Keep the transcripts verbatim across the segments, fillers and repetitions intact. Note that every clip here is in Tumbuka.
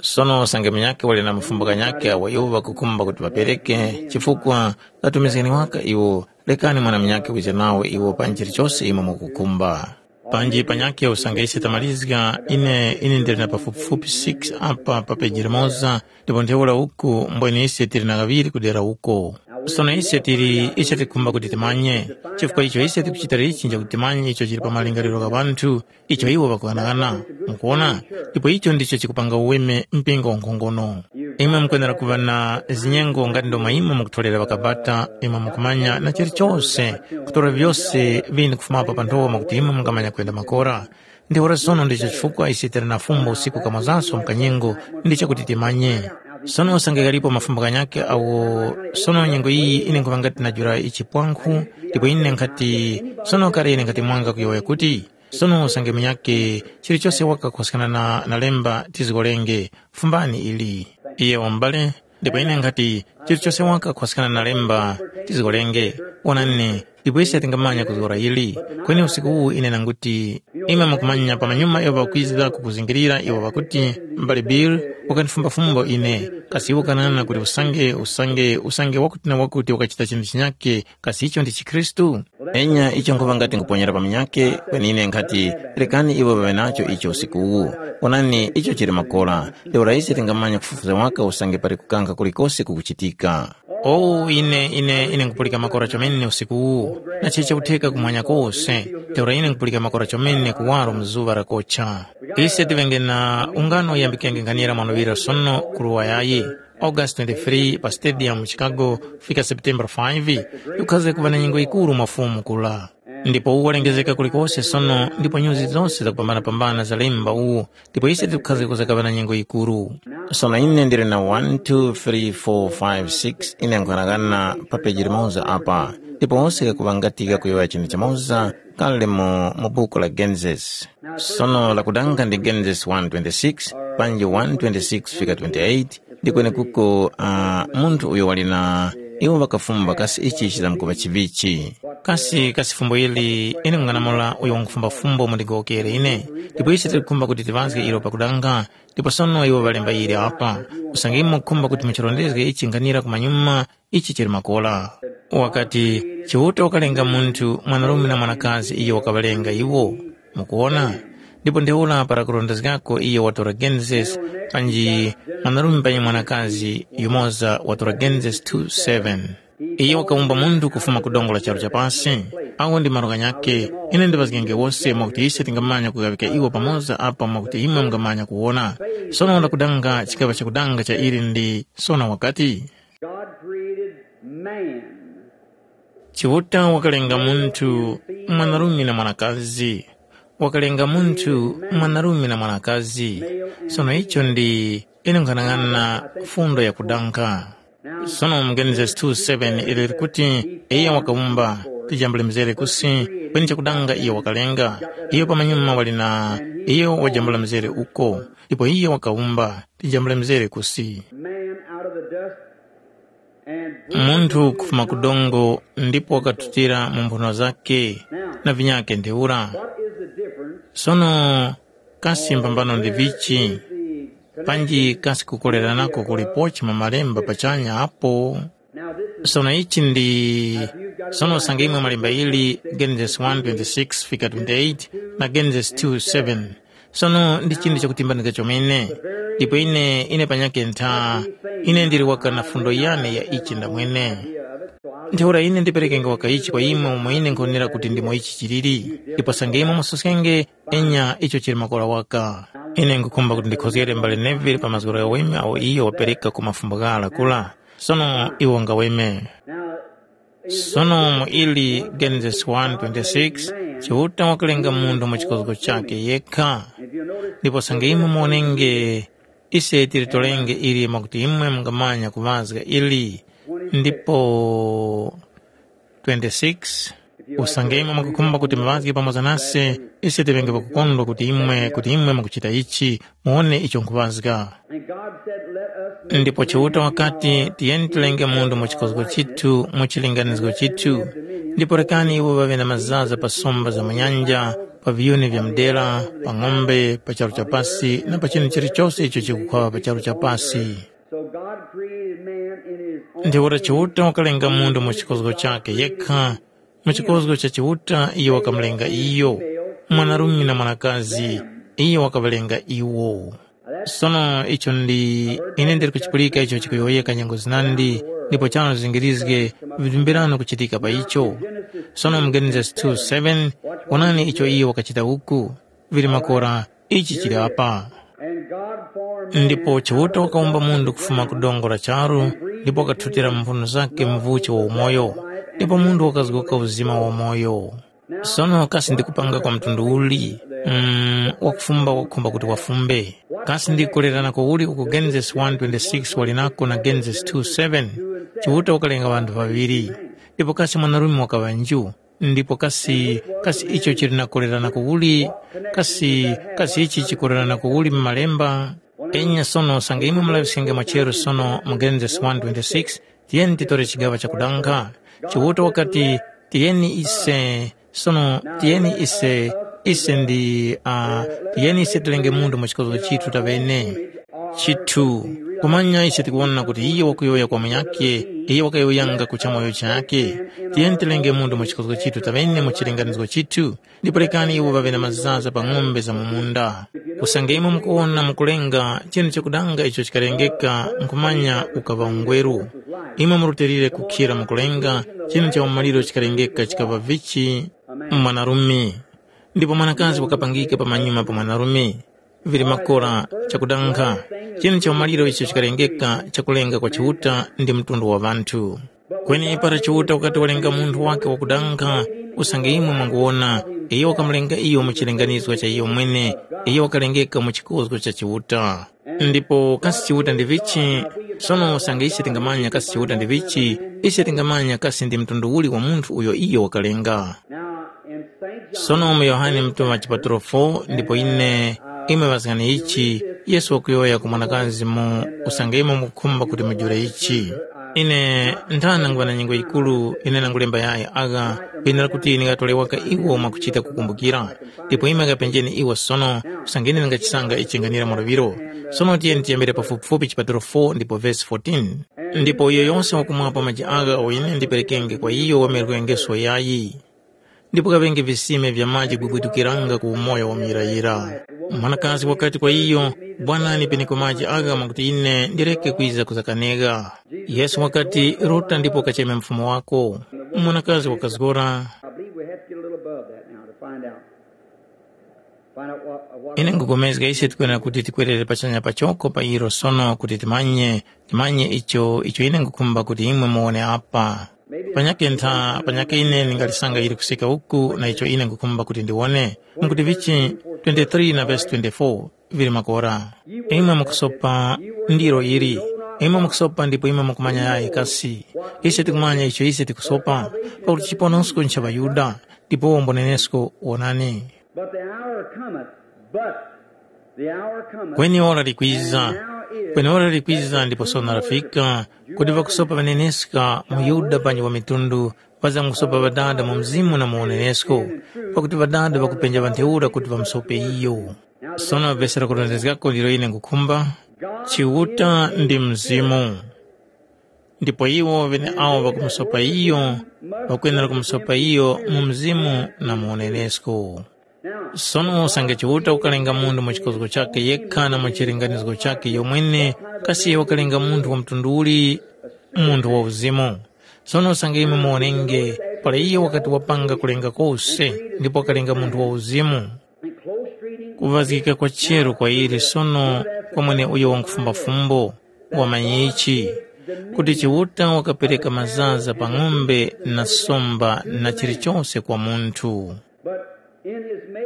Sono usange munyakhe wali na mafumbo ghanyakhe agho iwo ŵakukhumba kuti ŵapereke, chifukwa ŵatumizgani waka iwo, rekani mwana munyakhe wije nawo iwo pa njira chose imwe mukukhumba. Panji panyakhe usange ise tamalizga, ine ine ndili na pafupifupi six apa pa peji limoza, ndipo ntheura uku mbwene ise tili na ghaŵiri kudera uko. Sono ise tili icho tikhumba kuti timanye, chifukwa icho ise tikuchita ichi nchakuti timanye icho chili pa malingaliro gha ŵanthu, icho iwo ŵakughanaghana. Mukuwona? Ndipo icho ndicho chikupanga uweme mpingo wankhongono. Imwe mukwenera kuŵa na zinyengo ngati ndomwe imwe mukutolera ŵakabata, imwe mukumanya na chilichose, kutora vyose vini kufumapo pa nthowa mwakuti imwe mungamanya kwenda makora. Ntheura sono ndicho chifukwa ise tili na fumbo usiku kamwazanso mkanyengo, ndi chakuti timanye. Sono usange ghalipo mafumbo ghanyakhe awo sono nyengo iyi ine nkhuŵa ngati najula ichipwankhu, ndipo ine nkhati, sono kale ine nkhati mwanga kuyowoya kuti, sono usange munyakhe chilichose waka kukoskana na, na lemba tizgolenge, fumbani ili. Iye wambale, ndipo ine nkhati, chilichose waka kukoskana na lemba tizgolenge, wonani, ndipo ise tingamanya kuzgora ili. Kweni usiku uwu ine nanguti, imwe mukumanya pamanyuma iwo ŵakwiza kukuzingirira iwo ŵakuti, mbale Bill, wakandifumbafumbo ine, kasi iwo kanana kuti usange, usange, usange wakuti na wakuti wakachita chinthu chinyakhe, kasi icho ndi chikhristu? Enya icho nkhuŵa ngati nkuponyera pa munyakhe, kweni ine nkhati, rekani iwo ŵaŵe nacho icho usiku uwu. Onani, icho chili makora. Ntheura ise tingamanya kufufuza waka usange pali kukankha kulikose kukuchitika. Owu ine, ine, ine nkupulika makora chomene usiku uwu, na chili chakutheka kumwanya kose. Ntheura ine nkupulika makora chomene kuwaro mu zuŵa lakocha. Ise tiŵenge na ungano uyambikenge nkhanira mwanoŵira sono ku Luwayayi, August twenty-three pa stadium mu Chicago, kufika September five, yikukhaza kuŵa na nyengo yikuru mwa Fumu kula. Ndipo uwu walengezeka kulikose sono, ndipo nyuzi zose zakupambanapambana zalemba uwu, ndipo ise tikukhaza kuzakaŵa na nyengo yikuru. Sono ine ndili na one, two, three, four, five, six, ine nkhanakana pa peji limoza apa, ndipo wose kakuŵangatika kuyowoya chinthu chimoza kale mu, mu buku la Genesis. Sono lakudanga ndi Genesis one twenty-six, panji one twenty-six fika twenty-eight, ndi kwenekuko uh, munthu uyo wali na iwo ŵakafumba kasi ichi chizamkuŵa chivichi. Kasi kasi fumbo ili ine mung'anamula uyo wangufumba fumbo mundigowokere ine, ndipo ise tikukhumba kuti tiŵazge ilo pakudanga, ndipo sono iwo ŵalemba ili apa, usange imwe mukukhumba kuti muchirondezge ichi nkhanira kumanyuma, ichi chili makora. Wakati, Chiuta wakalenga munthu mwanarume na mwanakazi iyo wakaŵalenga iwo. Mukuwona? Ndipo ntheura para kurondezgako iyo watora Genesis, panji mwanarume panyi mwanakazi yumoza watora Genesis two seven. Iyo wakawumba munthu kufuma ku dongo la charu cha pasi. Awo ndi malo ghanyakhe, ine ndiŵazgenge wose mwakuti ise tingamanya kughawika iwo pamoza apa mwakuti imwe mungamanya kuwona. Sono ndakudanga chikaŵa chakudanga cha ili ndi sono wakati, God created man. Chiuta wakalenga munthu mwanarume na mwanakazi. Wakalenga munthu mwanarume na mwanakazi. Sono icho ndi ine nkhanang'ana fundo yakudankha. Sono mu Genesis two seven ili likuti, iye wakawumba tijambule mzere kusi, kweni chakudanga iye wakalenga. Iyo pamanyuma wali na iyo wajambula mzere uko, ndipo iye wakawumba tijambule mzere kusi. Man out of the dust and munthu kufuma ku dongo ndipo wakatutira mu mphuno zake na vinyake ntheura. What is the difference? Sono kasi mbambano ndi vichi? The panji kasi kukoleranako kulipochi mu malemba pachanya apo? Now this is sono ichi ndi sono usange imwe malemba ili Genesis one twenty-six fika twenty-eight na Genesis two seven. Sono ndi chinthu chakutimbanika chomene. Ndipo ine ine panyakhe ntha, ine ndili waka na fundo yane ya ichi ndamwene. Ntheura ine ndiperekenge waka ichi kwa imwe umo ine nkhonera kuti ndimo ichi chiliri. Ndipo sange imwe musoskenge, enya icho chili makora waka. Ine nkhukhumba kuti ndikhozgere mbale Neville pa mazgora ghaweme awo iyo wapereka ku mafumbo ghara kula. Sono iwo ngaweme. Sono mu ili Genesis one twenty-six, Chiuta wakalenga munthu mu chikozgo chakhe yekha. Ndipo sange imwe muwonenge, ise tilitolenge ili mwakuti imwe mungamanya kuŵazga ili. Ndipo twenty-six, usange imwe mukukhumba kuti muŵazge pamoza nase, ise tiŵenge pakukondwa kuti imwe kuti imwe mukuchita ichi, muwone icho nkhuŵazga. And God said, let us make ndipo Chiuta wakati, tiyeni tilenge munthu mu chikozgo chithu, mu chilinganizo chithu, ndipo rekani iwo ŵaŵe na mazaza pa somba za mu nyanja, pa viyuni vya mdera, pa ng'ombe, pa charu cha pasi na pa chinu chilichose icho chikukhwaŵa pa charu cha pasi. So God created man in his own Ntheura Chiuta wakalenga munthu mu chikozgo chakhe yekha. Mu chikozgo cha Chiuta iyo wakamulenga iyo, mwanarume na mwanakazi, iyo wakaŵalenga iwo. Sono icho ndi ine ndili kuchipulika icho chikuyowoyeka nyengo zinandi, ndipo chano zingirizge vilumbirano kuchitika pa icho. Sono mu Genesis two seven, wonani icho iyo wakachita uku. Vili makora, ichi chili apa. Ndipo Chiuta wakawumba munthu kufuma ku dongo la charu, ndipo wakathutira mu mphuno zakhe mvuchi wa umoyo, ndipo munthu wakazgoka uzima wa umoyo. Sono kasi ndikupanga kwa mtundu uli? Mm, wakufumba wakukhumba kuti wafumbe. Kasi ndikukolerana kuwuli uku Genesis one twenty-six wali nako na Genesis two seven? Chiuta wakalenga ŵanthu ŵaŵiri. Ndipo kasi mwanarume wakaŵa nju? Ndipo kasi, kasi icho chili na kukolerana kuwuli? Kasi, kasi ichi chikolerana kuwuli mu malemba? Enya sono usange imwe mulaŵiskenge mwacheru sono mu Genesis one twenty-six, tiyeni titore chigaŵa chakudankha. Chiuta wakati, tiyeni ise, sono tiyeni ise, ise ndi, uh, tiyeni ise tilenge munthu mu chikozgo chithu taŵene. Chithu. Kumanya ise tikuwona kuti iye wakuyowoya kwa munyakhe, iye wakayowoyanga ku chamoyo chakhe. Tiyeni tilenge munthu mu chikozgo chithu taŵene mu chilinganizo chithu, ndipo rekani iwo ŵaŵe na mazaza pa ng'ombe za mu munda. Usange imwe mukuwona mukulenga chinu chakudanga icho chikalengeka, nkhumanya ukaŵa ungweru. Imwe murutilire kukhira mukulenga chinu cha umaliro chikalengeka chikaŵa vichi mwanarume. Ndipo mwanakazi wakapangika pamanyuma pa mwanarume. Vili makora, chakudankha. Chinu cha umaliro icho chikalengeka chakulenga kwa Chiuta ndi mtundu wa ŵanthu. Kweni para Chiuta wakati walenga munthu wake wakudankha, usange imwe mwanguwona, iyo wakamulenga iyo mu chilinganizgo cha iyo mwene, iyo wakalengeka mu chikozgo cha Chiuta. Ndipo kasi Chiuta ndi vichi? Sono usange ise tingamanya kasi Chiuta ndi vichi, ise tingamanya kasi ndi mtundu uli wa munthu uyo iyo wakalenga. Sono mu Yohane Mutuŵa chipatulo four ndipo ine, imwe ŵazgani ichi, Yesu wakuyowoya ku mwanakazi mu usange imwe mukukhumba kuti mujule ichi. Ine nthana nguŵa na nyengo yikuru ine nangulemba yayi agha, kwenera kuti ndingatole waka iwo mwakuchita kukumbukira. Ndipo imwe kapenjeni iwo sono, usange ine ndingachisanga ichi nganira mulaŵiro. Sono tiyeni tiyambire pafupifupi chipatulo four ndipo vesi fourteen. Ndipo uyo yose wakumwapo maji agha uyo ine ndiperekenge kwa iyo wamerwengeso yayi. Ndipo kaŵenge visime vya maji kubwidukiranga ku umoyo wa muyirayira. Mwanakazi wakati kwa iyo, bwanani peneko maji agha mwakuti ine ndireke kwiza kuzakanega. Yesu wakati, ruta ndipo ukacheme mfumu wako. Mwanakazi wakazgora. I believe we have to get a little above that now to find out. Find out what, what Ine ngupulikana kuti tikwerere pachanya pachoko pa ilo sono kuti timanye, timanye icho, icho ine ngukhumba kuti imwe muwone apa. Panyakhe ntha, panyakhe ine ndingalisanga ili kusika uku na icho ine ngukhumba kuti ndiwone. Mukuti vichi twenty-three na verse twenty-four vili makora. Imwe mukusopa ndiro ili. Imwe mukusopa ndipo imwe mukumanya yayi kasi. Ise tikumanya icho ise tikusopa, pakuti chiponosko ncha ŵaYuda, ndipo wombonenesko wonani. But the hour cometh, but the hour cometh, Kweni ora likwiza, kweni ora likwiza ndipo sono lafika, kuti ŵakusopa ŵaneneska muYuda panji wa mitundu, ŵazamkusopa Ŵadada mu mzimu na mu unenesko, pakuti Ŵadada ŵakupenja ŵantheura kuti ŵamusope iyo. Sono vesi lakurondezgako ndilo ine ngukhumba, Chiuta ndi Mzimu. Ndipo iwo ŵeneawo ŵakumusopa iyo, ŵakwenera kumusopa iyo mu mzimu na mu unenesko. Sono usange Chiuta wakalenga munthu mu chikozgo chakhe yekha na mu chilinganizo chakhe yomwene, kasi wakalenga munthu wa mtundu uli? Munthu wa uzimu. Sono usange imwe muwonenge, para iyo wakati wapanga kulenga kose, ndipo wakalenga munthu wa uzimu. Kuŵazgika kwa cheru kwa ili sono kwa mweneuyo wamkufumba fumbo, wamanyichi, kuti Chiuta wakapereka mazaza pa ng'ombe na somba na chilichose kwa munthu.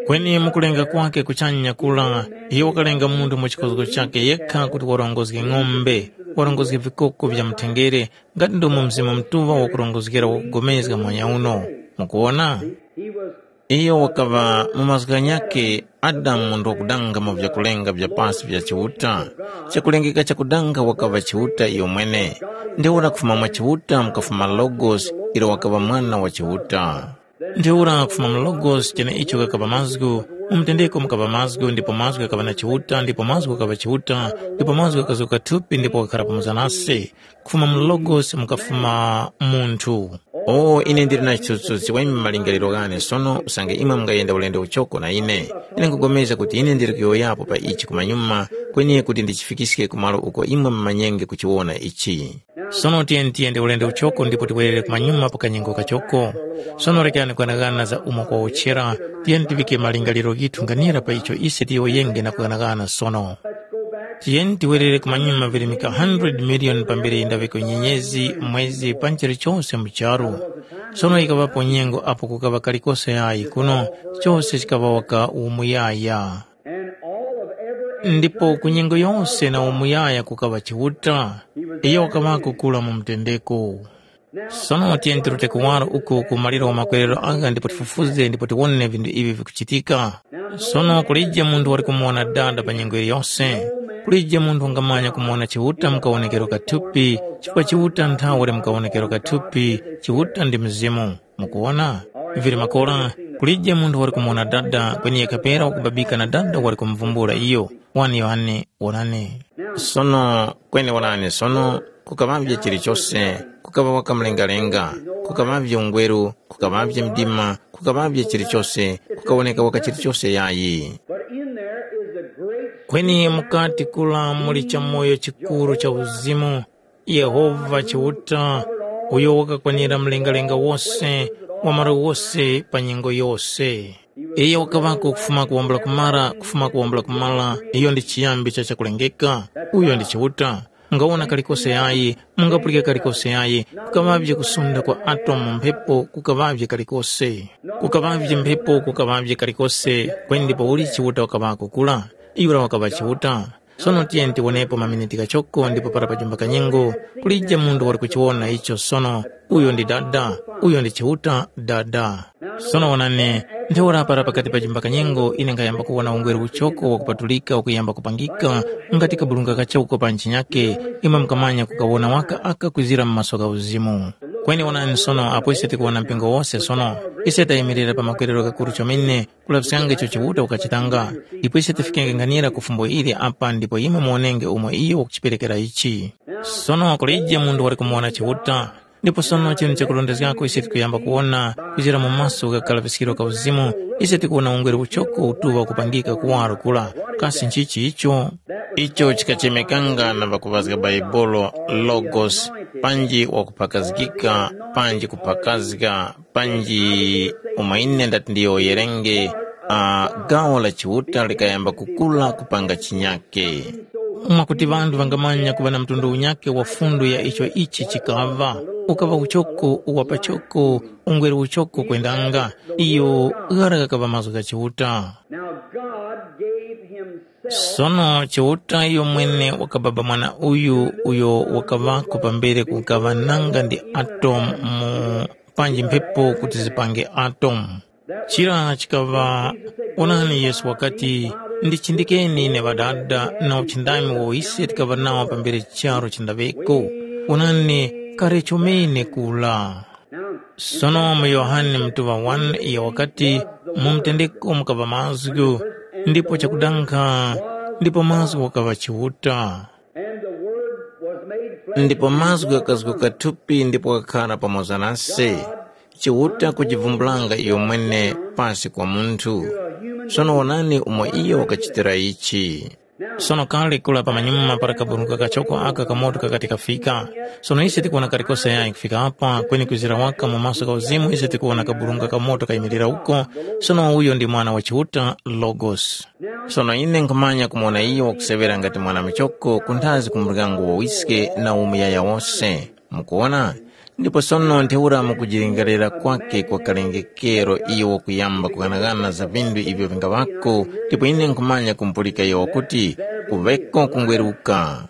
Kweni mukulenga kwake kuchanya kula, iyo wakalenga munthu mu chikozgo chakhe yekha kuti warongozge ng'ombe, warongozge vikoko vya mthengere, ngati ndomwe Mzimu Mutuŵa wakurongozgera wakupulikana muhanya uno. Mukuwona? Iyo wakaŵa mu mazgu ghanyakhe Adamu munthu wakudanga mu vyakulenga vya pasi vya Chiuta. Chakulengeka chakudanga wakaŵa Chiuta iyomwene. Ntheura kufuma mwa Chiuta mukafuma Logos, ilo wakaŵa Mwana wa Chiuta. Ntheura kufuma mu Logos cheneicho kakapa mazgu, mu mutendeko mukapa mazgu, ndipo mazgu ghakaŵa na Chiuta, ndipo mazgu ghakaŵa Chiuta, ndipo mazgu ghakazgoka thupi ndipo wakhara pamoza nase. Kufuma mu Logos mukafuma munthu. O ine ndili na chithunzithunzi wa imwe malingaliro ghane sono usange imwe mungayenda ulendo uchoko na ine. Ine nkupulikana kuti ine ndili kuyowoyapo pa ichi kumanyuma, kweni kuti ndichifikiske ku malo uko imwe mumanyenge kuchiwona ichi. Sono tiyeni tiyende ulendo uchoko ndipo tiwerere kumanyuma pa kanyengo kachoko. Sono rekani kuganaghana za umo kwawotchera, tiyeni tivike malingaliro ghithu nganira pa icho ise tiyowoyenge na kuganaghana sono. Tiyeni tiwerere kumanyuma virimika hundred million pambere yindaveko nyenyezi, mwezi, panji chilichose mu charu. Sono yikaŵapo nyengo apo kukaŵa kalikose yayi kuno, chose chikaŵa waka umuyaya. Ndipo ku nyengo yose na umuyaya kukaŵa Chiuta, iyo wakaŵako kura mu mutendeko. Sono tiyeni tirute kuwaro uku ku maliro wa makwerero agha ndipo tifufuze ndipo tiwone vinthu ivi vikuchitika. Sono kulije munthu wali kumuwona Dada pa nyengo yiliyose. Kulije munthu wangamanya kumuwona Chiuta mu kawonekero ka thupi, chifukwa Chiuta nthawe wali mu kawonekero ka thupi, Chiuta ndi Mzimu. Mukuwona? Vili makora, kulije munthu wali kumuwona Dada, kweni yekha pera wakubabika na Dada wali kumuvumbula iyo. Wani Yohane, wonani. Sono, kweni wonani sono, kukaŵavye chilichose, kukaŵa wakamlengalenga, kukaŵavye ungweru, kukaŵavye mdima, kukaŵavye chilichose, kukawoneka waka chilichose yayi. But in there is a great Kweni mukati kula muli chamoyo chikuru cha uzimu, Yehova Chiuta, uyo wakakwanira mlengalenga wose, wa malo wose pa nyengo yose. Iyo wakaŵako kufuma kuwambula kumara, kufuma kuwambula kumara, iyo ndi chiyambi cha chakulengeka, uyo ndi Chiuta. Mungawona kalikose yayi, mungapulika kalikose yayi, kukaŵavye kusunda kwa atomu mu mphepo, kukaŵavye kalikose. Kukaŵavye mphepo, kukaŵavye kalikose, kweni ndipo uli Chiuta wakaŵako kula? Yura wakaŵa Chiuta. Sono tiyeni tiwonepo maminiti ghachoko ndipo para pajumba kanyengo, kulije munthu wali kuchiwona icho sono, uyo ndi Dada, uyo ndi Chiuta Dada. Sono wonani, ntheura para pakati pajumba kanyengo ine nkhayamba kuwona ungweru uchoko wakupatulika ukuyamba kupangika, ngati kabulunga kachoko pa ntchinyake, imwe mukamanya kukawona waka aka kwizira mu maso gha uzimu. Kweni wonani sono apo ise tikuwona mpingo wose sono, ise tayimirira pa makwerero ghakuru chomene, kulaŵiskanga icho Chiuta wakachitanga, ndipo ise tifikenge nkhanira ku fumbo ili apa ndipo imwe muwonenge umo iyo wakuchiperekera ichi. Sono kulije munthu wali kumuwona Chiuta, ndipo sono chinthu chakurondezgako ise tikuyamba kuwona kuchira mu maso gha kalaŵiskiro ka uzimu, ise tikuwona ungweru uchoko utuŵa kupangika kuwaro kura. Kasi nchichi icho? Icho chikachemekanga na ŵakuŵazga Bhaibuli Logos, panji wakuphakazgika, panji kuphakazga, panji umo ine ndati ndiyowoyerenge, uh, gawo la Chiuta likayamba kukula kupanga chinyake. Mwakuti ŵanthu ŵangamanya kuŵa na mtundu unyakhe wa fundo ya icho ichi chikaŵa, ukaŵa uchoko uwa pachoko, ungweru uchoko kwendanga, iyo ghara ghakaŵa mazgu gha Chiuta. Now God gave himself Sono Chiuta iyo mwene wakababa mwana uyu uyo wakaŵako pambere kukaŵa nanga ndi atomu mu panji mphepo kuti zipange atomu. Chira chikaŵa, onani Yesu wakati, ndichindikeni ine Ŵadada na uchindami wo ise tikaŵa nawo pambere charu chindaŵeko. Onani, kale chomene kula. Sono mu Yohane mutuŵa wani iyo wakati, mu mutendeko mukaŵa mazgu, ndipo chakudankha, ndipo mazgu wakaŵa Chiuta. Ndipo mazgu ghakazguka thupi ndipo ghakhala pamoza nase. Chiuta kujivumbulanga iyo mwene pasi kwa munthu. Sono wonani umo iyo wakachitira ichi. Sono kale kula pamanyuma para kaburungu kachoko aka kamoto kakati kafika. Sono ise tikuwona kalikose yayi kufika apa, kweni kwizira waka mu maso gha uzimu ise tikuwona kaburungu kamoto kayimirira uko. Sono uyo ndi Mwana wa Chiuta, Logos. Sono ine nkhumanya kumuwona iyo wakuseŵera ngati mwana muchoko kunthazi ku muryango wa wiske na umuyaya wose. Mukuwona? Ndipo sono ntheura mu kujilingalira kwake kwa kalengekero iyo wakuyamba kughanaghana za vinthu ivyo vingaŵako, ndipo ine nkhumanya kumupulika iyo wakuti, kuŵeko kungweruka.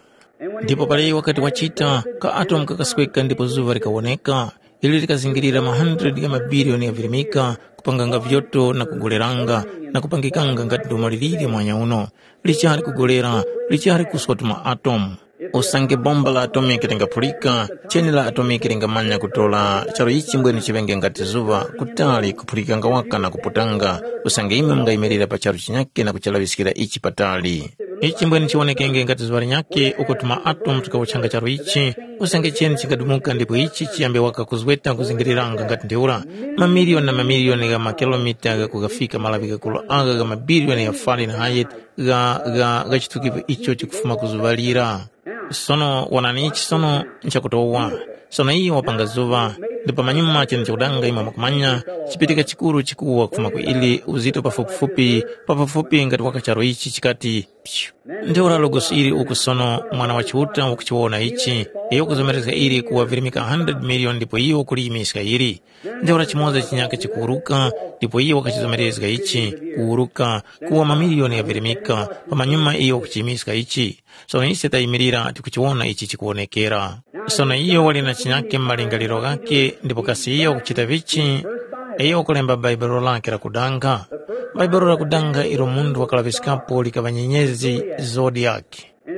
Ndipo pali wakati wachita, ka atomu kakasweka ndipo zuŵa likawoneka, ili likazingirira ma hundred gha mabiliyoni gha virimika, kupanganga vyoto na kugoleranga, na kupangikanga ngati domo liliri mwanya uno, lichali kugolera, lichali kuswa tuma atomu. Usange bomba la atomiki lingaphulika, cheni la atomiki lingamanya kutora charu ichi mbwene chiŵenge ngati zuŵa, kutali kuphulikanga waka na kuputanga, usange imwe mungayimirira pa charu chinyakhe na kuchilaŵiskira ichi patali. Ichi mbwene chiwonekenge ngati zuŵa linyakhe uko tuma atomu tukawuchanga charu ichi, usange cheni chingadumuka ndipo ichi chiyambe waka kuzweta kuzingiriranga ngati ntheura, mamiliyoni na mamiliyoni gha makilomita gha kugafika malaŵi ghakuru agha gha mabiliyoni gha Fahrenheit gha gha gha chitukipo icho chikufuma ku zuŵa lira. Sono wonani ichi sono nchakutowa. Sono iyo wapanga zuŵa, ndipo pamanyuma chinu chakudanga imwe mwakumanya, chipitika chikuru chikuwa kufuma ku ili uzito pafupifupi pafupifupi ngati waka charo ichi chikati, pyu. Ntheura logosi ili uku sono mwana wa Chiuta wakuchiwona ichi, iyo kuzomerezga ili kuwa virimika hundred million ndipo iyo kuliyimiska ili. Ntheura chimoza chinyaka chikuwuruka, ndipo iyo wakachizomerezga ichi, kuwuruka, kuwa mamiliyoni ghavirimika, pamanyuma iyo wakuchiyimiska ichi. Sono ise tayimirira tikuchiwona ichi chikuwonekera. Sono iyo wali na chinyake mu malingaliro ghakhe, ndipo kasi iyo wakuchita vichi? Iyo wakulemba Bhaibuli lakhe lakudanga. Bhaibuli lakudanga ilo munthu wakalaŵiskapo likaŵa nyenyezi zodiak.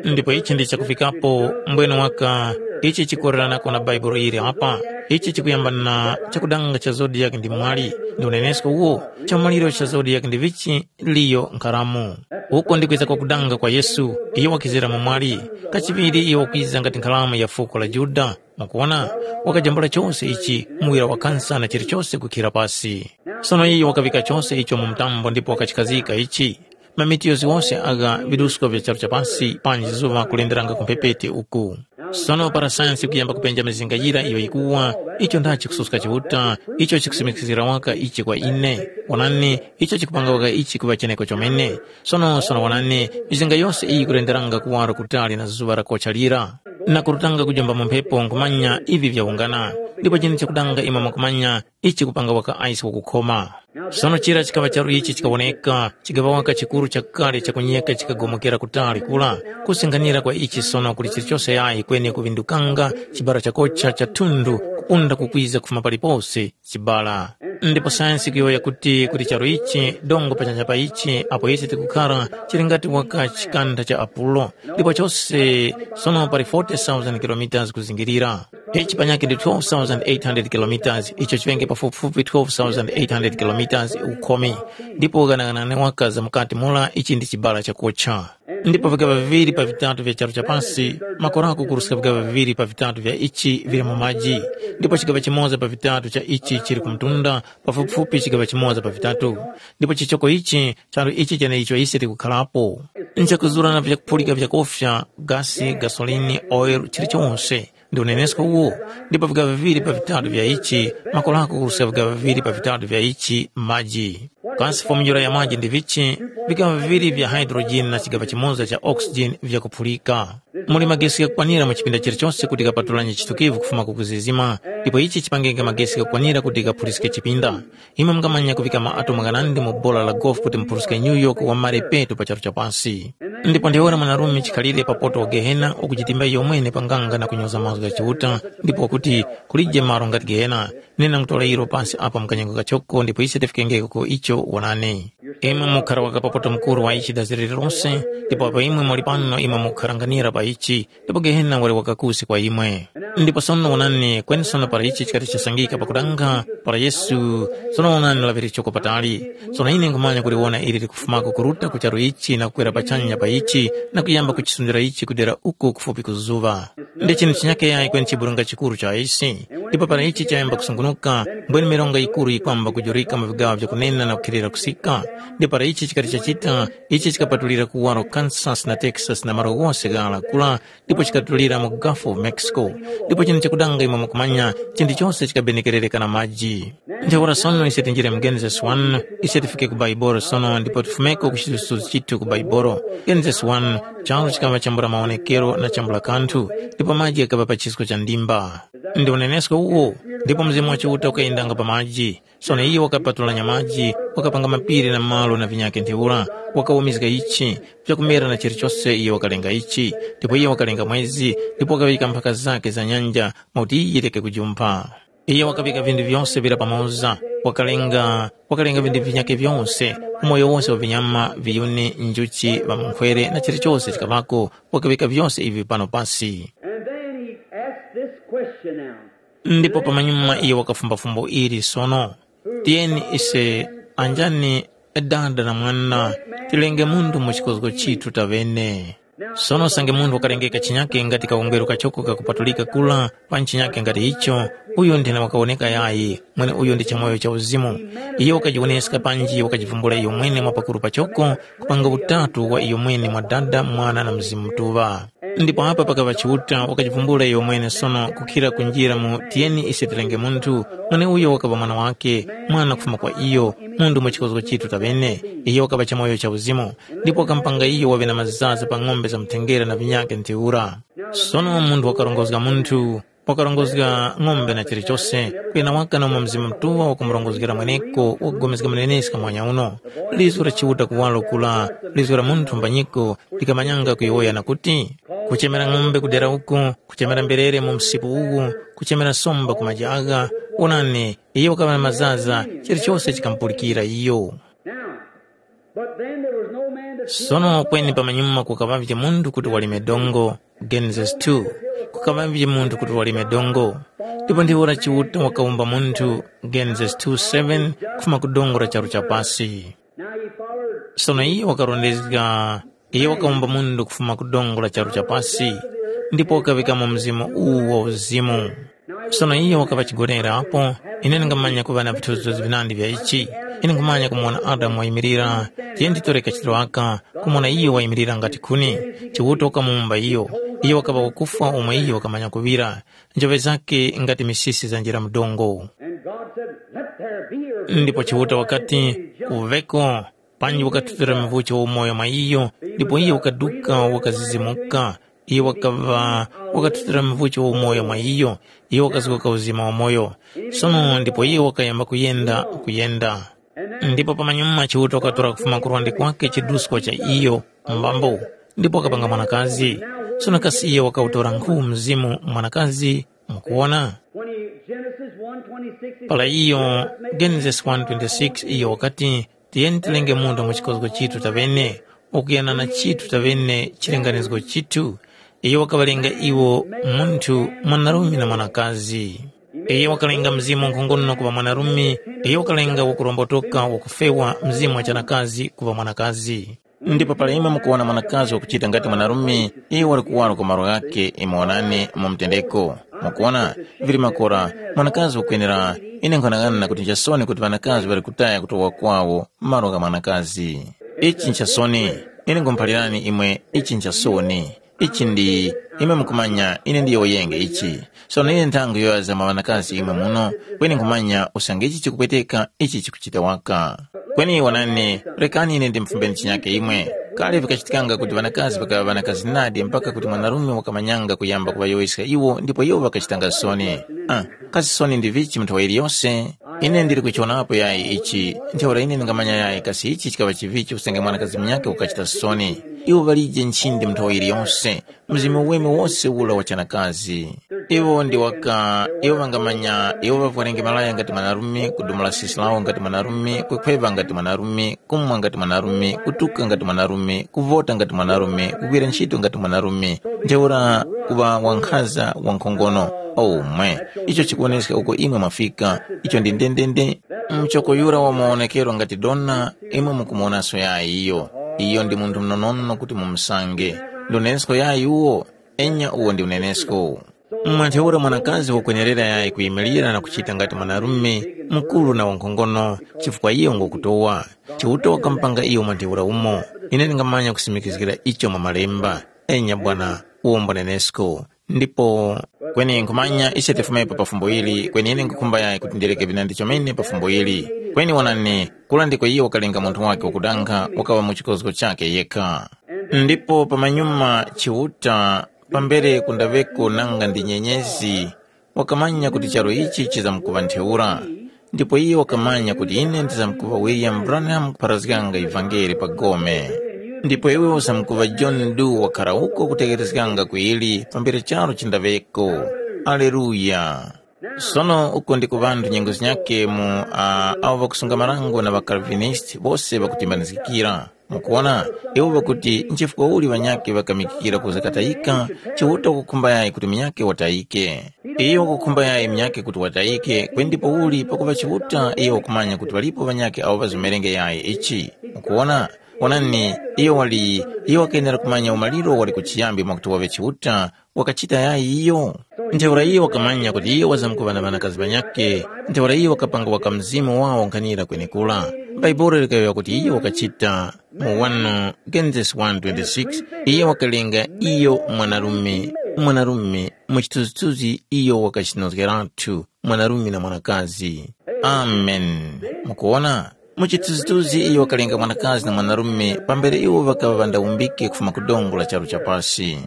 Ndipo ichi ndi chakufikapo mbwene waka, ichi chikukoreranako na Bhaibuli ili apa. Ichi chikuyamba na chakudanga cha zodiak ndi mwali, ndi unenesko uwo, chamuliro cha zodiak ndi vichi, liyo nkharamu. Uko ndi kwiza kwa kudanga kwa Yesu, iyo wakizira mu mwali, kachiŵiri iyo wakwiza ngati nkharamu ya fuko la Juda. Mwakuwona, wakajambula chose ichi, muwira wa kansa na chilichose kukhira pasi. Sono iyo wakavika chose icho mu mtambo ndipo wakachikhazika ichi. Mamitiyozi wose agha vidusko vya charu cha pasi panji zuŵa kulenderanga ku mphepete uku. Sono para sayansi kuyamba kupenja mizinga yira iyo yikuwa, icho ndachi kususka Chiuta, icho chikusimikiskira waka ichi kwa ine. Wonani, icho chikupanga waka ichi kuŵa cheneko chomene. Sono sono wonani, mizinga yose iyi ikulenderanga kuwaro kutali na zuŵa lakocha lira, na kurutanga kujomba mu mphepo nkhumanya ivi vyawungana. Ndipo chinthu chakudanga imwe mwakumanya, ichi kupanga waka aisi wakukhoma. Sono chira chikaŵa charu ichi chikawoneka, chikaŵa waka chikuru chakale chakunyeka chikagomokera kutali kula, kusinghanira kwa ichi sono kuli chilichose yayi kweni kuvindukanga chibara chakocha cha thundu kupunda kukwiza kufuma palipose chibara. Ndipo sayansi kuyowoya kuti kuti charu ichi dongo pachanya pa ichi apo ise tikukhara chili ngati waka chikanda cha apulo, ndipo chose sono pali forty thousand kilometers kuzingirira. Ichi panyakhe ndi twelve thousand eight hundred kilometers, icho chiŵenge pafupifupi twelve thousand eight hundred kilometers ukhomi, ndipo ghanaghana waka za mukati mura ichi ndi chibala chakocha. Ndipo vigaŵa viŵiri pa vitatu vya charu cha pasi, makorako kuruska vigaŵa viŵiri pa vitatu vya ichi vili mu maji, ndipo chigaŵa chimoza pa vitatu cha ichi chili ku mtunda, pafupifupi chigaŵa chimoza pa vitatu. Ndipo chichoko ichi, charu ichi cheneicho ise tikukharapo, nchakuzura na vyakuphulika vyakofya, gasi, gasolini, oil, chilichonse. Ndi unenesko uwo, ndipo vigaŵa viŵiri pa vitatu vya ichi, makorako kuruska vigaŵa viŵiri pa vitatu vya ichi maji. Kasi fomujula ya maji ndi vichi? Vigaŵa viŵiri vya hydrogen na chigaŵa chimoza cha oxygen vyakuphulika. Muli magesi ghakukwanira mu chipinda chilichose kuti ghapatulanye chitukivu kufuma ku kuzizima, ndipo ichi chipangenge magesi ghakukwanira kuti ghaphuliske chipinda. Imwe mungamanya kuŵika maatomu ghanandi mu bola la golf kuti muphuliske New York wa mare petu pa charu cha pasi. Ndipo ntheura mwanarume chikhalire pa poto wa Gehena ukuchitimba iyomwene pa nganga na kunyoza mazgu gha Chiuta, ndipo wakuti, kulije malo ngati Gehena, nena ngutora ilo pansi apa mu kanyengo kachoko ndipo ise tifikengeko ku icho wonani. Imwe mukhara waka pa poto mukuru wa ichi dazi lililonse, ndipo apo imwe muli pano imwe mukharanganira pa ichi, ndipo Gehena wali wakakusi kwa imwe. Ndipo sono wonani, kweni sono para ichi chikati chasangika pakudanga, para Yesu, sono wonani laŵiri choko patali. Sono ine nkhumanya kuliwona ili likufumako kuruta ku charu ichi na kukwera pachanya pa ichi na kuyamba kuchisundira ichi kudera uko kufupi ku zuŵa. Ndi chinthu chinyake yayi kweni chiburunga chikuru cha isi. Ndipo para ichi chayamba kusungunuka, mbwene mironga yikuru yikwamba kujurika mu vigaŵa vyakunena na kukhilira kusika. Ndi para ichi chikati chachita, ichi chikapatulira kuwaro Kansas na Texas na malo ghose ghara kula, ndipo chikatulira mu Gulf of Mexico. Ndipo chinthu chakudanga imwe mukumanya, chinthu chose chikabenekerereka na maji. Ntheura sono ise tinjire mu Genesis one, ise tifike ku Baibolo sono ndipo tifumeko ku chithunzithunzi chithu ku Baibolo. Genesis one, charu chikaŵa chambula mawonekero na chambula kanthu, ndipo maji ghakaŵa pa chisko cha ndimba. Ndi unenesko uwo, ndipo Mzimu wa Chiuta ukayendanga pa maji. Sono iyo wakapatulanya maji, wakapanga mapiri na malo na vinyakhe ntheura, wakawumizga ichi, vyakumera na chilichose iyo wakalenga ichi, ndipo iyo wakalenga mwezi, ndipo wakaŵika mphaka zakhe za nyanja, mwakuti yireke kujumpha. Iyo wakaŵika vinthu vyose vira pamoza, wakalenga wakalenga vinthu vinyakhe vyose, umoyo wose wa vinyama, viyuni, njuchi, ŵamunkhwere na chilichose chikaŵako, wakaŵika vyose ivi pano pasi. And then he asked this question now. Ndipo pamanyuma iyo wakafumba fumbo ili sono, tiyeni ise anjani dada na mwana, tilenge munthu mu chikozgo chithu taŵene. Sono usange munthu wakalengeka chinyake ngati kawungweru kachoko kakupatulika kula, pa chinyake ngati icho, uyo nthena wakawoneka yayi, mweneuyo ndi chamoyo cha uzimu. Iyo wakajiwoneska panji wakajivumbula iyo mwene mwa pakuru pachoko, kupanga utatu wa iyo mwene mwa Dada, Mwana na Mzimu Mutuŵa. Ndipo apa pakaŵa Chiuta wakajivumbula iyo mwene sono kukhira kunjira mu tiyeni ise tilenge munthu, mweneuyo wakaŵa mwana wake, mwana kufuma kwa iyo, munthu mu chikozgo chithu taŵene. Iyo wakaŵa chamoyo cha uzimu, ndipo wakamupanga iyo waŵe na mazaza pa ng'ombe za mthengera na vinyake ntheura. Sono munthu wakarongozga munthu, wakarongozga ng'ombe na chilichose, kuyena waka na umo Mzimu Mutuŵa wakumurongozgera mweneko wakupulikana muneneska muhanya uno. Liso la Chiuta kuwalo kula, liso la munthu mbanyiko likamanyanga kuyowoya na kuti, kuchemera ng'ombe kudera uku, kuchemera mberere mu msipu uwu, kuchemera somba ku maji agha, onani, iyo wakaŵa na mazaza, chilichose chikamupulikira iyo. Now, but then there was no man to Sono kweni pamanyuma kukaŵavye munthu kuti walime dongo, Genesis two. Kukaŵavye munthu kuti walime dongo. Ndipo ndiwo la Chiuta wakawumba munthu, Genesis two seven, kufuma ku dongo la charu cha pasi. Now he followed. Sono iye wakarondezga, iye wakawumba munthu kufuma ku dongo la charu cha pasi, ndipo wakaŵikamo mzimu uwu wa uzimu. Sono iyo wakaŵa chigonere apo, ine ndingamanya kuŵa na vithunzithunzi vinandi vya ichi. Ine nkhumanya kumuwona Adamu wayimirira, tiye nditore kachitiro aka, kumuwona iyo wayimirira ngati khuni. Chiuta wakamuwumba iyo. Iyo wakaŵa wakufwa umo iyo wakamanya kuŵira. Njoŵe zakhe ngati misisi zanjira mu dongo. And God said, "Let there be earth." Ndipo Chiuta wakati, "Kuveko." Panji wakathutira mvuchi wa umoyo mwa iyo, ndipo iyo wakaduka wakazizimuka. Iyo wakaŵa wakathutira mvuchi wa umoyo mwa iyo, iyo wakazuka uzima wa moyo. Sono ndipo iyo wakayamba kuyenda kuyenda. Ndipo pamanyuma Chiuta wakatora kufuma kurwande kwake chiduskwa cha iyo mbambo, ndipo wakapanga mwanakazi. Sono kasi iyo wakawutora nkhu mzimu mwanakazi? Mukuwona? When he, Genesis one twenty-six, he Pala said, iyo, "Let us make Genesis one twenty-six, iyo wakati, tiyeni tilenge munthu mu chikozgo chithu taŵene, ukuyana na chithu taŵene chilinganizgo chithu." Iyo wakaŵalenga iwo munthu mwanarume na mwanakazi. Iyo wakalenga mzimu nkhongono kuŵa mwanarume, iyo wakalenga wakurombotoka wakufewa mzimu wa chanakazi kuŵa mwanakazi. Ndipo pala imwe mukuwona mwanakazi wakuchita ngati mwanarume, iyo wali kuwaro ku malo ghakhe, imwe wonani mu mtendeko. Mukuwona, vili makora, mwanakazi wakwenera, ine nkhwanang'ana kuti nchasoni kuti ŵanakazi ŵali kutaya kutowa kwawo malo gha mwanakazi. Ichi nchasoni, ine nkhumuphalirani imwe, ichi nchasoni. Ichi ndi, imwe mukumanya, ine ndiyowoyenge ichi. Sono ine nthangu yoyaza mwa ŵanakazi imwe muno, kweni nkhumanya usange ichi chikupweteka, ichi chikuchita waka. Kweni wonani, rekani ine ndimfumbeni chinyake imwe. Kale vikachitikanga kuti ŵanakazi ŵakaŵa ŵanakazi nadi mpaka kuti mwanarume wakamanyanga kuyamba kuŵayowoyeska iwo ndipo iwo ŵakachitanga soni. Ah, kasi soni ndi vichi mu nthawi yiliyose? Ine ndili kuchionapo yayi ichi, ntheura ine ndingamanya yayi kasi ichi chikaŵa chivichi usange mwanakazi munyakhe wakachita soni. Iwo ŵalije nchindi mu nthawi yiliyose. Mzimu weme wose ula wa chanakazi. Iwo ndi waka, iwo ŵangamanya, iwo ŵavwarenge malaya ngati mwanarume, kudumula sisi lawo ngati mwanarume, kukhweva ngati mwanarume, kumwa ngati mwanarume, kutuka ngati mwanarume, kuvota ngati mwanarume, kugwira ntchito ngati mwanarume, ntheura kuŵa wankhaza wankhongono. Omwe, icho chikuwoneska uko imwe mwafika, icho ndi ndendende. Mchoko yura wa maonekero ngati dona, imwe mukumuwonaso yayi iyo. Iyo ndi munthu mnonono kuti mumusange. Ndi unenesko yayi uwo? Enya uwo ndi unenesko. Mwa ntheura mwanakazi wakwenerera yayi kuyimilira na kuchita ngati mwanarume mukuru na wankhongono, chifukwa iyo ngokutowa. Chiuta wakamupanga iyo mwa ntheura umo. Ine ndingamanya kusimikizgira icho mwa Malemba. Enya bwana, uwo mbunenesko. Ndipo kweni nkhumanya ise tifumepo pa fumbo ili, kweni ine nkhukhumba yayi kuti ndireke vinandi chomene pa fumbo ili. Kweni wonani, kula ndiko iyo wakalenga munthu wake wakudankha wakaŵa mu chikozgo chake yekha. Ndipo pamanyuma Chiuta, pambere kundaŵeko nanga ndi nyenyezi, wakamanya kuti charu ichi chizamkuŵa ntheura. Ndipo iyo wakamanya kuti ine ndizamkuŵa William Branham kupharazganga ivangeli pa gome. Ndipo iwe uzamkuŵa John Doe wakhara uko kutegherezganga ku ili pambere charu chindaŵeko. Aleluya! Sono uko ndiko ŵanthu nyengo zinyakhe mu uh, awo ŵakusunga marango na ŵaKalvinist bose ŵakutimbanizgikira. Mukuona, iwo ŵakuti nchifukwa uli ŵanyakhe ŵakamikikira kuza katayika, Chiuta wakukhumba yayi kuti munyakhe watayike. Iyo wakukhumba yayi munyakhe kuti watayike, kweni ndipo uli pakuŵa Chiuta iyo wakumanya kuti ŵalipo ŵanyakhe awo ŵazimerenge yayi ichi. Mukuona, wonani, iyo wali iyo wakenera kumanya umaliro wali kuchiyambi mwakuti waŵe Chiuta, wakachita yayi iyo. Ntheura iyo wakamanya kuti iyo wazamkuŵa na ŵanakazi ŵanyakhe, ntheura iyo wakapanga waka mzimu wawo nkhanira kwenekura. Bhaibuli likayowoya kuti iyo wakachita mu wanu Genesis one twenty-six, iyo wakalenga iyo mwanarume, mwanarume mu chithunzithunzi iyo wakachinozgeratu mwanarume na mwanakazi. Amen. Mukuona? Mu chithunzithunzi iyo wakalenga mwanakazi na mwanarume pambere iwo ŵakaŵa ŵandawumbike kufuma ku dongo la charu cha pasi.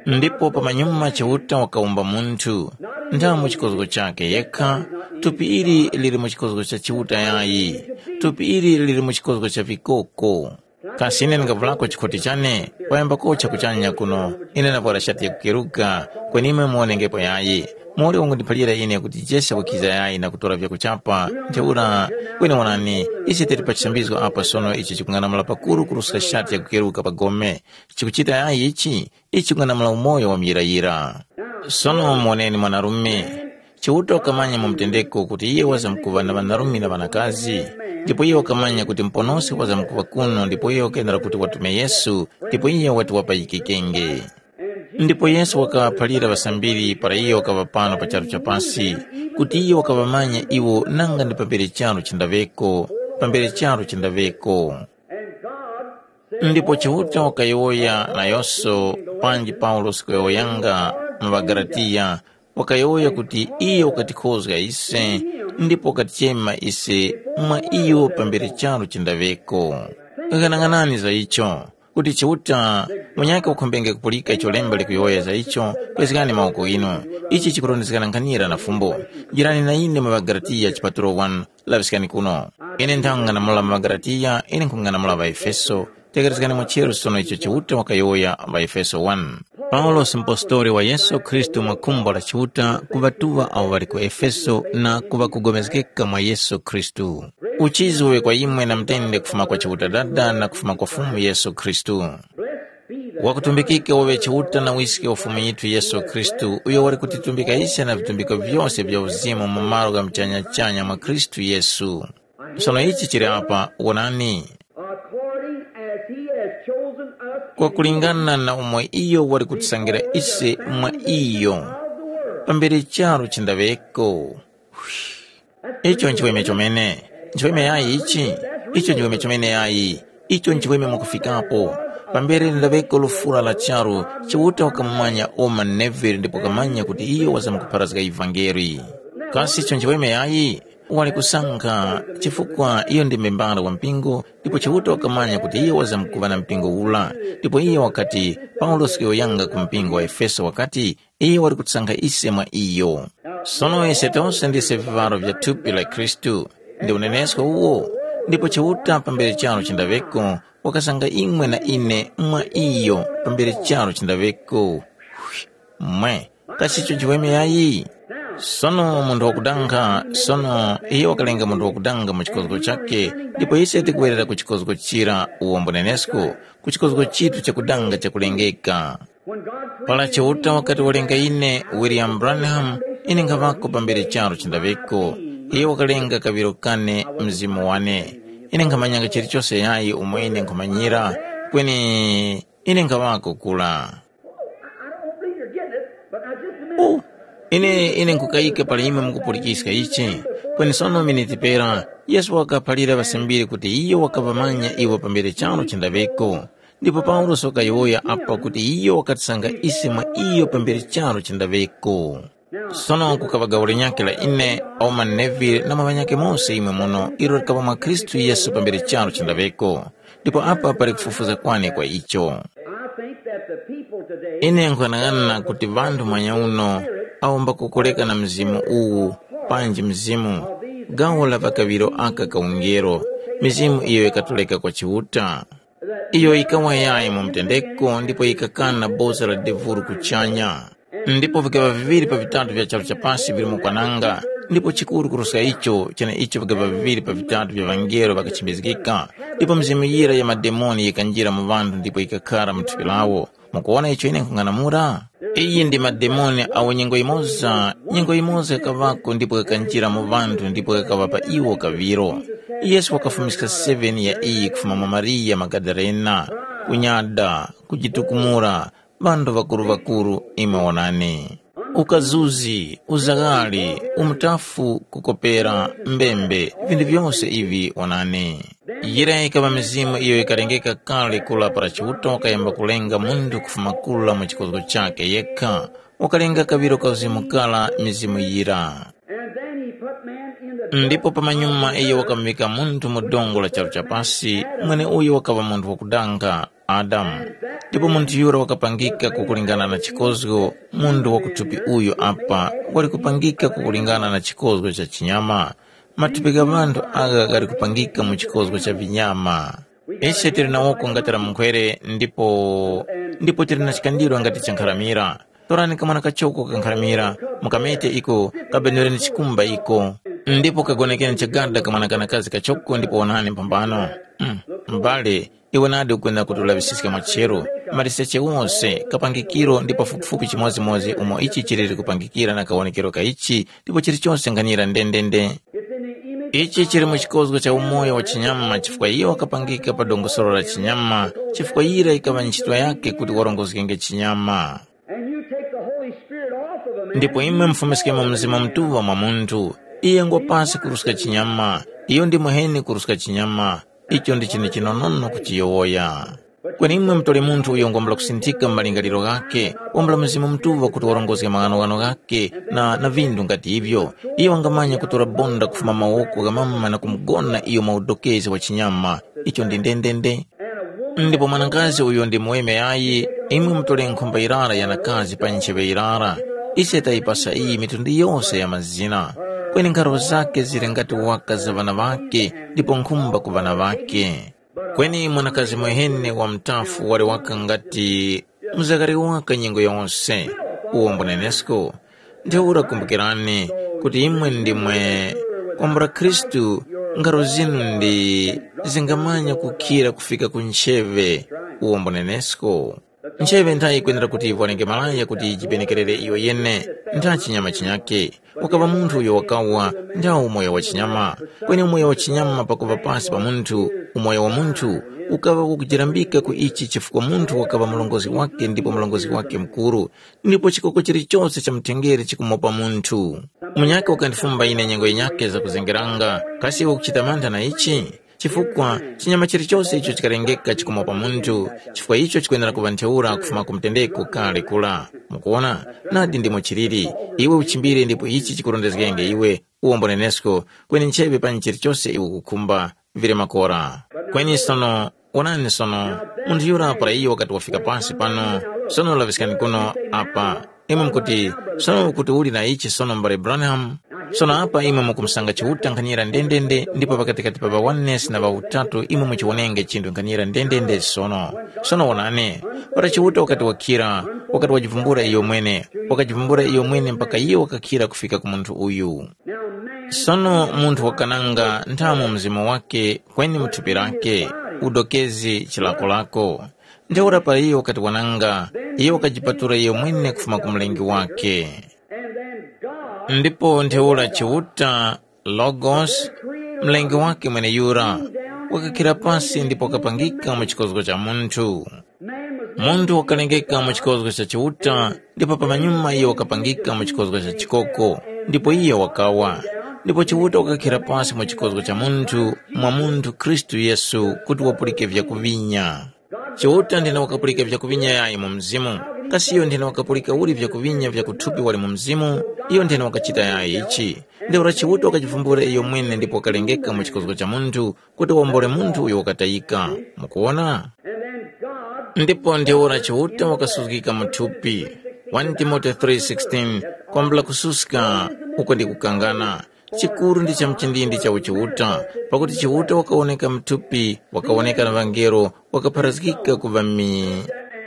Ndipo pamanyuma Chiuta wakawumba munthu, ntha mu chikozgo chakhe yekha, thupi ili lili mu chikozgo cha Chiuta yayi, thupi ili lili mu chikozgo cha vikoko. Kasi ine ndingavulako chikhoti chane, kwayambako chakuchanya kuno, ine ndavwara shati yakukeruka, kweni imwe muwonengepo yayi. Muli ungundiphalira ine kuti Jesu wakwiza yayi na kutora vyakuchapa, ntheura, kweni wonani, ise tili pa chisambizgo apa sono icho chikung'anamula pakuru kuruska shati yakukeruka pa gome. Chikuchita yayi ichi, ichi chikung'anamula umoyo wa muyirayira. Sono muwoneni mwanarume, Chiuta wakamanya mu mutendeko kuti iyo wazamkuŵa na ŵanarume na ŵanakazi, ndipo iyo wakamanya kuti Muponoski wazamkuŵa kuno ndipo iyo wakenera kuti watume Yesu, ndipo iyo wati wapayikikenge. Ndipo Yesu wakaŵaphalira ŵasambiri para iyo wakaŵa pano pa charu cha pasi, kuti iyo wakaŵamanya iwo nanga ndi pambere charu chindaŵeko, pambere charu chindaŵeko. Ndipo Chiuta wakayowoya nayose panji Paulosi kuyowoyanga mu ŵaGalatiya, wakayowoya kuti iyo wakatikhozga ise ndipo wakatichema ise mwa iyo pambere charu chindaŵeko. Ghanaghanani za icho, kuti Chiuta munyakhe wakhumbenge kupulika icho lemba likuyowoya za icho, kwezgani mawoko ghinu. Ichi chikurondezgana nkhanira na fumbo. Jirani na ine mu ŵaGalatiya chipatulo one, laŵiskani kuno. Ine nthang'anamula ŵaGalatiya, ine nkhung'anamula ŵaEfeso. Tekerezgani mwacheru sono icho Chiuta wakayowoya ŵaEfeso one. Paulosi mpostoli wa Yesu Khristu mwa khumbo la Chiuta ku ŵatuŵa awo ŵali ku Efeso na ku ŵakugomezgeka mwa Yesu Khristu. Uchizi uŵe kwa imwe na mutende kufuma kwa Chiuta Dada na kufuma kwa Fumu Yesu Khristu. Wakutumbikika waŵe Chiuta na Wiske wa Fumu yithu Yesu Khristu, uyo wali kutitumbika ise na vitumbiko vyose vya uzimu mu malo gha muchanya-chanya mwa Khristu Yesu. Sono ichi chili apa, wonani, according as he has chosen us in kwakulingana na umo iyo wali kutisangira ise mwa iyo, pambere charu chindaŵeko. Icho nchiweme chomene. Nchiweme yayi ichi? Icho nchiweme chomene yayi. Icho nchiweme mwakufikapo. Pambere ndaŵeko lufura la charu, Chiuta wakamumanya Oma Neville ndipo wakamanya kuti iyo wazamkupharazga ivangeli. Kasi icho nchiweme yayi? Wali kusankha, chifukwa iyo ndi membala wa mpingo, ndipo Chiuta wakamanya kuti iyo wazamkuŵa na mpingo ula. Ndipo iyo wakati, Paulosi kuyowoyanga ku mpingo wa Efeso wakati, iyo wali kutisankha ise mwa iyo. Sono ise tose ndise viŵaro vya thupi la Khristu, ndi unenesko uwo, ndipo Chiuta pambere charu chindaŵeko, wakasankha imwe na ine mwa iyo pambere charu chindaŵeko. Mwe, kasi icho nchiweme yayi? Sono munthu wakudankha, sono iyo wakalenga munthu wakudanga mu chikozgo chakhe, ndipo ise tikuwerera ku chikozgo chira uwombo nenesko, ku chikozgo chitu chakudanga chakulengeka. Para Chiuta wakati walenga ine, William Branham, ine nkhaŵako pambere charu chindaŵeko. Iyo wakalenga kaŵiro kane mzimu wane. Ine nkhamanyanga chilichose yayi umo ine nkhumanyira, kweni ine nkhaŵako kura. I don't believe you're getting it, but now just a minute. Oh, ine ine nkukayika pali imwe mukupulikiska ichi. Kweni sono miniti pera, Yesu wakaphalira ŵasambiri kuti iyo wakaŵamanya iwo pambere charu chindaŵeko. Ndipo Paulosi wakayowoya apa kuti iyo wakatisanga ise mwa iyo pambere charu chindaŵeko. Sono kukaŵa gawo linyakhe la ine, Auma Neville na mwa ŵanyakhe mose imwe muno ilo likaŵa mwa Khristu Yesu pambere charu chindaŵeko. Ndipo apa pali kufufuza kwane kwa icho. I think that the people today ine nkhanang'ana kuti vanthu mwanya uno awo mbakukoleka na mzimu uwu, panji mzimu, gawo la pakaŵiro aka ka ungelo, mizimu iyo yikatoleka kwa Chiuta, iyo yikawa yayi mu mtendeko ndipo yikakana boza la devulu kuchanya. Ndipo vikaŵa viŵiri pa vitatu vya charu cha pasi vili mu kwananga, ndipo chikuru kuruska icho, cheneicho vikaŵa viŵiri pa vitatu vya ŵangelo ŵakachimizgika, ndipo mizimu yira ya mademoni yikanjira mu ŵanthu ndipo yikakhara mu thupi lawo. Mukuwona icho ine nkhung'anamula? Iyi ndi mademoni awo nyengo yimoza, nyengo yimoza yakaŵako ndipo ghakanjira mu ŵanthu ndipo ghakaŵa pa iwo kaŵiro. Yesu wakafumiska seven ya iyi kufuma mwa Mariya Magadalena, kunyada, kujitukumula, ŵanthu ŵakuru-ŵakuru, imwe wonani. Ukazuzi, uzaghali, umutafu, kukopera, mbembe, vinthu vyose ivi wonani. Yira yikaŵa mizimu iyo yikalengeka kale kula para Chiuta wakayamba kulenga munthu kufuma kula mu chikozgo chakhe yekha, wakalenga kaŵiro ka uzimu kara mizimu yira. And then he put man in the Ndipo pamanyuma iyo wakamuvika munthu mu dongo la charu cha pasi, mwene uyo wakaŵa munthu wakudanga, Adamu. Ndipo munthu yura wakapangika kukulingana na chikozgo, munthu wa kuthupi uyu apa wali kupangika kukulingana na chikozgo cha chinyama. Mathupi gha ŵanthu agha ghali kupangika mu chikozgo cha vinyama. Ise tili na woko ngati la munkhwere ndipo ndipo tili na chikandiro ngati cha nkharamira. Torani kamwana kachoko ka nkharamira, mukamete iko, kabenureni chikumba iko, ndipo kagonekeni chagada kamwana kanakazi kachoko ndipo wonani mphambano. Mm, m'bale, iwe nadi ukwenera kuti ulaŵisiska mwacheru, maliseche wose, kapangikiro ndi pafupifupi chimodzimodzi umo ichi chiliri kupangikira na kawonekero ka ichi, ndipo chilichonse nkhanira ndendende. Ichi chili mu chikozgo cha umoyo wa chinyama chifukwa iyo wakapangika pa dongosolo la chinyama, chifukwa yira yikaŵa ntchito yake kuti warongozgenge chinyama. And you take the Holy Spirit off of a man. Ndipo imwe mufumiskemo Mzimu Mutuŵa mwa munthu, iye ngwa pasi kuruska chinyama, iyo ndi muheni kuruska chinyama. Icho ndi chinthu chinonono kuchiyowoya. Kweni imwe mutole munthu uyo ngwambula kusinthika mu malingaliro ghakhe, wambula Mzimu Mutuŵa kuti warongozge maghanoghano ghakhe na, na vinthu ngati ivyo. Iyo wangamanya kutora bonda kufuma mawoko gha mama na kumugona iyo mwa udokezi wa chinyama. Icho ndi ndendende. Ndipo mwanakazi uyo ndi muweme yayi, imwe mutole nkhumba yirara ya nakazi pa ncheŵe yirara. Ise tayipasa iyi mitundu yose ya mazina. Kweni nkharo zakhe zili ngati waka za ŵana ŵakhe, ndipo nkhumba ku ŵana ŵakhe. Kweni mwanakazi mwehene wa mutafu wali waka ngati mzakari waka nyengo yose, uwo mbunenesko. Ntheura kumbukirani kuti imwe ndimwe kwambula Khristu, ngaro zinu ndi zingamanya kukhira kufika ku ncheŵe, uwo mbunenesko. Ncheŵe ntha yikwenera kuti ivolenge malaya kuti yijipenekerere iyo yene, ntha chinyama chinyake. Ukaŵa munthu uyo wakawa, ntha umoyo wa chinyama. Kweni umoyo wa chinyama pakuŵa pasi pa munthu, umoyo wa munthu ukaŵa wakujirambika ku ichi chifukwa munthu wakaŵa murongozgi wake ndipo murongozgi wake mukuru, ndipo chikoko chilichose cha mutengere chikumopa munthu. Munyakhe wakandifumba ine nyengo yinyakhe zakuzengeranga, kasi iwe ukuchita mantha na ichi? Chifukwa chinyama chilichose icho chikalengeka chikumopa munthu, chifukwa icho chikwenera kuŵa ntheura kufuma ku mutendeko kale kura. Mukuwona? Nadi ndimo chiliri. Iwe uchimbire ndipo ichi chikurondezgenge iwe, uwombo nenesko, kweni nchebe panyi chilichose iwe ukukhumba, vili makora. Kweni sono, wonani sono, munthu yura para iyo wakati wafika pasi pano, sono laŵiskani kuno apa. Imwe mukuti, sono ukuti uli na ichi sono mbale Branham? Sono apa imwe mukumusanga Chiuta nkhanira ndendende ndipo pakatikati pa ŵa oneness na ŵa utatu imwe muchiwonenge chinthu nkhanira ndendende sono. Sono wonani, para Chiuta wakati wakhira, wakati wajivumbula iyo mwene, wakajivumbula iyo mwene mpaka iyo wakakhira kufika ku munthu uyu. Sono munthu wakananga nthamu mzimu wake kweni mu thupi lake, udokezi chilakolako. Ntheura para iyo wakati wananga, iyo wakajipatula iyo mwene kufuma ku Mlengi wake. Ndipo ntheura Chiuta, Logos, Mlengi wake mweneyura, wakakhira pasi ndipo wakapangika mu chikozgo cha munthu. Munthu wakalengeka mu chikozgo cha Chiuta, ndipo pamanyuma iyo wakapangika mu chikozgo cha chikoko, ndipo iyo wakawa. Ndipo Chiuta wakakhira pasi mu chikozgo cha munthu, mwa munthu Khristu Yesu, kuti wapulike vyakuvinya. Chiuta nthena wakapulika vyakuvinya yayi mu mzimu, kasi iyo nthena wakapulika uli vyakuvinya vya kuthupi wali mu mzimu? Iyo nthena wakachita yayi ichi. Ntheura Chiuta wakajivumbula iyo mwene ndipo wakalengeka mu chikozgo cha munthu, kuti wawombole munthu uyo wakatayika. Mukuwona? Ndipo ntheura Chiuta wakasuzgika mu thupi. One Timote three sixteen, kwambula kususka, uko ndi kukangana. Chikuru ndi cha mchindindi cha uchiuta, pakuti Chiuta wakawoneka mu thupi, wakawoneka na ŵangelo, wakapharazgika ku ŵami.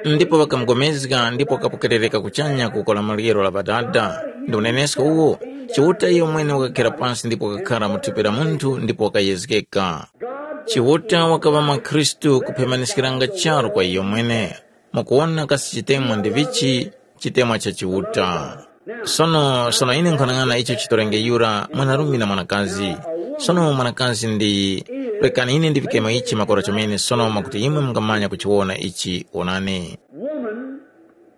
Ndipo ŵakamugomezga ndipo wakapokerereka kuchanya kuko la maryero la Ŵadada. Ndi unenesko uwo, Chiuta iyo mwene wakakhera pansi ndipo wakakhara mu thupi la munthu ndipo wakayezgeka. Chiuta wakaŵa mwa Khristu kuphemaniskiranga charu kwa iyo mwene. Mukuwona kasi chitemwa ndi vichi? Chitemwa cha Chiuta. Sono sono ine nkhanang'ana icho chitorenge yura mwanarume na mwanakazi. Sono mwanakazi ndi, rekani ine ndivikemo ichi makora chomene sono mwakuti imwe mungamanya kuchiwona ichi. Wonani. Woman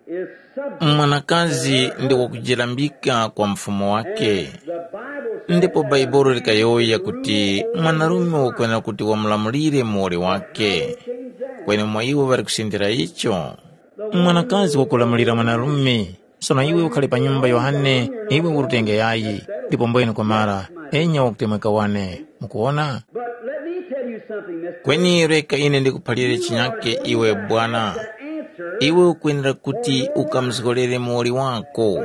is subject. Mwanakazi ndi wakujilambika kwa mfumu wake. The Bible says ndipo that baibulo likayowoya kuti mwanarume wakwenera kuti wamulamulire muwoli wake. Kweni mwa iwo ŵali kusindira icho. Mwanakazi wakulamulira mwanarume. Sono iwe ukhale pa nyumba Yohane, iwe urutenge yayi, ndipo mbwene kwamara, enya wakutemweka wane. Mukuwona? But let me tell you something, Mister. Kweni reka ine ndikuphalire chinyake iwe bwana. Iwe ukwenera kuti ukamuzgolere muwoli wako.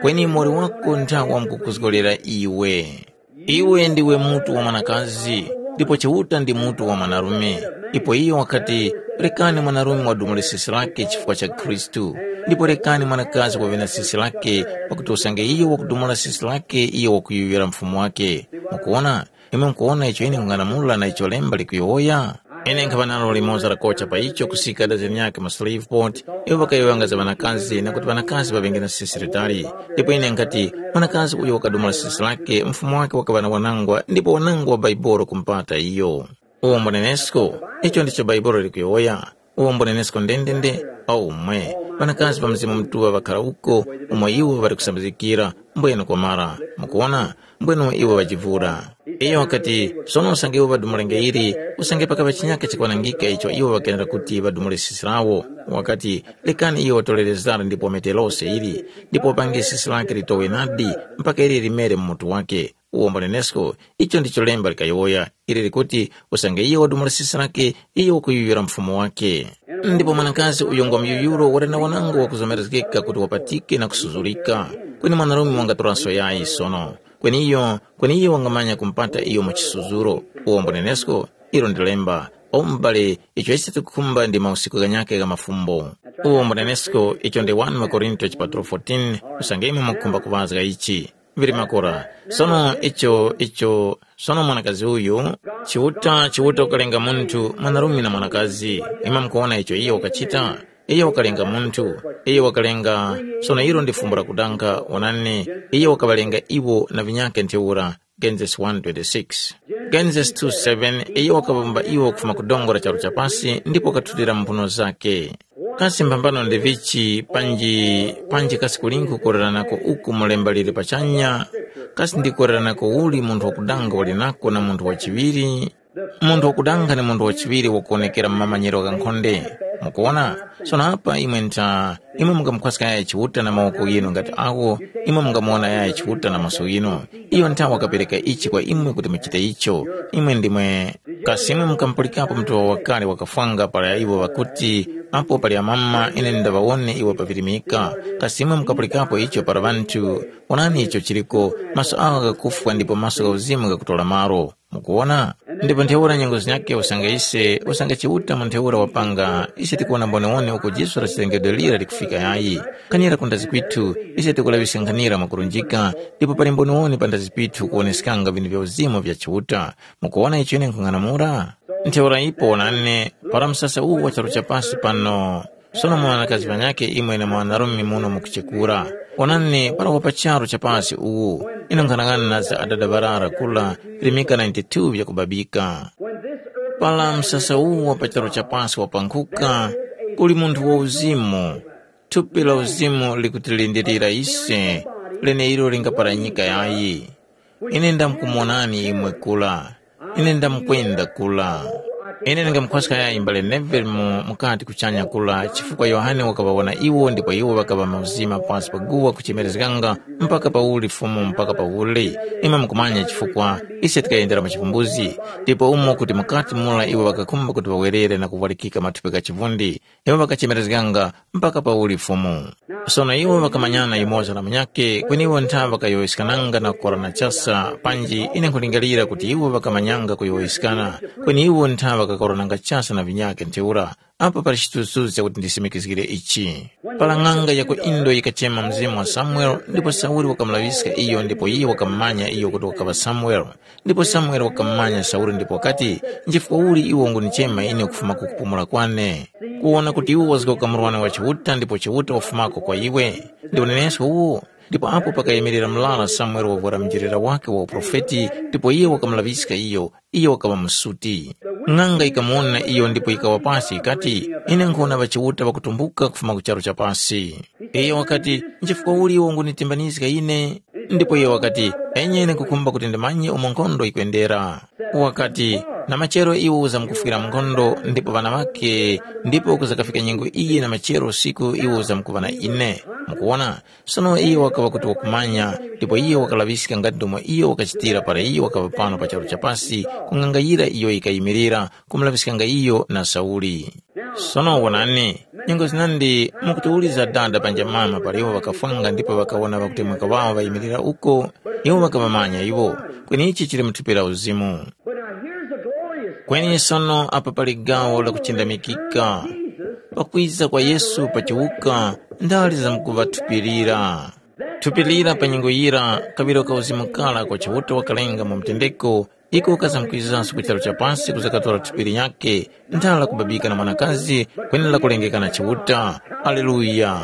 Kweni muwoli wako nthawa wamkukuzgolera iwe. Iwe ndiwe mutu wa mwanakazi, ndipo Chiuta ndi mutu wa mwanarume. Ipo iyo wakati, rekani mwanarume wadumule sisi lake chifukwa cha Khristu, ndipo rekani mwanakazi waŵe na sisi lake, pakuti usange iyo wakudumula sisi lake iyo wakuyuyura mfumu wake. Mukuwona? Imwe mukuwona icho ine nkung'anamula na icho lemba likuyowoya? Ine nkhaŵa nalo limoza lakocha pa icho kusika dazeni yake mu Shreveport, iwo ŵakayowoyanga za ŵanakazi na kuti ŵanakazi ŵaŵenge na sisi litali. Ndipo ine nkhati, mwanakazi uyo wakadumula sisi lake, mfumu wake wakaŵa na wanangwa ndipo wanangwa wa Baibolo kumpata iyo. Uwo mbunenesko, icho ndicho Baibolo likuyowoya. Uwo mbunenesko ndendende, aumwe. Ŵanakazi pa Mzimu Mutuŵa ŵakhala uko, umo iwo ŵali kusambizikira, mbwene kwamara. Mukuwona? Mbwene iwo ŵajivura. Iyo wakati, sono usange iwo ŵadumulenge ili, usange pakaŵa chinyaka chikwanangika icho iwo ŵakenera kuti ŵadumule sisi lawo. Wakati, lekani iyo watorere zara ndipo wamete lose ili, ndipo wapange sisi lake litowe nadi, mpaka ili limere mu mutu wake. Uwo mbunenesko, icho ndicho lemba likayowoya, ili likuti, usange iyo wadumula sisi lake, iyo wakuyuyura mfumu wake. Ndipo mwanakazi uyo ngwa muyuyuro wali na wanango wakuzomerezgeka kuti wapatike na kusuzurika. Kweni mwanarume wangatoranso yayi sono. Kweni iyo, kweni iyo wangamanya kumpata iyo mu chisuzuro. Uwo mbunenesko, ilo ndi lemba. O m'bale, icho ise tikukhumba ndi mausiku ghanyakhe gha mafumbo. Uwo mbunenesko, icho ndi wani Makorinto chipatulo fourteen, usange imwe mukukhumba kuŵazga ichi. Vili makora. Sono icho, icho, sono mwanakazi uyu, Chiuta, Chiuta ukalenga munthu, mwanarume na mwanakazi. Imwe mukuwona icho iyo wakachita? Iyo wakalenga munthu, iyo wakalenga, sono ilo ndi fumbo lakudanga, wonani, iyo wakaŵalenga iwo na vinyakhe ntheura. Genesis one twenty-six. Genesis two seven, iyo wakawumba iwo kufuma ku dongo la charu cha pasi ndipo wakathutira mu mphuno zakhe. Kasi mphambano ndi vichi panji, panji kasi kulingu kukoreranako uku mu lemba lili pachanya? Kasi ndi kukoreranako uli munthu wakudanga wali nako na munthu wachiŵiri? Munthu wakudanga ni munthu wachiŵiri wakuwonekera mu mamanyiro gha nkhonde. Mukuwona? Sono apa imwe ntha, imwe mungamukhwaska yaya Chiuta na mawoko ghinu ngati agho, imwe mungamuwona yaya Chiuta na maso ghinu. Iyo ntha wakapereka ichi kwa imwe kuti muchite icho. Imwe ndimwe. Kasi imwe mukamupulikapo mutuŵa wakale wakafwanga para iwo ŵakuti, apo pali amama ine ndaŵawone iwo pavirimika? Kasi imwe mukapulikapo icho para ŵanthu, onani icho chiliko, maso awo ghakufwa ndipo maso gha uzimu ghakutora malo. Mukuwona? Ndipo ntheura nyengo zinyakhe usange ise, usange Chiuta mu ntheura wapanga, ise tikuwona mboniwoni uko diso la chilengedwe lira likufika yayi. Khanira kundazi kwithu, ise tikulaŵiska nkhanira mwakurunjika, ndipo pali mboniwoni pandazi pithu kuwoneskanga vinthu vya uzimu vya Chiuta. Mukuwona icho ine nkhung'anamula? Ntheura ipo wonani, para msasa uwu wa charu cha pasi pano, sono mwanakazi ŵanyakhe imwe na mwanarume muno mukuchekura. Onani para wa pa charu cha pasi uwu, ine nkhanang'ana na za adada ŵarara kula, limika ninety-two vyakubabika. Para msasa uwu wa pa charu cha pasi wapankhuka, kuli munthu wa uzimu, thupi la uzimu likutilindilira ise, leneilo lingaparanyika yayi. Ine ndamkumuwonani imwe kula. Ine ndamkwenda kula. Ine ndingamukhwaska yayi mbale Neville mu mukati kuchanya kula, chifukwa Yohane wakaŵawona iwo ndipo iwo ŵakaŵa mauzima pasi pa guwa kuchemerezganga, mpaka pauli Fumu mpaka pauli. Imwe mukumanya chifukwa, ise tikayendera mu chipumbuzi, ndipo umo kuti mukati mura iwo ŵakakhumba kuti ŵawerere na kuvwalikika mathupi gha chivundi. Iwo ŵakachemerezganga mpaka pauli Fumu. Sono iwo ŵakamanyana yumoza na munyakhe, kweni iwo ntha ŵakayowoyeskananga na kukorana chasa, panji ine nkhulingalira kuti iwo ŵakamanyanga kuyowoyeskana, kweni iwo ntha ŵakakorananga chasa na vinyakhe ntheura. Apa pali chithunzithunzi chakuti ndisimikizgire ichi. Para ng'anga ya ku Indo yikachema mzimu wa Samuele, ndipo Sauli wakamulaŵiska iyo, ndipo iye wakamumanya iyo kuti wakaŵa Samuele. Ndipo Samuele wakamumanya Sauli ndipo wakati, “Nchifukwa uli iwe ungunichema ine kufuma ku kupumula kwane? Kuwona kuti iwe wazgoka murwani wa Chiuta ndipo Chiuta wafumako kwa iwe. Ndipo nenesko uwo.” Ndipo apo pakayimirira murara Samuele wavwara mujilira wake wa uprofeti, ndipo iye wakamulaŵiska iyo, iyo wakaŵa musuti. Ng'anga yikamuwona iyo ndipo yikawa pasi yikati, “Ine nkhuwona ŵachiuta ŵakutumbuka kufuma ku charu cha pasi.” Iyo wakati, “Nchifukwa uli iwe ungunitimbanizga ine?” Ndipo iyo wakati, “Enye ine nkhukhumba kuti ndimanye umo nkhondo yikwendera.” Wakati, “Na machero iwe uzamkufwira mu nkhondo ndipo ŵana ŵake, ndipo kuzakafika nyengo iyi na machero usiku iwe uzamkuŵa na ine.” Mukuwona, sono iyo wakaŵa kuti wakumanya, ndipo iyo wakalaŵiska ngati ndomwe iyo wakachitira para iyo wakaŵa pano pa charu cha pasi, ku ng'anga yira iyo yikayimirira, kumulaŵiskanga iyo na Sauli. Sono wonani, nyengo zinandi mukutiwuliza dada panja mama pali iwo ŵakafwanga ndipo ŵakawona ŵakutemweka ŵawo ŵayimirira uko, iwo ŵakaŵamanya iwo, kweni ichi chili mu thupi la uzimu. But now here's the glorious Kweni sono apa pali gawo lakuchindamikika. Pakwiza kwa Yesu pa chiwuka, ndale zamkuŵathupirira. Thupi lira pa nyengo yira kaŵiro ka uzimu kara kwa Chiuta wakalenga mu mtendeko, iko kazamkwizanso ku charu cha pasi kuzakatora thupi linyakhe, nthala kubabika na mwanakazi, kwenera kulengeka na Chiuta. Aleluya!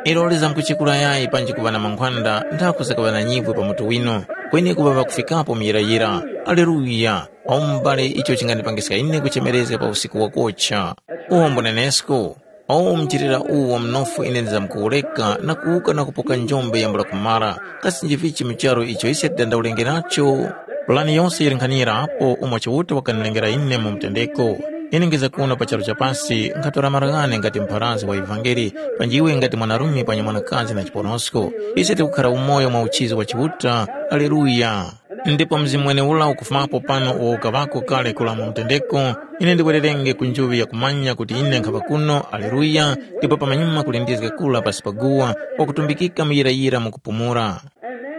Ilo lizamkuchikula yayi panji kuŵa na mankhwanda nthaku zakaŵa na nyivwe pa mutu wino, kweni kuŵa ŵakufikapo muyirayira. Aleluya! Awo m'bale icho chingandipangiska ine kuchemerezga pa usiku wakocha. Uwo mbunenesko, awo mchitira uwo mnofu ine ndizamkuwureka na kuwuka na kupoka njombe yambula kumara. Kasi njivichi mu charu icho ise tidandaulenge nacho? Pulani yose yili nkhanira apo umo Chiuta wakanilengera ine mu mtendeko. Ine ngiza kuno pa charu cha pasi nkhatora malo ghane ngati mpharazgi wa ivangeli, panji iwe ngati mwanarume panya mwanakazi na chiponosko. Ise tikukhara umoyo mwa uchizi wa Chiuta. Aleluya! Ndipo mzimu mweneura ukufumapo pano uwo ukaŵako kale kura mu mtendeko, ine ndiwererenge ku njuŵi yakumanya kuti ine nkhaŵa kuno, aleluya, ndipo pamanyuma kulindizga kura pasi pa guwa, wakutumbikika muyirayira mu kupumula.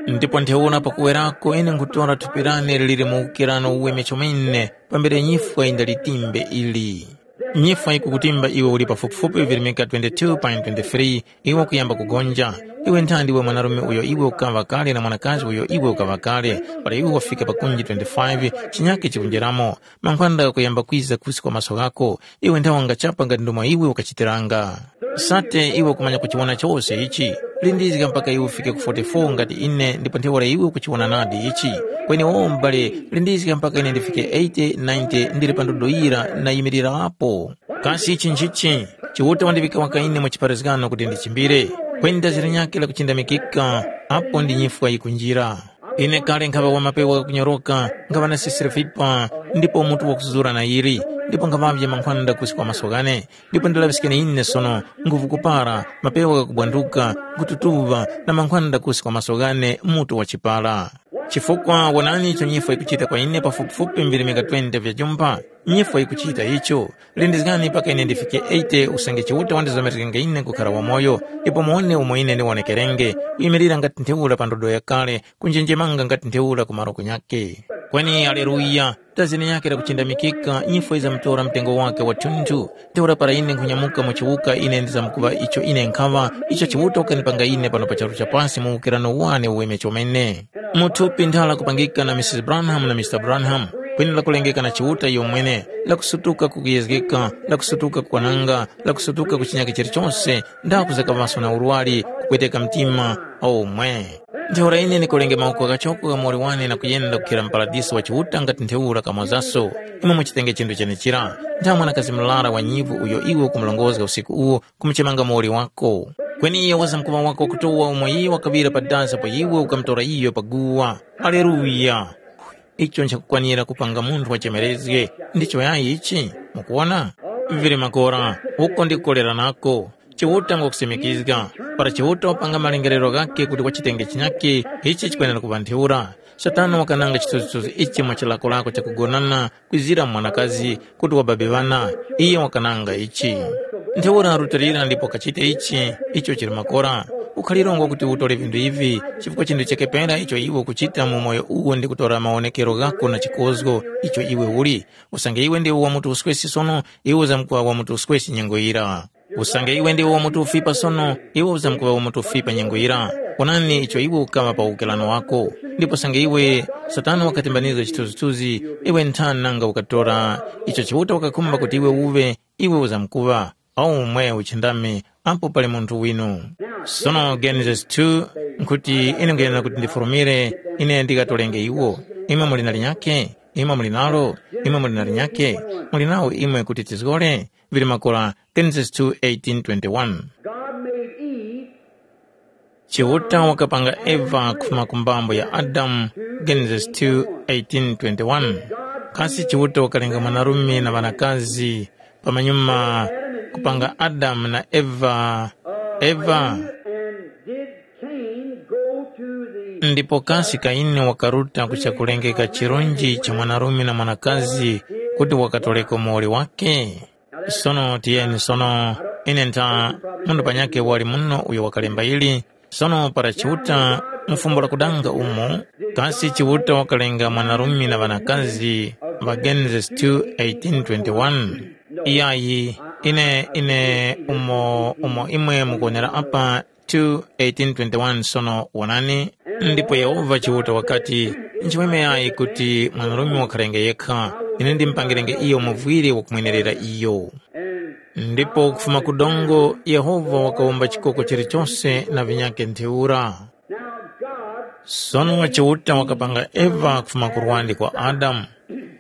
Ndipo ntheura pakuwerako ine nkhutora thupi lane lili mu ukirano uweme chomene pambere nyifwa yindalitimbe ili. Nyifwa yikukutimba iwe uli pafupifupi virimika twenty-two pa twenty-three, iwe ukuyamba kugonja. Iwe nthandi iwe mwanarume uyo iwe ukaŵa kale na mwanakazi uyo iwe ukaŵa kale, para iwe wafika pa kunji twenty-five, chinyakhe chikunjeramo. Mankhwanda ghakuyamba kwiza kusi kwa maso ghako, iwe nthawe wangachapa ngati ndomwe iwe ukachitiranga. Sate iwe ukumanya kuchiwona chose ichi. Lindizga mpaka iwe ufike ku forty-four ngati ine ndipo ntheura iwe ukuchiwona nadi ichi. Kweni wowo m'bale, lindizga mpaka ine ndifike eighty, ninety ndili pa ndodo yira nayimirirapo. Kasi ichi nchichi? Chiuta wandiŵika waka ine mu chipharazgano kuti ndichimbire. Kweni dazi linyakhe lakuchindamikika, apo ndi nyifwa yikunjira. Ine kale nkhaŵa wa mapewa ghakunyoroka, nkhaŵa na sisira vipa, ndipo mutu wakuzura na yili, ndipo nkhaŵavye mankhwanda kusi kwa maso ghane, ndipo ndalaŵiskeni ine sono, nguvu kupara, mapewa ghakubwanduka, nkututuŵa, na mankhwanda kusi kwa maso ghane mutu wa chipara. Chifukwa wonani icho nyifwa yikuchita kwa ine pafupifupi mbirimika twenty vya jumpa, nyifwa yikuchita icho, lindizgani mpaka ine ndifike eighty usange Chiuta wandizomerenge ine kukhara wamoyo, ndipo muwone umo ine ndiwonekerenge, kuyimirira ngati ntheura pa ndodo yakale, kunjenjemanga ngati ntheura ku malo kunyakhe. Kweni aleluya, dazi linyakhe lakuchindamikika, nyifwa yizamtora mtengo wakhe wathunthu. Ntheura para ine nkhunyamuka mu chiwuka ine ndizamkuŵa icho ine nkhaŵa, icho Chiuta wakanipanga ine pano pa charu cha pasi mu ukirano wane uweme chomene. Mu thupi ntha lakupangika na Misisi Branham na Mister Branham, kweni lakulengeka na Chiuta iyomwene, lakusutuka kukuyezgeka, lakusutuka kukwananga, lakusutuka ku chinyakhe chilichose, ndakuzaka maso na urwari, kupweteka mtima, omwe. Ntheura ine ndikolenge mawoko ghachoko gha muwoli wane na kuyenda kukhera mu paradiso wa Chiuta ngati ntheura kamozaso. Imwe muchitenge chinthu chenechira, ntha mwanakazi murara wa nyivu uyo iwe ukumurongozga usiku uwu, kumuchemanga muwoli wako. Kweni iyo wazamkuŵa wako wakutowa umo iyo wakaŵira pa dasa apo iwe ukamutora iyo pa guwa. Aleluya! Icho nchakukwanira kupanga munthu wachemerezge. Ndicho yayi ichi? Mukuwona? Vili makora, uko ndikukolera nako. Chiuta ngwakusimikizga. Para Chiuta wapanga malengerero ghakhe kuti wachitenge chinyakhe, ichi chikwenera kuŵa ntheura. Satana wakananga chithunzithunzi ichi mwa chilakolako chakugonana kwizira mu mwanakazi kuti wababe ŵana. Iye wakananga ichi. Ntheura rutilira ndipo kachite ichi, icho chili makora. Ukhalirongwa kuti utore vinthu ivi, chifukwa chinthu chakepera icho iwe ukuchita mu umoyo uwu ndi kutora mawonekero ghako na chikozgo icho iwe uli. Usange iwe ndiwe wa mutu uswesi sono, iwe uzamkuŵa wa mutu uswesi nyengo yira. Usange iwe ndiwe wa mutu ufipa sono, iwe uzamkuŵa wa mutu ufipa nyengo yira. Onani icho iwe ukaŵa pa ukelano wako. Ndipo usange iwe, Satana wakatimbanizga chithunzithunzi, iwe nthani nanga ukatora icho Chiuta wakakhumba kuti iwe uŵe, iwe uzamkuŵa. Aumwe uchindami apo pali munthu winu. Sono Genesis two nkuti ine nkuyena kuti ndifurumire, ine ndikatorenge iwo. Imwe muli na linyakhe? Imwe muli nalo? Imwe muli na linyakhe? Muli nawo imwe kuti tizgore? Vili makora Genesis two eighteen twenty-one. God made Eve Chiuta wakapanga Eva kufuma ku mbambo ya Adamu, Genesis two eighteen twenty-one. Kasi Chiuta wakalenga mwanarume na ŵanakazi, pamanyuma kupanga Adamu na Eva. Eva. And did Cain go to the Ndipo kasi Kaini wakaruta ku chakulengeka chirunji cha mwanarume na mwanakazi kuti wakatoreko muwoli wake? Sono tiyeni sono, ine ntha munthu panyakhe wali muno uyo wakalemba ili. Sono para Chiuta mu fumbo la kudanga umo, kasi Chiuta wakalenga mwanarume na ŵanakazi ŵa Genesis two eighteen twenty-one? Iyayi, ine ine umo umo imwe mukuonera apa two eighteen twenty-one. Sono wonani, ndipo Yehova Chiuta wakati, nchimweme yayi kuti mwanarume wakharenge yekha, ine ndimupangirenge iyo muvwire wakumwenerera iyo. Ndipo kufuma ku dongo Yehova wakawumba chikoko chilichose na vinyakhe ntheura. Sono Chiuta wakapanga Eva kufuma ku lwandi kwa Adamu.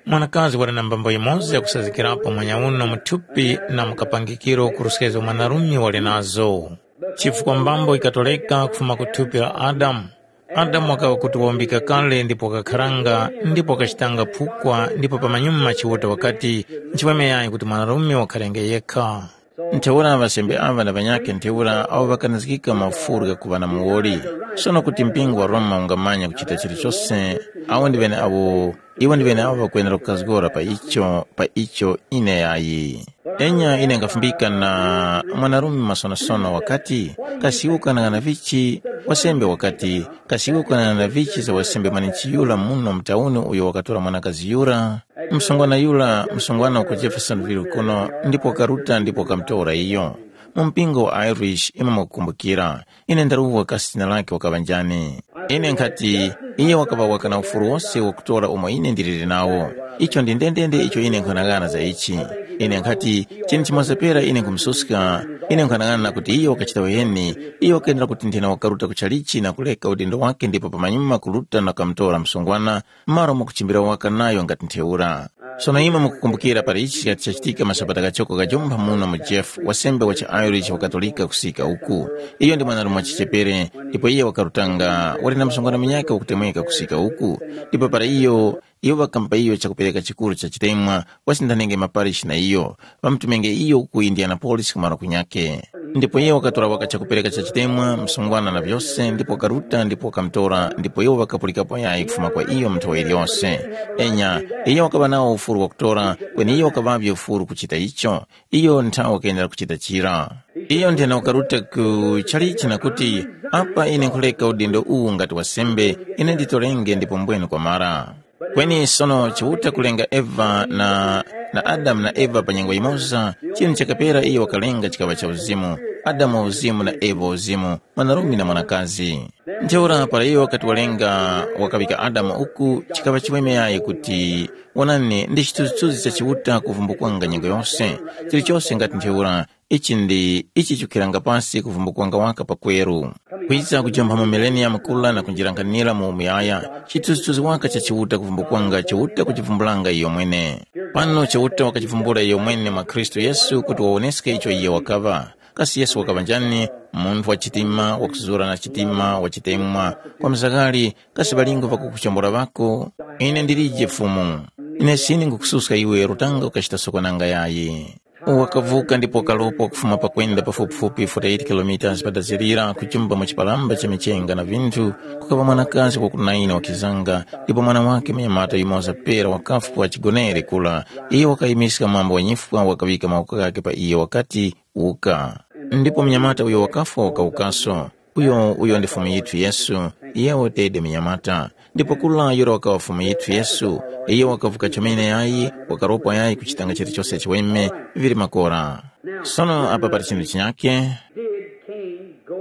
Mwanakazi wali na mbambo yimoza yakusazgikirapo mwanyauno mu thupi na mu kapangikiro kuruskizga mwanarume wali nazo. Chifukwa mbambo ikatoreka kufuma ku thupi la Adamu. Adamu wakaŵa kuti waumbika kale ndipo wakakharanga ndipo wakachitanga phukwa ndipo pamanyuma Chiuta wakati, nchimweme yayi kuti mwanarume wakharenge yekha. Ntheura ŵasembe aŵa na ŵanyakhe ntheura awo ŵakanazgika mafuru ghakuŵa na muwoli. Sono kuti mpingo wa Roma ungamanya kuchita chilichose, awo ndi ŵeneawo, iwo ndi ŵeneawo ŵakwenera kukazgora pa icho, pa icho ine yayi. Enya ine ngafumbika na mwanarume masonosono wakati, kasi iwe ukanang'ana vichi? Wasembe wakati, kasi iwe ukanang'ana vichi za wasembe mwanechi yura muno mu tauni uyo wakatora mwanakazi yura? Msungwana yura, msungwana uku Jeffersonville kuno, ndipo wakaruta ndipo wakamutora iyo. Mu mpingo wa Irish imwe mwakukumbukira, ine ndaruwa kasi zina lake wakaŵa njani. Ine nkhati, iye wakaŵa waka na ufuru wose wakutora umo ine ndiliri nawo. Icho ndi ndendende icho ine nkhanang'ana za ichi. Ine nkhati, chinthu chimoza pera ine nkhumususka, ine nkhanang'ana kuti iyo wakachita uheni, iyo wakendera kuti nthena wakaruta kuchalichi na kuleka udindo wake ndipo pamanyuma kuruta na kamutora msungwana, malo mwakuchimbira waka nayo ngati ntheura. Sono imwe mukukumbukira pali ichi chikati chachitika masabata ghachoko ghajompha muno mu Jeff, wasembe wa chiIrish wakatolika kusika uku. Iyo ndi mwanarume wachichepere, ndipo iye wakarutanga, wali na msungwana munyakhe wakutemweka kusika uku. Ndipo para iyo, iwo ŵakamupa iyo chakupereka chikuru cha chitemwa, wasindhanenge maparishi na iyo, ŵamutumenge iyo ku Indianapolis kumaro kunyakhe. Ndipo iye wakatora waka chakupereka cha chitemwa, msungwana na vyose, ndipo wakaruta ndipo wakamutora, ndipo iwo ŵakapulikapo yayi kufuma kwa iyo mu nthowa iliyose. Enya, iyo wakaŵa nawo ufuru wakutora, kweni iyo wakaŵavye ufuru kuchita icho. Iyo nthawe wakayendera kuchita chira. Iyo nthena wakaruta ku chalichi na kuti, apa ine nkhuleka udindo uwu ngati wasembe, ine nditorenge ndipo mbwene kwamara. Kweni sono Chiuta kulenga Eva na, na Adamu na Eva pa nyengo yimoza, chinthu chakapera iyo wakalenga chikaŵa cha uzimu, Adamu wa uzimu na Eva wa uzimu, mwanarume na mwanakazi. Ntheura para iyo wakati walenga wakaŵika Adamu uku, chikaŵa chiweme yayi kuti, wonani, ndi chithunzithunzi cha Chiuta kuvumbukwanga nyengo yose, chilichose ngati ntheura, ichi ndi ichi chikukhiranga pasi kuvumbukwanga waka pakweru. Kwiza kujompha mu mileniyamu kula na kunjirankhanira mu umuyaya, chithunzithunzi waka cha Chiuta kuvumbukwanga Chiuta kuchivumbulanga iyo mwene. Pano Chiuta wakachivumbula iyo mwene mwa Khristu Yesu kuti wawoneske icho iye wakaŵa. Kasi Yesu wakaŵa njani? Munthu wa chitima, wakuzura na chitima, wa chitemwa, kwa mzakali, kasi ŵalingo ŵakukuchambula ŵako? Ine ndilije Fumu. Ine sine ngukususka iwe rutanga ukachita sokonanga yayi. Wakavuka ndipo wakaropa kufuma pakwenda pafupifupi forty-eight kilometers padazirira kuchumba mu chipalamba cha michenga na vinthu, kukaŵa mwanakazi wakunaina wakizanga, ndipo mwana wake munyamata yumoza pera wakafwa chigonere kula. Iyo wakayimiska mwambo wa nyifwa wakaŵika mawoko ghake pa iyo wakati, uka. Ndipo munyamata uyo wakafwa wakawukaso. Uyo uyo ndi Fumu yithu Yesu, iyewo tede munyamata. Ndipo kula yura wakawa Fumu yithu Yesu, iye wakavuka chomene yayi, wakaropwa yayi kuchitanga chilichose chiweme, vili makora. Sono apa pali chinthu chinyake. Did Cain go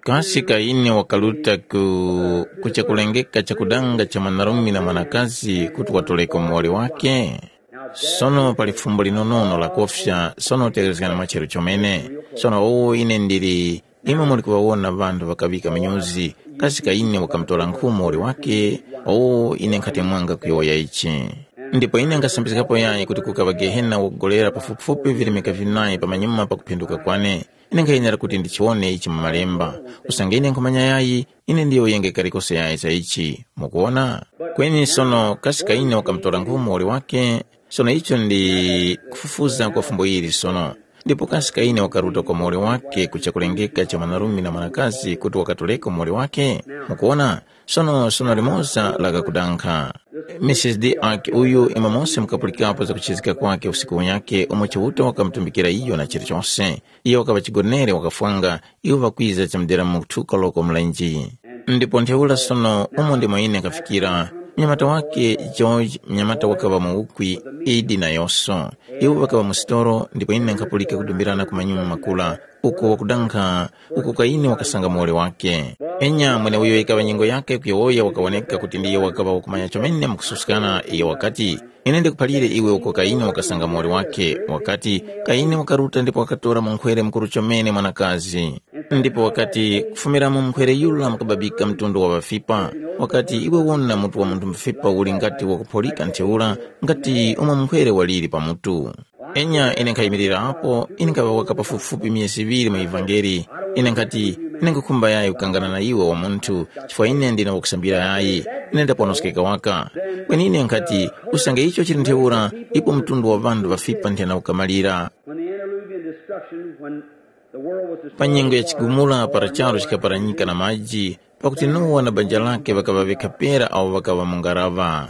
kasi Kaini wakaruta ku kuchakulengeka chakudanga cha mwanarume na mwanakazi kuti watoleko muwoli wake? Sono pali fumbo linonono lakofya, sono tegherezgani mwa chero chomene. Sono uwu ine ndili imwe muli kuŵawona ŵanthu ŵakaŵika minyuzi, kasi Kaini wakamutora nkhu muwoli wake? Uwu ine nkhati mwanga kuyowoya ichi. Ndipo ine nkasambizgapo yayi kuti kukaŵa Gehena wakugolera pafupifupi virimika vinayi pamanyuma pakuphinduka kwane. Ine nkhayenera kuti ndichiwone ichi mu Malemba. Usange ine nkhumanya yayi, ine ndiyowoyenge kalikose yayi za ichi. Mukuwona? Kweni sono kasi Kaini wakamutora nkhu muwoli wake? Sono icho ndi kufufuza kwa fumbo ili sono. Ndipo kasi Kaini wakaruta kwa muwoli wake ku chakulengeka cha mwanarume na mwanakazi kuti wakatoleko muwoli wake? Mukuwona? Sono sono limoza lakakudankha. Misisi D Ark uyu imwe mose mukapulikapo za kuchizika kwake usiku unyake umo Chiuta wakamutumbikira iyo na chilichose. Iyo wakaŵa chigonere wakafwanga, iwo ŵakwiza chamudera mu kuthuka loko mlenji. Ndipo ntheura sono umo ndimo ine nkhafikira, mnyamata wake George, mnyamata wakaŵa mu ukwi, Idi na Yoso. Iwo ŵakaŵa mu sitolo, ndipo ine nkhapulika kudumbirana ku manyuma makula, uko wakudankha, uko Kaini wakasanga muwoli wake. Enya mweneuyo yikaŵa nyengo yake kuyowoya wakawoneka kuti ndiyo wakaŵa wakumanya chomene mukususkana, iyo wakati, ine ndikuphalire iwe uko Kaini wakasanga muwoli wake, wakati, Kaini wakaruta ndipo wakatora munkhwere mukuru chomene mwanakazi. Ndipo wakati, kufumira mu munkhwere yura mukababika mtundu wa ŵafipa. Wakati, iwe wona mutu wa munthu mufipa uli ngati wakupholika ntheura, ngati umo munkhwere waliri pa mutu. Enya ine nkhayimirira apo, ine nkhaŵawaka pafupifupi myezi iŵiri mu ivangeli. Ine nkhati, ine nkhukhumba yayi kukangana na iwe wa munthu, chifukwa ine ndine wakusambira yayi, ine ndaponoskeka waka. Kweni ine nkhati, usange icho chili ntheura, ipo mtundu wa ŵanthu ŵafipa nthena ukamalira. When the antediluvian destruction, when the world was destroyed, pa nyengo ya chigumula para charu chikaparanyika na maji, pakuti Nowa na banja lake ŵakaŵa ŵekhapera awo ŵakaŵa mu ngaraŵa.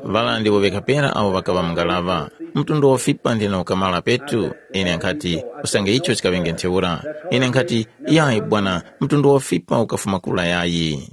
Ŵala ndiwo ŵekha pera awo ŵakaŵa mu ngaraŵa. Mtundu wa fipa ndina ukamala petu. Ine nkhati, usange icho chikaŵenge ntheura. Ine nkhati, yayi bwana, mtundu wa fipa ukafuma kula yayi.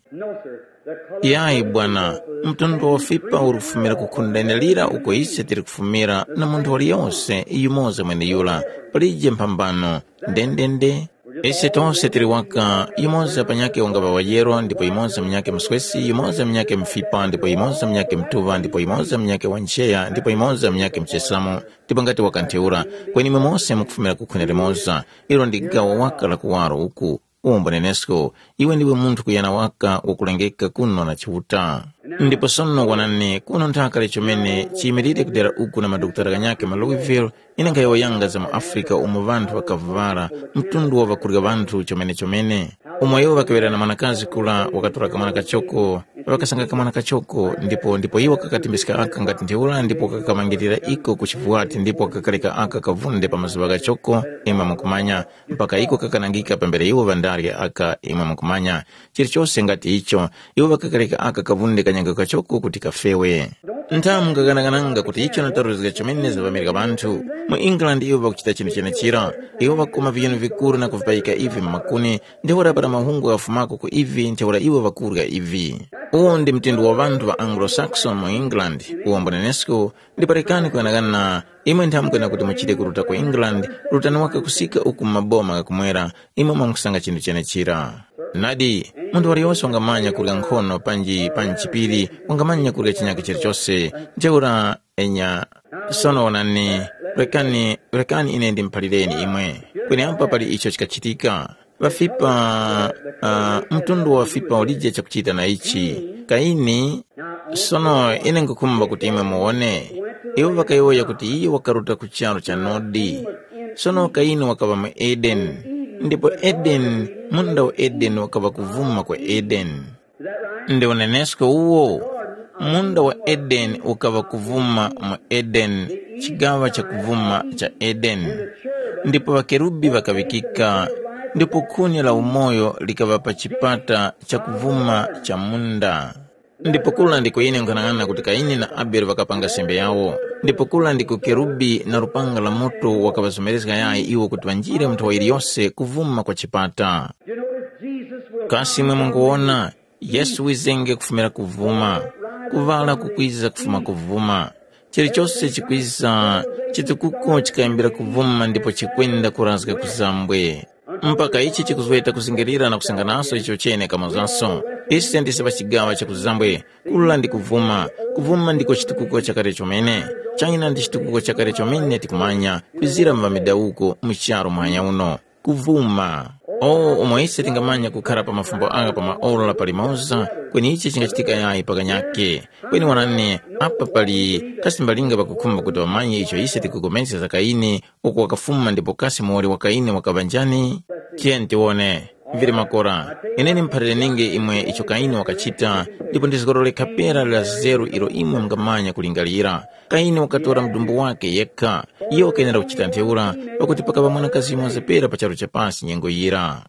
Yayi bwana, mtundu wa fipa uri kufumira ku khunda lira uko ise tiri kufumira na munthu waliyose yumoza mweneyura, palije mphambano. Ndendende. Ise tose tili waka, yumoza panyakhe ungaŵa wayero ndipo yumoza munyakhe mswesi, yumoza munyakhe mfipa ndipo yumoza munyakhe mtuŵa ndipo yumoza munyakhe wancheya ndipo yumoza munyakhe mchesamo, ndipo ngati wakantheura, kweni imwe mose mukufumira ku khwene limoza. Ilo ndi gawo waka la kuwaro uku. Umo mbonenesko, iwe ndiwe munthu kuyana waka wakulengeka kuno na Chiuta. Ndipo sono wanani kuno nthaka chomene chiyimilire kudera uku na madokotala ghanyakhe ma Louisville. Ine nkhayowoyanga za mu Afrika umo ŵanthu ŵakavuvara, mtundu wa ŵakurya ŵanthu chomene-chomene. Umo iwo ŵakaŵera na mwanakazi kura wakatora kamwana kachoko, ŵakasanga kamwana kachoko, ndipo ndipo iwo kakatimbiska aka ngati ntheura ndipo kakamangirira iko ku chivwati ndipo kakareka aka kavunde pa mazuŵa ghachoko, imwe mukumanya, mpaka iko kakanangika pambere iwo ŵandarya aka, imwe mukumanya. Chilichose ngati icho, iwo ŵakakareka aka kavunde kanyanga kachoko kuti kafewe. Nthamu ngaganagananga kuti icho nataruzga chomene zaŵamirika ŵanthu. Mu England iwo ŵakuchita chinthu chenechira. Iwo ŵakoma viyuni vikuru na kuvipayika ivi mu makuni, ntheura para mahungu ghafumako ku ivi ntheura iwo ŵakurya ivi. Uwu ndi mtundu wa ŵanthu ŵa Anglo-Saxon mu England, uwo mbonenesko. Ndipo rekani kuyanaghana, imwe nthamu kwena kuti muchite kuruta ku England, rutani waka kusika uku mu maboma ghakumwera, imwe mwamusanga chinthu chenechira. Nadi, munthu waliyose wangamanya kurya nkhono panji panji chipiri, wangamanya kurya chinyakhe chilichose. Ntheura enya, sono wonani, rekani, rekani ine ndimuphalireni imwe. Kweni apa pali icho chikachitika. Ŵafipa, uh, mtundu wa fipa ulije chakuchita na ichi. Kaini, sono ine nkukhumba kuti imwe muwone. Iwo ŵakayowoya kuti iye wakaruta ku charu cha Nodi. Sono Kaini wakaŵa mu Edeni, ndipo Edeni, munda wa Edeni wakaŵa kuvuma kwa Edeni. Ndi unenesko uwo, munda wa Edeni ukaŵa kuvuma mu Edeni, chigaŵa cha kuvuma cha Edeni. Ndipo ŵakerubi ŵakaŵikika, ndipo khuni la umoyo likaŵa pa chipata cha kuvuma cha munda. Ndipo kula ndiko ine nkhanang'ana kuti Kaini na Abele ŵakapanga sembe yawo. Ndipo kula ndiko kerubi na lupanga la moto wakaŵazomerezga yayi iwo kuti ŵanjire mu nthowa yiliyose kuvuma kwa chipata. Jesus will Kasi imwe munguwona, Yesu wizenge kufumira kuvuma, kuŵala kukwiza kufuma kuvuma. Chilichose chikwiza, chitukuko chikayambira kuvuma ndipo chikwenda kurazga kuzambwe. Mpaka ichi chikuzweta kuzingirira na kusanganaso icho chene kamozaso. Ise ndise pa chigawa cha kuzambwe, kula ndi kuvuma. Kuvuma ndiko chitukuko chakale chomene. China ndi chitukuko chakale chomene tikumanya, kwizira mu midawuko mu charu mwanya uno. Kuvuma. O, umo ise tingamanya kukhara pa mafumbo agha pa maora palimoza, kweni ichi chingachitika yayi pakanyake. Kweni wanani, apa pali kasimbalinga pakukhumba kuti wamanye icho ise tikupulikana za Kaini, uko wakafuma ndipo kasi muwoli wa Kaini wakaŵa njani? Tiyeni tiwone. Vili makora, ine nimuphalire ninge imwe icho Kaini wakachita, ndipo ndizgorore khapera la zeru ilo imwe mungamanya kulingalira. Kaini wakatora mdumbu wake yekha. Iyo wakayenera kuchita ntheura, pakuti pakaŵa mwanakazi yumoza pera pa charu cha pasi nyengo yira.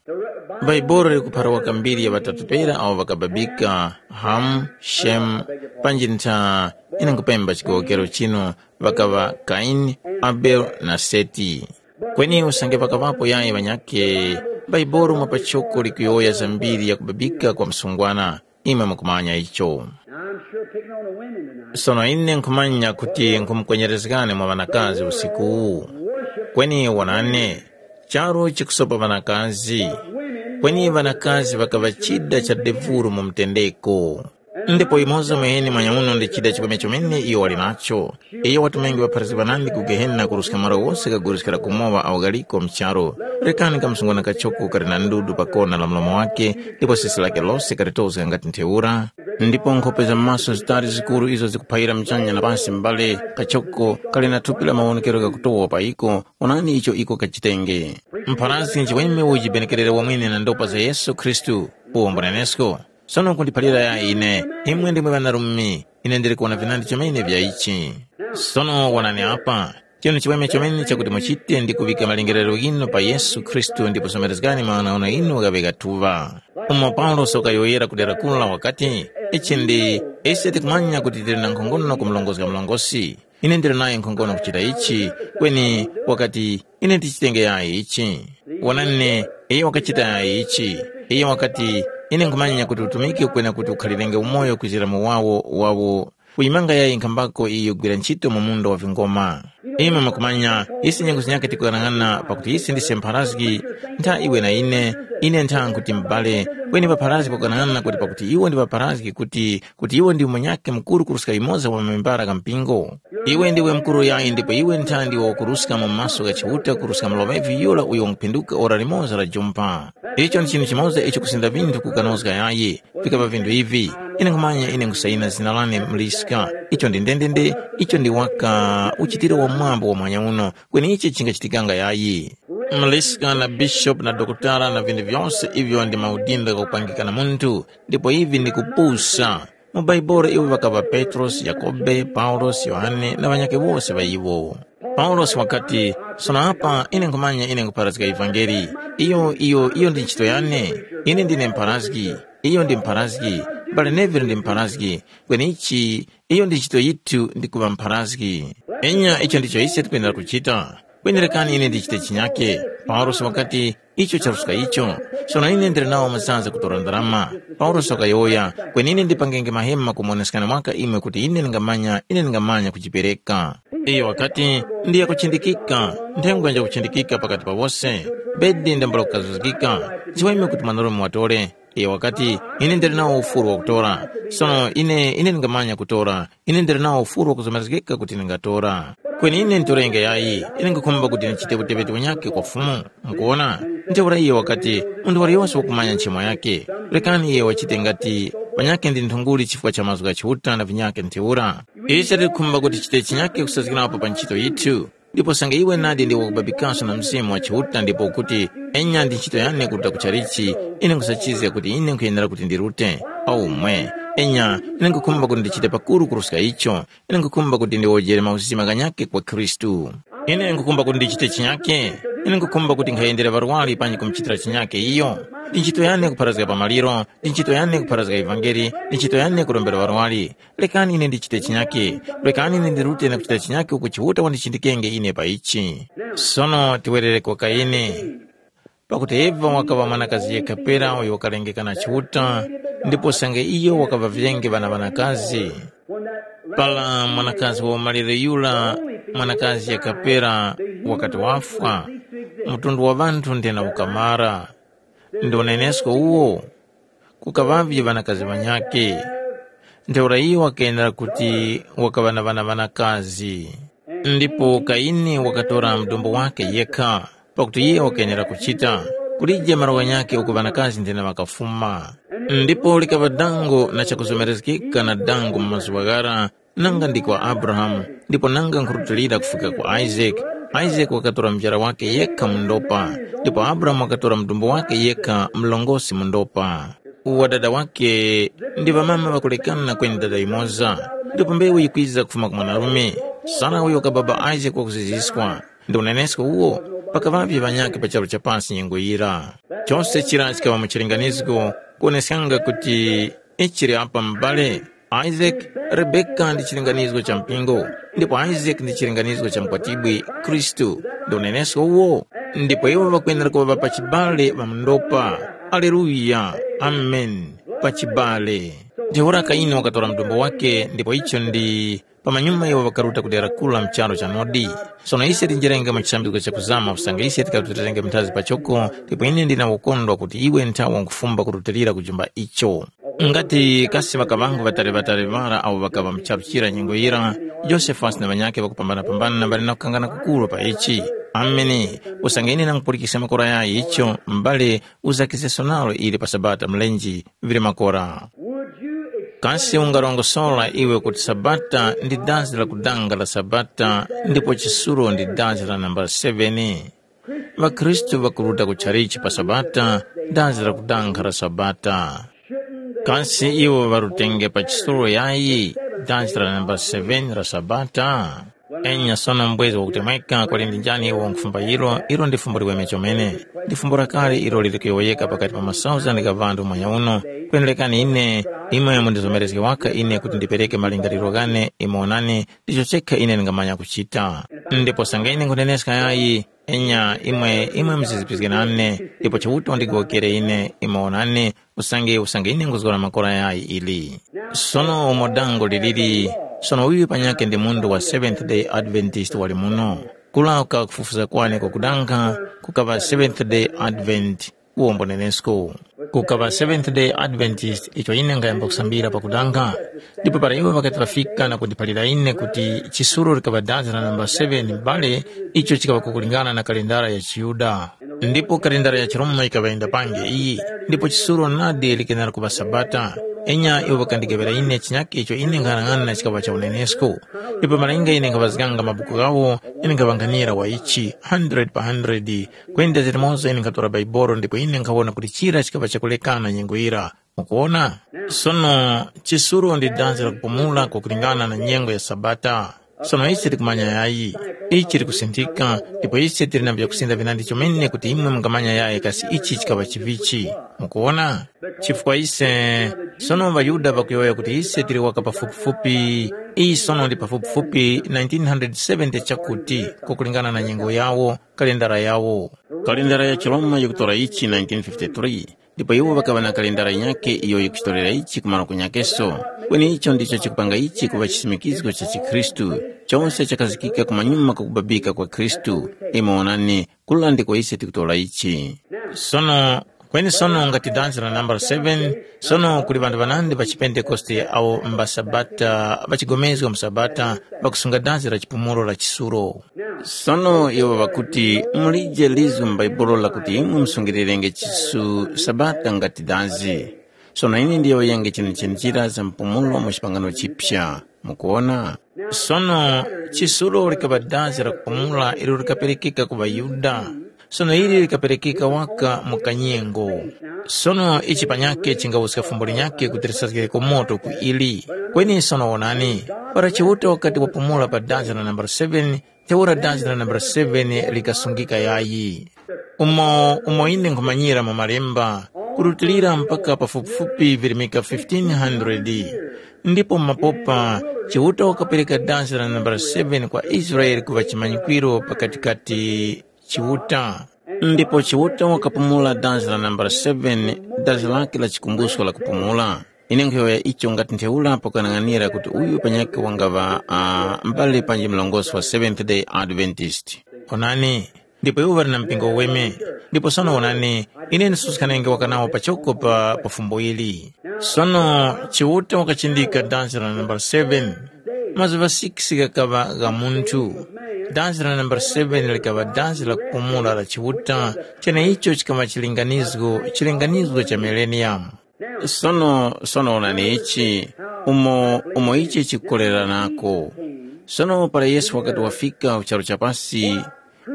Bhaibuli likuphara waka mbiri ya ŵatatu pera awo ŵakababika, Hamu, Shemu, panji ntha, ine nkupemba chigowokero chinu, ŵakaŵa Kaini, Abele na Seti. Kweni usange pakaŵapo yayi ŵanyakhe, Bhaibuli mwa pachoko likuyowoya za mbiri ya kubabika kwa msungwana, imwe mukumanya icho. Now, I'm sure picking on the women tonight. Sono ine nkhumanya kuti nkhumukwenyerezgani mwa ŵanakazi usiku uwu. Kweni wonani, charu chikusopa ŵanakazi. Kweni ŵanakazi ŵakaŵa chida cha devuro mu mtendeko. Ndipo imoza mweneni mwanyauno ndi chida chikome chomene iyo wali nacho. Iyo watumenge ŵapharazgi ŵanandi ku Gehena kuruska malo ghose ghaguruskira kumowa awo ghaliko mu charu. Rekani kamsungwana kachoko kali na ndudu pa kona la mlomo wake, ndipo sesi lake lose kalitozga ngati ntheura. Ndipo nkhope za maso zitali zikuru izo zikuphayira mchanya na pasi mbale, kachoko kali na thupi la mawonekero ghakutowa pa iko, onani icho iko kachitenge. Mpharazgi nchiweme ujibenekerere wamwene na ndopa za Yesu Khristu, uwo mbunenesko. Sono kundiphalira ya ine, imwe ndimwe ŵanarume, ine ndili kuwona vinandi chomene vya ichi. Sono wonani apa, chinu chimweme chomene chakuti muchite ndi kuŵika malingerero ghinu pa Yesu Khristu ndipo somerezgani maghanoghano ghinu ghaŵe gathuŵa. Umo Paulosi wakayowoyera ku dera kulo wakati, ichi ndi, ise tikumanya kuti tili na nkhongono kumulongozga murongozgi. Ine ndili nayo nkhongono kuchita ichi, kweni wakati, ine ndichitenge yayi ichi. Wonani, iyo wakachita yayi ichi. Iyo wakati, ine nkhumanya kuti utumiki ukwena kuti ukhalirenge umoyo kwizira mu wawo wawo uyimanga yayi nkhambako iyo yikugwira ntchito mu munda wa vingoma. Imwe mukumanya, ise nyengo zinyakhe tikughanag'ana pakuti ise ndise mpharazgi, ntha iwe na ine, ine ntha nkhuti m'bale, kweni ŵapharazgi pakughanag'ana kuti pakuti iwo ndi ŵapharazgi kuti, kuti iwo ndi munyakhe mukuru kuruska yumoza wa membara gha mpingo. Iwe ndiwe mukuru yayi ndipo iwe ntha ndiwe wakuruska mu maso gha Chiuta kuruska muloŵevi yura uyo wanguphinduka ora limoza la jumpa. Icho ndi chinthu chimoza icho kusinda vinthu kukanozga yayi. Vikaŵa vinthu ivi, ine nkhumanya ine nkhusayina zina lane mliska. Icho ndi ndendende, icho ndi waka uchitiro wamwambo wa mwanya uno, kweni ichi chingachitikanga yayi. Mliska na bishopu na dokotala na vinthu vyose ivyo ndi maudindo ghakupangika na munthu, ndipo ivi ndi kupusa. Mu Baibolo iwo ŵakaŵa Petrosi, Yakobe, Paulosi, Yohane na ŵanyakhe wose ŵa iwo. Paulosi wakati, sono apa ine nkhumanya ine nkhupharazga ivangeli. Iyo, iyo, iyo ndi ntchito yane. Ine ndine mpharazgi. Iyo ndi mpharazgi. Mbale Neville ndi mpharazgi. Kweni ichi, iyo ndi ntchito yithu ndi kuŵa mpharazgi. Enya icho ndicho ise tikwenera kuchita. Kweni rekani ine ndichite chinyake. Paulosi wakati, icho charuska icho. Sono ine ndili nawo masanza kutora ndarama. Paulosi wakayowoya, kweni ine ndipangenge mahema kumoneskani mwaka imwe kuti ine ndingamanya, ine ndingamanya kujipereka. Iyo wakati, ndiya kuchindikika, nthengwa nja kuchindikika pakati pa wose. Bedi ndambula kukazuzgika. Nchiweme kuti mwanarume watore. Iyo wakati, ine ndili nawo ufuru wakutora. Sono ine, ine ndingamanya kutora. Ine ndili nawo ufuru wakuzomerezgeka kuti ndingatora. Kweni ine ntorenge yayi, ine nkhukhumba kuti ndichite uteŵeti wanyakhe kwa Fumu. Mukuwona? Ntheura iye wakati, munthu waliyose wakumanya nchimo yakhe. Rekani iye wachite ngati wanyakhe ndi nthunguli chifukwa cha mazgu gha Chiuta na vinyakhe ntheura. Ise tikukhumba kuti tichite chinyakhe kusazgirapo pa ntchito yithu. Ndipo sanga iwe nadi ndiwe wakubabikaso na Mzimu wa Chiuta ndipo ukuti, enya ndi ntchito yane kuruta ku chalichi, ine nkhusachizga kuti ine nkhuyenera kuti ndirute. Aumwe, enya, ine nkhukhumba kuti ndichite pakuru kuruska icho, ine nkhukhumba kuti ndiwojere mauzima ghanyakhe kwa Khristu. Ine nkhukhumba kuti ndichite chinyake, ine nkhukhumba kuti nkhayendere ŵarwari panji kumuchitira chinyake iyo. Ndi ntchito yane kupharazga pa maliro, ndi ntchito yane kupharazga ivangeli, ndi ntchito yane kurombera ŵarwari. Rekani ine ndichite chinyake, rekani ine ndirute na kuchita chinyake uko Chiuta wandichindikenge ine pa ichi. Sono tiwerere kwa Kaini. Pakuti Eva wakaŵa mwanakazi yekha pera uyo wakalengeka na Chiuta, ndipo usange iyo wakaŵa vyenge ŵana ŵanakazi. Para mwanakazi wa umalire yura, mwanakazi yekha pera wakati wafwa, mtundu wa ŵanthu ndena ukamara. Ndi unenesko uwo? Kukaŵavye ŵanakazi ŵanyakhe. Ntheura iyo wakenera kuti wakaŵa na ŵana ŵanakazi. Ndipo Kaini wakatora mudumbu wakhe yekha, pakuti iye wakenera kuchita, kulije malo ghanyakhe uko ŵanakazi ndina ŵakafuma. Ndipo likaŵa dango na chakuzomerezgeka na dango mu mazuŵa ghara, nanga ndi kwa Abrahamu, ndipo nanga nkhurutilira kufika kwa Isake. Isake wakatora mujara wakhe yekha mu ndopa, ndipo Abrahamu wakatora mudumbu wakhe yekha mlongosi mu ndopa. Wadada wakhe ndi ŵamama ŵakulekana kweni dada yumoza, ndipo mbewu yikwiza kufuma ku mwanarume. Sara uyo kababa Isake wakuziziskwa, ndi unenesko uwo, pakaŵavye ŵanyakhe pa charu cha pasi nyengo yira. Chose chira chikaŵa mu chilinganisko kuwoneskanga kuti ichiri apa m'bale Isake, Rebeka ndi chilinganisko cha mpingo, ndipo Isake ndi chilinganisko cha mkwatibwi Khristu, ndi unenesko uwo. Ndipo iwo ŵakwenera kuŵa ŵa pachibale ŵa mundopa. Aleluya! Ameni! Pachibale. Ntheura Kaini wakatora mdumbo wake, ndipo icho ndi pamanyuma iwo ŵakaruta ku dera kura mu charu cha Nodi. Sono ise tinjerenge mu chisambizgo chakuzama usange ise tikarutilirenge minthazi pachoko, ndipo ine ndina ukondwa kuti iwe nthawe nkufumba kurutilira kujumba icho. Ngati kasi ŵakaŵangu ŵatali-ŵatali ŵara awo ŵakaŵa mu charu chira nyengo yira, Josefe wasi na ŵanyakhe ŵakupambana-pambana ŵali na kukangana kukuru pa ichi. Ameni. Usange ine nangupulikiska makora yayi icho, m'bale, uzakizeso nalo ili pa Sabata mlenji vili makora. Kasi ungarongosora iwe kuti Sabata ndi dazi la kudanga la Sabata ndipo chisulo ndi dazi la nambala seveni? ŴaKhristu ŵakuruta ku tchalichi pa Sabata, dazi la kudanga la Sabata. Kasi iwo ŵarutenge pa chisulo yayi dazi la nambala seveni la Sabata? Enya sono mbwezi wakutemweka kwali ndi njani iwo nkufumba ilo, ilo ndi fumbo liweme chomene. Ndi fumbo lakale ilo lili kuyowoyeka pakati pa masauzandi gha ŵanthu mwanya uno. Kwendelekani ine, imwe mundizomerezge waka ine kuti ndipereke malingaliro ghane, imwe onani, ndicho chekha ine ndingamanya kuchita. Ndipo sanga ine nkhuneneska yayi, enya imwe, imwe muzizipizge nane, ndipo Chiuta wandigowokere ine, imwe onani, usange usange ine nguzgora makora yayi ili. Sono umo dango liliri, sono uyu panyakhe ndi munthu wa Seventh Day Adventist wali muno. Kula kukaŵa kufufuza kwane kwakudanga, kukaŵa Seventh Day Advent, uwombo nenesko. Kukaŵa Seventh Day Adventist icho ine nkhayamba kusambira pakudanga. Ndipo para iwo ŵakati ŵafika na kundiphalira ine kuti chisulo likaŵa dazi la namba seveni m'bale, icho chikaŵa kukulingana na kalendara ya chiYuda. Ndipo kalendara ya chiRoma yikaŵa yindapange iyi, ndipo chisulo nadi likenera kuŵa Sabata. Enya iwo ŵakandigaŵira ine chinyakhe icho ine nkhanang'ana chikaŵa cha unenesko. Ndipo malinga ine nkhaŵazganga mabuku ghawo, ine nkhaŵanghanira wa ichi, hundred pa hundred. Kwenda zilimoza ine nkhatora Baibolo ndipo ine nkhawona kuti chira chikaŵa chakulekana nyengo yira. Mukuwona? Sono, chisulo ndi danzi la kupumula kwakulingana na nyengo ya Sabata. Sono ise tikumanya yayi, ichi likusinthika, ndipo ise tili na vyakusinda vinandi chomene kuti imwe mungamanya yayi kasi ichi chikaŵa chivichi. Mukuwona? Chifukwa ise, sono ŵaYuda ŵakuyowoya kuti ise tili waka pafupifupi, iyi sono ndi pafupifupi nineteen hundred seventy chakuti, kwakulingana na nyengo yawo, kalendara yawo. Kalendara ya chiRoma yikutora ichi nineteen fifty-three, ndipo iwo ŵakaŵa na kalendara yinyakhe iyo yikuchitorera ichi kumaro kunyakeso. Kweni icho ndicho chikupanga ichi kuŵa chisimikizgo cha chikhristu, chose chakazikika kumanyuma kwakubabika kwa Khristu. Imwe wonani, kula ndiko ise tikutora ichi. Sono, kweni sono ngati danzi la nambala seven, sono kuli ŵanthu ŵanandi ŵa chipentekoste awo mba Sabata, ŵachigomezga mu Sabata, ŵakusunga danzi la chipumulo la chisulo. Sono iwo ŵakuti, mulije lizgu mu Bhaibuli lakuti imwe musungirirenge chisu Sabata ngati danzi. Sono ine ndiyowoyenge chenechene chira za mpumulo mu chipangano chipya. Mukuwona? Sono chisulo likaŵa danzi la kupumula ilo likaperekeka ku ŵaYuda. Sono ili likaperekeka waka mu kanyengo. Sono ichi panyakhe chingawuska fumbo linyakhe kuti lisazgireko moto ku ili. Kweni sono wonani, para Chiuta wakati wapumula pa danzi la nambala seven, ntheura danzi la nambala seven likasungika yayi. Umo, umo ine nkhumanyira mu Malemba, kurutilira mpaka pafupifupi virimika fifteen hundred. Ndipo mu mapopa, Chiuta wakapereka danzi la nambala seven kwa Israele kuŵa chimanyikwiro pakatikati Chiuta. Ndipo Chiuta wakapumula dazi la nambala seven, dazi lake la chikumbusko la kupumula. Ine nkhuyowoya icho ngati ntheura pakuyang'anira kuti uyu panyakhe wangaŵa uh, mbale panji mlongosi wa Seventh Day Adventist. Onani, ndipo iwo ŵali na mpingo uweme. Ndipo sono onani, ine ndisuskhanenge waka nawo pachoko pa, pa fumbo ili. Sono Chiuta wakachindika dansi la nambala seven. Mazuŵa six ghakaŵa gha munthu. Dansi la nambala seven likaŵa dansi la kupumula la Chiuta, cheneicho chikaŵa chilinganizgo, chilinganizgo cha mileniyamu. Sono, sono onani ichi, umo, umo ichi chikukoleranako. Sono para Yesu wakati wafika ku charu cha pasi,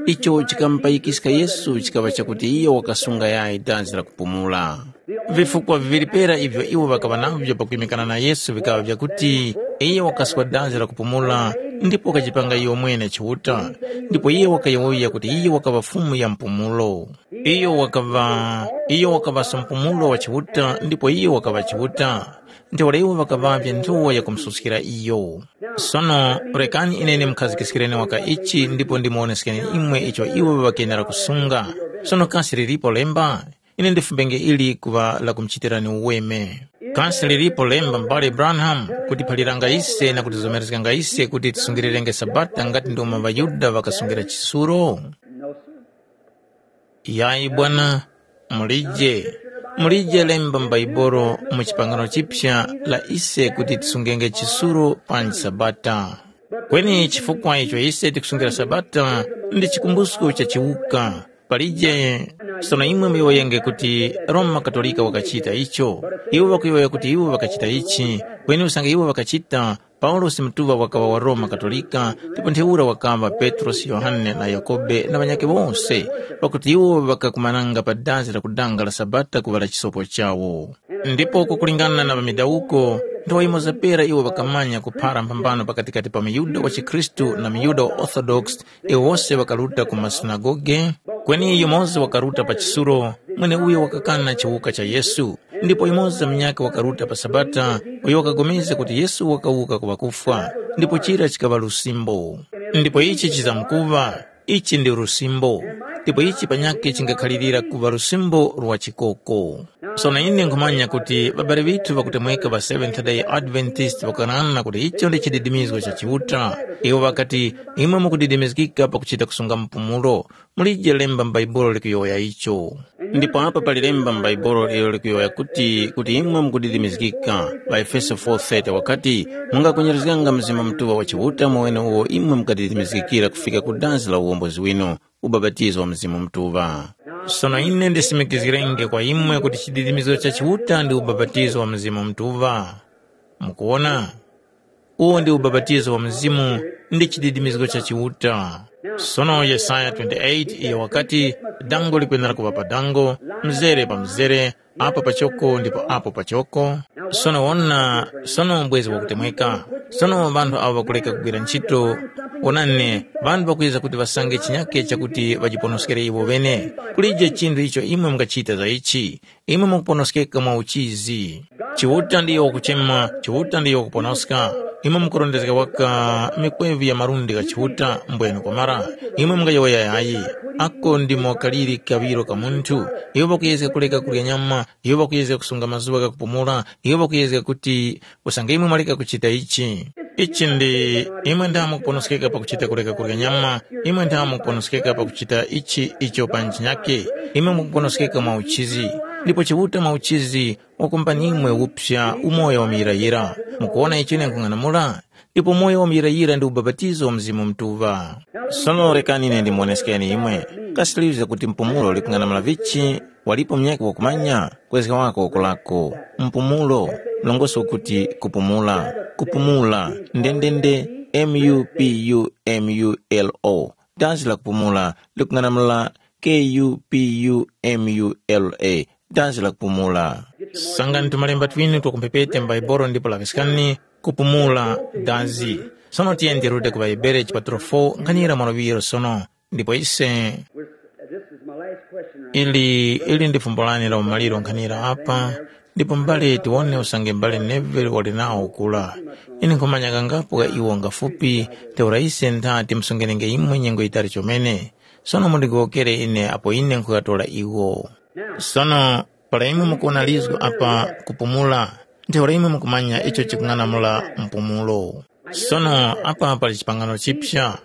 icho chikamupayikiska Yesu chikaŵa chakuti iyo wakasunga yayi danzi la kupumula. Vifukwa viŵiri pera ivyo iwo ŵakaŵa navyo pakwimikana na Yesu vikaŵa vyakuti, iyo wakaswa danzi la kupumula ndipo wakajipanga iyo mwene Chiuta, ndipo iyo wakayowoya kuti iyo wakaŵa Fumu ya mpumulo. Iyo wakaŵa, iyo wakaŵaso mpumulo wa Chiuta ndipo iyo wakaŵa Chiuta. Ntheura iwo ŵakaŵavye nthowa yakumususkira iyo. Sono rekani ine ndimukhazikiskireni waka ichi ndipo ndimuwoneskeni imwe icho iwo ŵakenera kusunga. Sono kasi lilipo lemba? Ine ndifumbenge ili kuŵa lakumuchitirani uweme. Kasi lilipo lemba m'bale Branham kuti phaliranga ise na kutizomerezganga ise kuti tisungirirenge Sabata ngati ndomwe ŵaYuda ŵakasungira chisuro? Yayi bwana, mulije, mulije lemba m'Baibolo mu chipangano chipya la ise kuti tisungenge chisuro panji Sabata. Kweni chifukwa icho ise tikusungira Sabata ndi chikumbusko cha chiwuka. Palije, sono imwe muyowoyenge kuti Roma Katolika wakachita icho. Iwo ŵakuyowoya kuti iwo ŵakachita ichi, kweni usange iwo ŵakachita, Paulosi mutuŵa wakaŵa wa Roma Katolika, ndipo ntheura wakaŵa Petrosi, Yohane na Yakobe na ŵanyakhe wose, pakuti iwo ŵakakumananga pa dazi la kudanga la Sabata kuŵala chisopo chawo. Ndipo kukulingana na ŵamidawuko, nthowa yimoza pera iwo ŵakamanya kuphara mphambano pakatikati pa muYuda wa chikhristu na muYuda wa Orthodox, iwo wose ŵakaruta ku masunagoge, kweni yumoza wakaruta pa chisulo, mweneuyo wakakana chiwuka cha Yesu. Ndipo yumoza munyakhe wakaruta pa Sabata, uyo wakapulikana kuti Yesu wakawuka ku ŵakufwa, ndipo chira chikaŵa lusimbo. Ndipo ichi chizamkuŵa, ichi ndi lusimbo, ndipo ichi panyakhe chingakhalirira kuŵa lusimbo lwa chikoko. Sono ine nkhumanya kuti ŵabali ŵithu ŵakutemweka ŵa Seventh Day Adventist ŵakanana kuti icho ndi chididimizgo cha Chiuta. Iwo ŵakati, imwe mukudidimizgika pakuchita kusunga mpumulo, mulije lemba m'Baibulo likuyowoya icho. Ndipo apa pali lemba m'Baibulo ilo likuyowoya kuti, kuti imwe mukudidimizgika. །Pa Efeso four thirty wakati, mungakwenyerezganga Mzimu Mutuŵa wa Chiuta mwenewo imwe mukadidimizgikira kufika ku dazi la uwombozi winu, ubapatizo wa Mzimu Mutuŵa. Sono ine ndisimikizgirenge kwa imwe kuti chididimizgo cha Chiuta ndi ubapatizo wa Mzimu Mutuŵa. Mukuwona? Uwo ndi ubapatizo wa Mzimu ndi chididimizgo cha Chiuta. Sono Yesaya twenty-eight iyo wakati, dango likwenera kuŵa pa dango, mzere pa mzere, apo pachoko ndipo apo pachoko. Sono wona, sono mbwezi wakutemweka. Sono ŵanthu awo ŵakuleka kugwira ntchito, wonani, ŵanthu ŵakwiza kuti ŵasange chinyake chakuti ŵajiponoskere iwo ŵene. Kulije chinthu icho imwe mungachita za ichi. Imwe mukuponoskeka mwa uchizi. Chiuta ndiyo wakuchema, Chiuta ndiyo wakuponoska. Imwe mukurondezga waka mikwevi ya malundi gha Chiuta mbwene kwamara. Imwe mungayowoya yayi. Ako ndimo kaliri kaŵiro ka munthu. Iwo ŵakuyezga kuleka kurya nyama, iwo ŵakuyezga kusunga mazuŵa gha kupumula, iwo ŵakuyezga kuti usange imwe mwaleka kuchita ichi. Ichi ndi, imwe ndamo kuponoskeka pakuchita kuleka kurya nyama, imwe ndamo kuponoskeka pakuchita ichi icho pa nchinyake, imwe mukuponoskeka mwa uchizi. Ndipo Chiuta mwa uchizi wakumbani imwe upsa umoyo wa muyirayira. Mukuwona icho ine nkhung'anamula? Ndipo umoyo wa muyirayira ndi ubapatizo wa Mzimu Mutuŵa. Sono rekani ine ndimuwoneskeni imwe. Kasi tiliŵiska kuti mpumulo likung'anamula vichi? Walipo munyakhe wakumanya? Kwezga wako wakulako. Mpumulo, mlongoso ukuti kupumula. Kupumula, ndendende, M U P U M U L O. Dansi la kupumula likung'anamula K U P U M U L A. Dansi la kupumula. Sangani tumalemba twinu twakumphepete m'Baibulo ndipo laŵiskani kupumula dansi. Sono tiyeni tiruta ku ŵaHebere chipatulo four nkhanira mwa luŵiro sono. Ndipo ise This is my last question right ili ili ndi fumbo lane la umaliro nkhanira apa. Ndipo mbale tiwone usange mbale Neville wali nawo kula. Ine nkhumanya kangapo ka iwo ngafupi. Ntheura ise ntha timsungenenge imwe nyengo yitali chomene. Sono mundigowokere ine apo ine nkhuŵatora iwo. Sono para imwe mukuwona lizgo apa kupumula, ntheura imwe mukumanya icho chikung'anamula mpumulo. Sono apa pali chipangano chipya.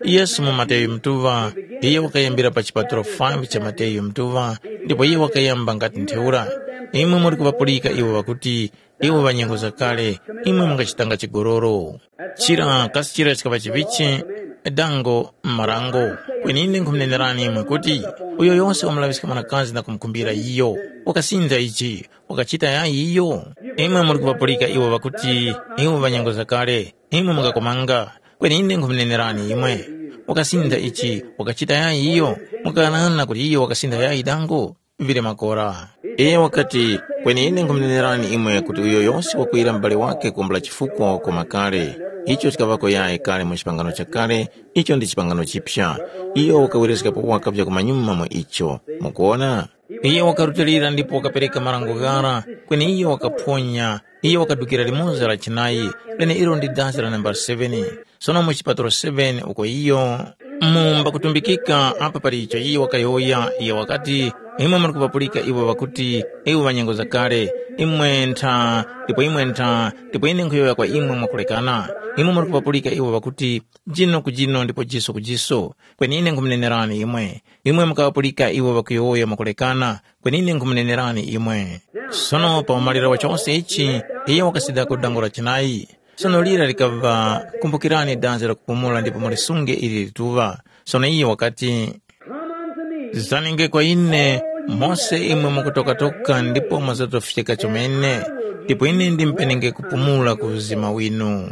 Yesu mu Mateyu Mutuŵa, iyo wakayambira pa chipaturo five cha Mateyu Mutuŵa, ndipo iyo wakayamba ngati ntheura. Imwe muri kuŵapulika iwo ŵakuti, iwo ŵa nyengo zakale, imwe mungachitanga chigoloro. Chira kasi chira chikaŵa chivichi, dango, marango. Kweni ine nkhumunenerani imwe kuti, uyo yose wamulaŵiska mwanakazi na kumukhumbira iyo, wakasintha ichi, wakachita yayi iyo. Imwe muri kuŵapulika iwo ŵakuti, iwo ŵa nyengo zakale, imwe mungakomanga. Kweni ine nkhumunenerani imwe, wakasintha ichi, wakachita yayi iyo, mukaghanaghana kuti iyo wakasintha yayi dango? Vili makora. Iyo wakati, kweni ine nkhumunenerani imwe kuti uyo yose wakwira mubali wake kuwombola chifukwa wakoma kale. Icho chikaŵako yayi kale mu chipangano chakale, icho ndi chipangano chipya. Iyo wakawerezgapo waka vyakumanyuma mwa icho. Mukuona? Iyo wakarutilira ndipo wakapereka marango ghara, kweni iyo wakaphonya, iyo wakadukira limoza la chinayi, leneilo ndi dasi la nambala seven. Sono mu chipaturo seven uko iyo mumba kutumbikika apa pali icho iyo wakayowoya, iyo wakati, imwe muri kupapulika iwo ŵakuti, iwo ŵa nyengo zakale, imwe ntha, ndipo imwe ntha, ndipo ine nkhuyowoya kwa imwe mwakulekana. Imwe muri kupapulika iwo ŵakuti, jino ku jino ndipo jiso ku jiso. Kweni ine nkhumunenerani imwe, imwe mukaŵapulika iwo ŵakuyowoya mwakulekana, kweni ine nkhumunenerani imwe. Sono pa umaliro wa chose ichi, iyo wakasidako dango la chinayi. Sono lira likaŵa, kumbukirani danzi la kupumula ndipo mulisunge ili lituŵa. Sono iyo wakati, zanenge kwa ine, mose imwe mukutokatoka ndipo mwazatofyeka chomene, ndipo ine ndimpenenge kupumula ku uzima winu.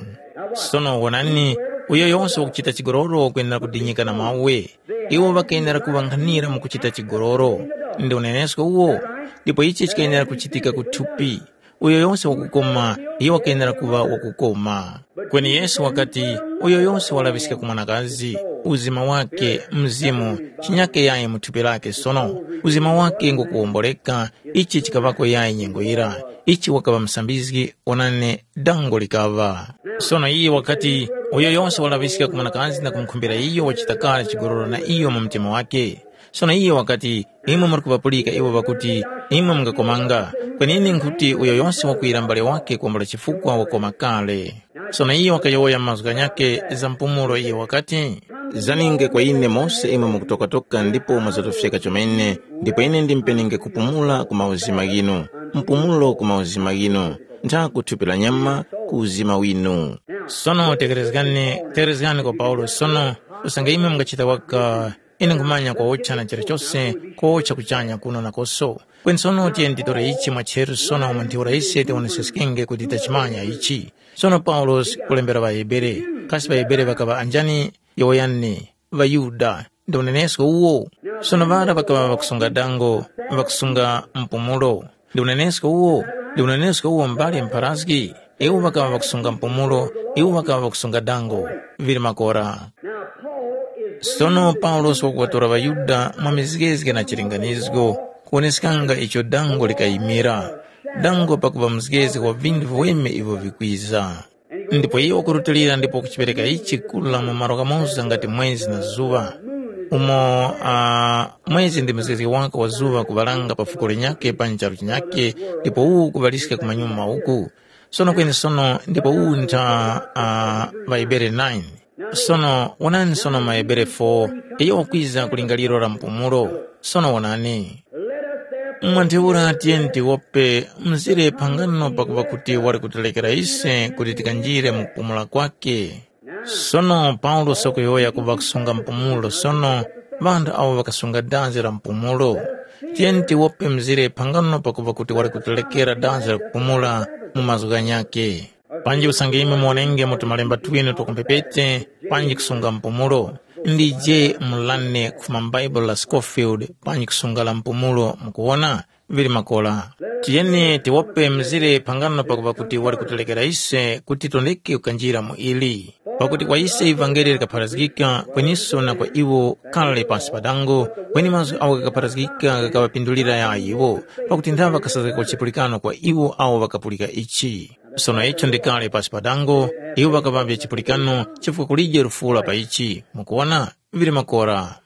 Sono wonani, uyo yose wakuchita chigololo kwenera kudinyika na mawe. Iwo ŵakayenera kuŵankhanira mu kuchita chigololo. Ndi unenesko uwo, ndipo ichi chikayenera kuchitika ku thupi. Uyo yose wakukoma, iyo wakayenera kuŵa wakukoma. Kweni Yesu wakati, uyo yose walaŵiska ku mwanakazi, uzima wake, mzimu, chinyake yayi mu thupi lake sono, uzima wake ngukuwomboleka, ichi chikaŵako yayi nyengo yira, ichi wakaŵa musambizgi, onani, dango likaŵa. Sono iye wakati, uyo yose walaŵiska ku mwanakazi na kumukhumbira iyo wachita kale chigololo na iyo mu mtima wake. Sono iye wakati, imwe muri kuŵapulika iwo ŵakuti, imwe mungakomanga, kweni ine nkhuti uyo yose wakwira mbale wake kuwombola chifukwa wakoma kale. Sono iye wakayowoya mazgu ghanyakhe za mpumulo, iye wakati, zaninge kwa ine mose imwe mukutokatoka ndipo mwazatofyeka chomene, ndipo ine ndimpenenge kupumula ku mauzima ghinu, mpumulo ku mauzima ghinu, ntha ku thupi la nyama ku uzima winu. Sono tekerezgani, tekerezgani kwa Paulo sono, usange imwe mungachita waka, ine nkhumanya kwawotcha na chilichose, kwawotcha kuchanya kuno nakoso. Kweni sono tiyeni titore ichi mwa cheru sono mu ntheura ise tiwoneseskenge kuti tachimanya ichi. Sono Paulosi kulembera ŵaHebere, kasi ŵaHebere ŵakaŵa anjani? Yowoyani, ŵaYuda, ndi unenesko uwo. Sono ŵara ŵakaŵa ŵakusunga dango, ŵakusunga mpumulo. Ndi unenesko uwo, ndi unenesko uwo mbale mpharazgi. Iwo ŵakaŵa ŵakusunga mpumulo, iwo ŵakaŵa ŵakusunga dango, vili makora. Sono Paulosi wakuŵatora ŵaYuda mwa mizgezge na chilinganizgo, kuwoneskanga icho dango likayimira. Dango pakuŵa mzgezge wa vinthu viweme ivyo vikwiza. Ndipo iye wakurutilira ndipo kuchipereka ichi kula mu malo ghamoza ngati mwezi na zuŵa, umo uh, mwezi ndi mzgezge wake wa zuŵa kuŵalanga pa fuko linyakhe panyi charu chinyakhe, ndipo uwu kuŵaliska ku manyuma uku. Sono kweni sono ndipo uwu ntha uh, ŵaHebere nine. Sono wonani sono maHebere four, iyo wakwiza ku lingaliro la mpumulo. Sono wonani. Mwa ntheura tiyeni tiwope mzire phangano pakuŵa kuti wali kutilekera ise kuti tikanjire mu kupumula kwakhe. Sono Paulosi wakuyowoya kuŵa kusunga mpumulo sono, ŵanthu awo ŵakasunga danzi la mpumulo. Tiyeni tiwope mzire phangano pakuŵa kuti wali kutilekera danzi la kupumula mu mazgu ghanyakhe. Panji usange imwe muwonenge mu tumalemba twinu twa kumphepete, panji kusunga mpumulo, ndije mulane kufuma m'Baibulo la Scofield, panji kusunga la mpumulo, mukuwona, vili makora. Tiyeni tiwope mzire phangano pakupa kuti wali kutilekera ise kuti tondeke kukanjira mu ili. Pakuti kwa ise ivangeli likapharazgika, kweniso na kwa iwo kale pasi pa dango, kweni mazgu awo ghakapharazgika ghakaŵapindulira yayi iwo, pakuti nthawe ŵakasazgako chipulikano kwa iwo awo ŵakapulika ichi. Sono icho ndi kale pasi pa dango, iwo ŵakaŵavye chipulikano chifukwa kulije lufuura pa ichi. Mukuwona? Vili makora.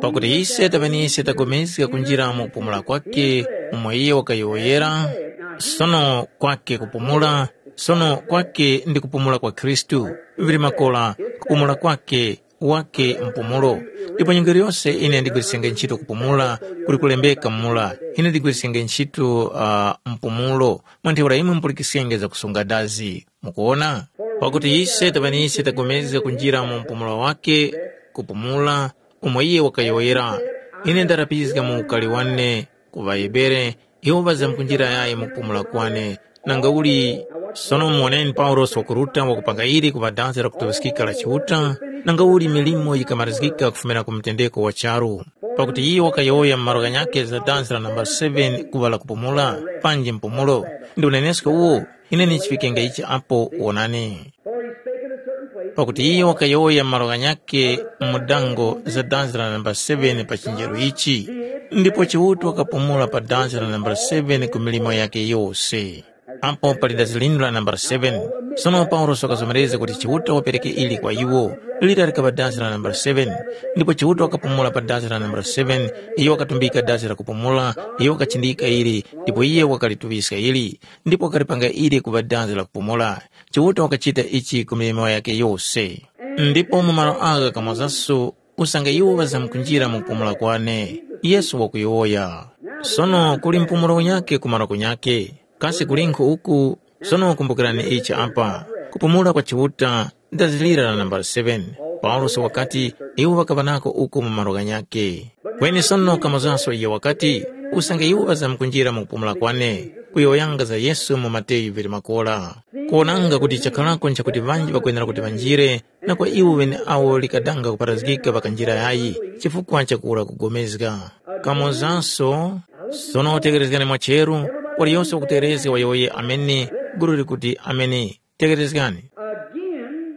Pakuti ise taŵeniso tapulikana kunjira mu kupumula kwake, umo iye wakayowoyera, sono kwake kupumula, sono kwake ndi kupumula kwa Khristu, vili makora, kupumula kwake, wake mpumulo. Ndipo nyengo yose ine ndigwirisenge ntchito kupumula, kuli kulembeka mula, ine ndigwirisenge ntchito uh, mpumulo, mwa ntheura imwe mupulikisenge zakusunga dazi. Mukuwona? Pakuti ise taŵa ni ise tapulikana kunjira mu mpumulo wake, kupumula, umo iye wakayowoyera. Ine ndarapizga mu ukari wane ku ŵaHebere, iwo ŵazamkunjira yayi mu kupumula kwane. Nanga uli, sono muwoneni Paulosi wakuruta wakupanga ili ku ŵadazi la kutuŵiskika la Chiuta, nanga uli milimo yikamarizgika kufumira ku mtendeko wa charu. Pakuti iyo wakayowoya mu malo ghanyakhe za dazi la nambala seven kuŵa la kupumula, panji mpumulo. Ndi unenesko uwo, ine ndichiŵikenga ichi apo wonani. For he spake in a certain place. Pakuti iyo wakayowoya malo ghanyakhe mu dango za danzi la nambala seven pa chinjeru ichi, ndipo Chiuta wakapumula pa danzi la nambala seven ku milimo yakhe yose. Apo pali dazi linu la nambala seven. Sono Paulosi wakazomerezga kuti Chiuta wapereke ili kwa iwo, lira likaŵa dazi la nambala seven. Ndipo Chiuta wakapumula pa dazi la nambala seven, iyo wakatumbika dazi la kupumula, iyo wakachindika ili, ndipo iye wakalituŵiska ili, ndipo wakalipanga ili kuŵa danzi la kupumula. Chiuta wakachita ichi ku milimo yakhe yose. Ndipo mu malo agha kamozaso usange iwo ŵazamkunjira mu kupumula kwane, Yesu wakuyowoya. Sono kuli mpumulo unyakhe ku malo kunyakhe. Kasi kulinkhu uku? Sono kumbukirani ichi apa, kupumula kwa Chiuta ndazilira la nambala seven. Paulosi wakati iwo ŵakaŵa nako uku mu malo ghanyakhe. Kweni sono kamozaso iyo wakati, usange iwo ŵazamkunjira mu kupumula kwane, kuyowoyanga za Yesu mu Mateyu vili makora. Kuwonanga kuti chakharako nchakuti ŵanji ŵakwenera kuti ŵanjire, na kwa iwo ŵeneawo likadanga kuparazgika ŵakanjira yayi, chifukwa chakura kugomezga. Kamozaso, sono tekerezgani mwacheru, waliyose wakutekerezga wayowoye amene, gulu likuti amene. Tekerezgani. Again,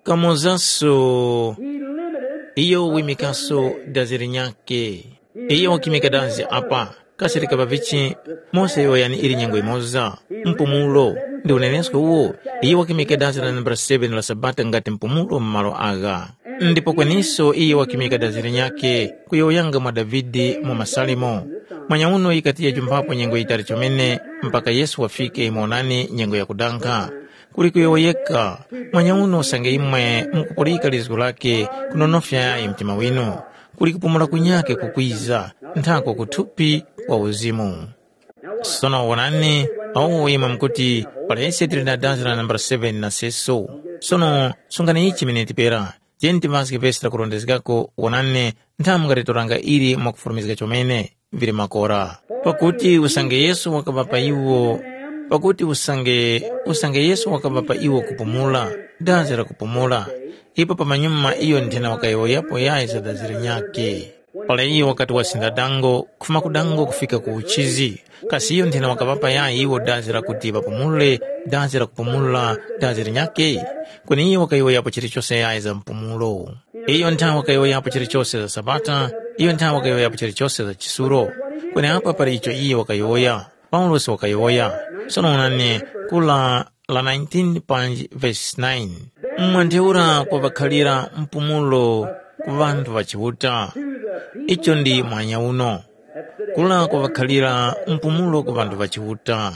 Kamozaso, he limited iyo wimikaso dazi linyakhe. Iyo wakimika dazi apa, kasi likaŵa vichi, mose yoyani ili nyengo imoza, mpumulo, ndi unenesko uwo, iyo wakimika dazi la nambala seven la Sabata ngati mpumulo mu malo agha. Ndipo kweniso iyo wakimika dazi linyakhe kuyowoyanga mwa Davide mu Masalimo. Mwanyauno yikati yajumphapo nyengo yitali chomene mpaka Yesu wafike, monani nyengo yakudankha. Kuli kuyowoyeka, mwanyauno usange imwe mukupulika lizgu lake kunonofya yayi mtima winu. Kuli kupumula kunyakhe kukwiza, nthako ku thupi kwa uzimu. Sono wonani, awo imwe mukuti, palese tili na danzi la nambala seven na seso. Sono sungani ichi miniti pera, tiyeni timaske vesi lakurondezgako, wonani, nthamu ngatitoranga ili mwakufulumizga chomene, vili makora. Pakuti usange Yesu wakaŵa pa iwo, pakuti usange, usange Yesu wakaŵa pa iwo kupumula, danzi la kupumula, ipo pamanyuma iyo nthena wakayowoyapo yayi za danzi linyakhe. Para iyo wakati wasinda dango, kufuma ku dango kufika ku uchizi, kasi iyo nthena wakaŵapa yayi iwo danzi lakuti ŵapumule, danzi la kupumula, danzi linyakhe? Kweni iyo wakayowoyapo chilichose yayi za mpumulo. Iyo nthawe wakayowoyapo chilichose za Sabata, iyo nthawe wakayowoyapo chilichose za chisulo. Kweni apa pali icho iyo wakayowoya, Paulosi wakayowoya. Sono onani, kula la nineteen panji verse nine. Mwa ntheura kwaŵakhalira mpumulo ku ŵanthu ŵa Chiuta. Icho ndi mwanya uno. Kula kwaŵakhalira mpumulo ku ŵanthu ŵa Chiuta.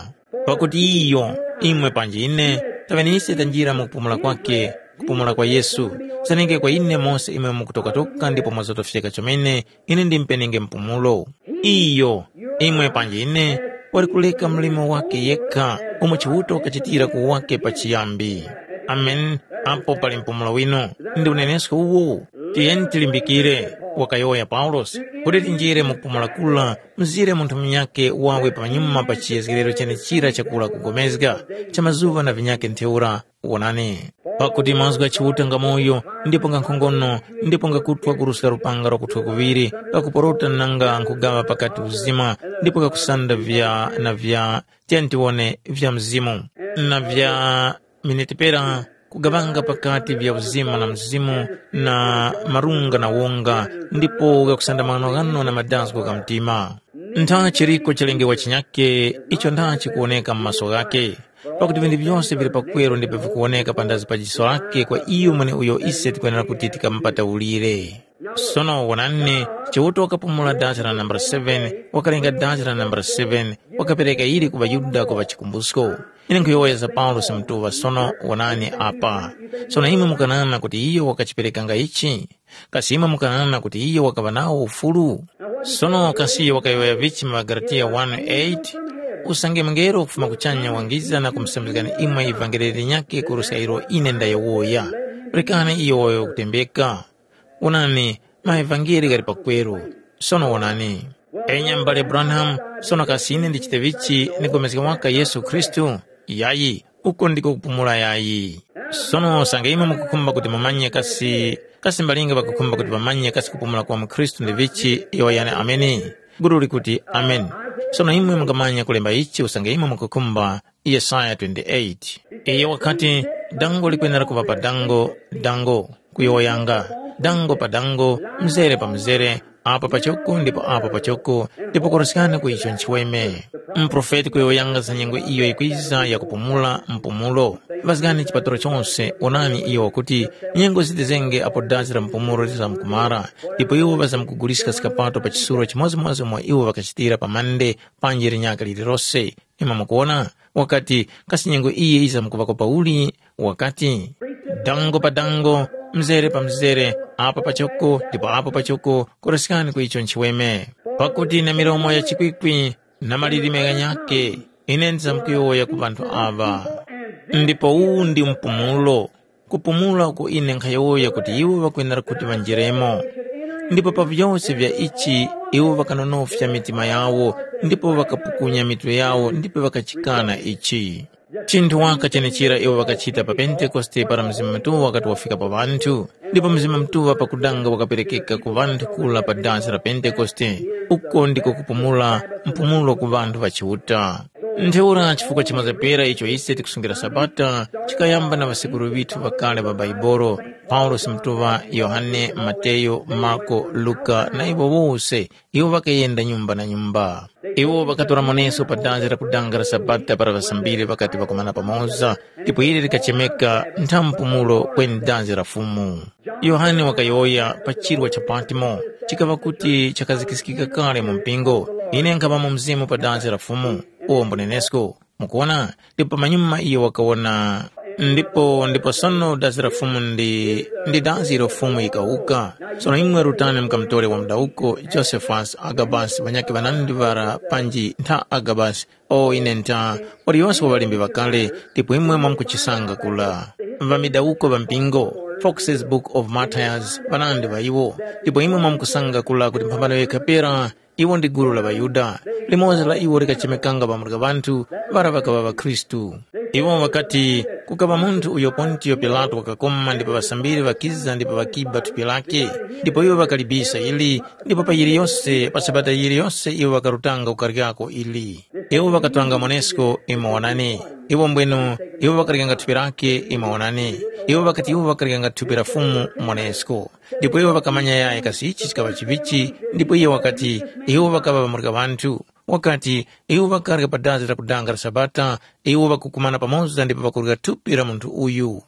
Pakuti iyo, imwe panji ine, taŵenise tanjira mu kupumula kwake, kupumula kwa Yesu. Kusanenge kwa ine mose imwe mukutokatoka ndipo mwazotofyeka chomene, ine ndimpenenge mpumulo. Iyo, imwe panji ine, wali kuleka mlimo wake yekha, umo Chiuta wakachitira ku wake pachiyambi. Amen. Apo pali mpumulo winu, ndi unenesko uwu. Tiyeni tilimbikire, wakayowoya Paulosi, kuti tinjire mu kupumula kula, mzire munthu munyakhe wawe panyuma pa chiyezgerero chenechira chakula kugomezga, cha mazuŵa na vinyakhe ntheura. Wonani, pakuti mazgu gha Chiuta ngamoyo, ndipo ngankhongono, ndipo ngakuthwa kuruska lupanga lwakuthwa kuŵiri, kakuporota nanga nkhugaŵa pakati uzima, ndipo kakusanda vya na vya, tiyeni tiwone, vya mzimu, na vya minetipera, kugaŵanga pakati vya uzima na mzimu, na marunga na wonga, ndipo ghakusanda maghanoghano na madazgo gha mtima. Ntha chiriko chalengewa chinyakhe, icho ntha chikuwoneka mu maso ghakhe. Pakuti vinthu vyose vili pakweru ndipo vikuwoneka pandazi pa jiso lakhe kwa iyo mweneuyo ise tikwenera kuti tikamupataulire. Sono wonani, Chiuta wakapumula dazi la nambala seven, wakalenga dazi la nambala seven, wakapereka ili ku ŵaYuda kuŵa chikumbusko. Ine nkhuyowoya za Paulosi mutuŵa sono, wonani apa. Sono imwe mukanana kuti iyo wakachiperekanga ichi? Kasi imwe mukanana kuti iyo wakaŵa nawo ufulu? Sono kasi iyo wakayowoya vichi mu ŵaGalatiya one eight? Usange mungelo kufuma kuchanya wangiza na kumusambizgani imwe ivangeli linyakhe kuruska ilo ine ndayowoya. Rekani iyo wayo kutembeka. Wonani, maevangeli ghali pakweru. Sono wonani. Enya m'bale Branham, sono kasi ine ndichite vichi ndigomezge waka Yesu Khristu? Yayi, uko ndiko kupumula yayi. Sono sanga imwe mukukhumba kuti mumanye kasi, kasi mbalinga ŵakukhumba kuti ŵamanye kasi kupumula kwa mukhristu ndi vichi, yowoyani ameni. Gulu likuti, "Ameni." Sono imwe mungamanya kulemba ichi usange imwe mukukhumba Yesaya twenty-eight. Iye wakati, dango likwenera kuŵa pa dango, dango, kuyowoyanga, dango pa dango, mzere pa mzere, apa pachoko ndipo apa pachoko, ndipo kuruskani ku icho nchiweme. Muprofeti kuyowoyanga za nyengo iyo yikwiza yakupumula mpumulo. Ŵazgani chipatalo chose, onani iyo wakuti, nyengo zitizenge apo dazi la mpumulo lizamkumara, ndipo iwo ŵazamkuguliska zikapato pa chisuro chimodzimodzi umo iwo ŵakachitira pa mande panji linyaka lililose. Imwe mukuwona, wakati, kasi nyengo iyi yizamkuŵako pauli? Wakati, dango pa dango, mzere pa mzere, apa pachoko ndipo apo pachoko, kuruskani ku icho nchiweme. Pakuti na milomo ya chikwikwi na malilime ghanyakhe, ine ndizamkuyowoya ku ŵanthu aŵa. Ndipo uwu ndi mpumulo, kupumula uko ine nkhayowoya kuti iwo ŵakwenera kuti ŵanjeremo. Ndipo pa vyose vya ichi iwo ŵakanonofya mitima yawo ndipo ŵakapukunya mitwe yawo ndipo ŵakachikana ichi. Chinthu waka chenechera iwo ŵakachita pa Pentekoste para Mzimu Mutuŵa wakati wafika pa ŵanthu, ndipo Mzimu Mutuŵa pakudanga wakaperekeka ku ŵanthu kula pa dansi la Pentekoste. Uko ndiko kupumula mpumulo ku ŵanthu ŵa Chiuta. Ntheura chifukwa chimazepera icho ise tikusungira Sabata chikayamba na ŵasekuru ŵithu ŵakale ŵa Baibolo, Paulosi Mutuŵa, Yohane, Mateyo, Marko, Luka na iwo wose, iwo ŵakayenda nyumba na nyumba. Iwo ŵakatora moneso pa danzi la kudanga la Sabata para ŵasambiri ŵakati ŵakumana pamoza, ndipo ili likachemeka ntha mpumulo kweni danzi la Fumu. Yohane wakayowoya pa chirwa cha Patmo, chikaŵa kuti chakazikiskika kale mu mpingo. Ine nkhaŵa mu mzimu pa danzi la Fumu, uwo mbunenesko. Mukuwona, ndipo pamanyuma iyo wakawona. Ndipo ndipo sono dazi la Fumu ndi, ndi dazi ilo Fumu yikawuka. Sono imwe rutani mukamutore wa mudawuko Josephus Agabus ŵanyakhe ŵanandi ŵara panji ntha Agabus, o ine ntha, waliyose wa ŵalembi ŵakale, ndipo imwe mwamkuchisanga kula. Ŵamidawuko ŵa mpingo, Fox's Book of Martyrs, ŵanandi ŵa iwo, ndipo imwe mwamkusanga kula kuti mphambano yekha pera, iwo ndi gulu la ŵaYuda, limodzi la iwo likachemekanga pamurika ŵanthu ŵara ŵakaŵa ŵakhristu. Iwo ŵakati, kukaŵa munthu uyo Pontiyo Pilato wakakoma ndipo ŵasambiri ŵakiza ndipo ŵakiba thupi lake, ndipo iwo ŵakalibisa ili, ndipo pa yiliyose pa sabata yiliyose iwo ŵakarutanga kukaryako ili. Iwo ŵakatanga monesko, imwe wonani. Iwo mbwenu, iwo ŵakaryanga thupi lake, imwe wonani. Iwo ŵakati iwo ŵakaryanga thupi la Fumu monesko. Ndipo iwo ŵakamanya yayi kasi ichi chikaŵa chivichi, ndipo iye wakati, iwo ŵakaŵa ŵamurika ŵanthu. Wakati, iwo ŵakarya pa dazi la kudanga la Sabata, iwo ŵakukumana pamoza ndipo ŵakurya thupi la munthu uyu.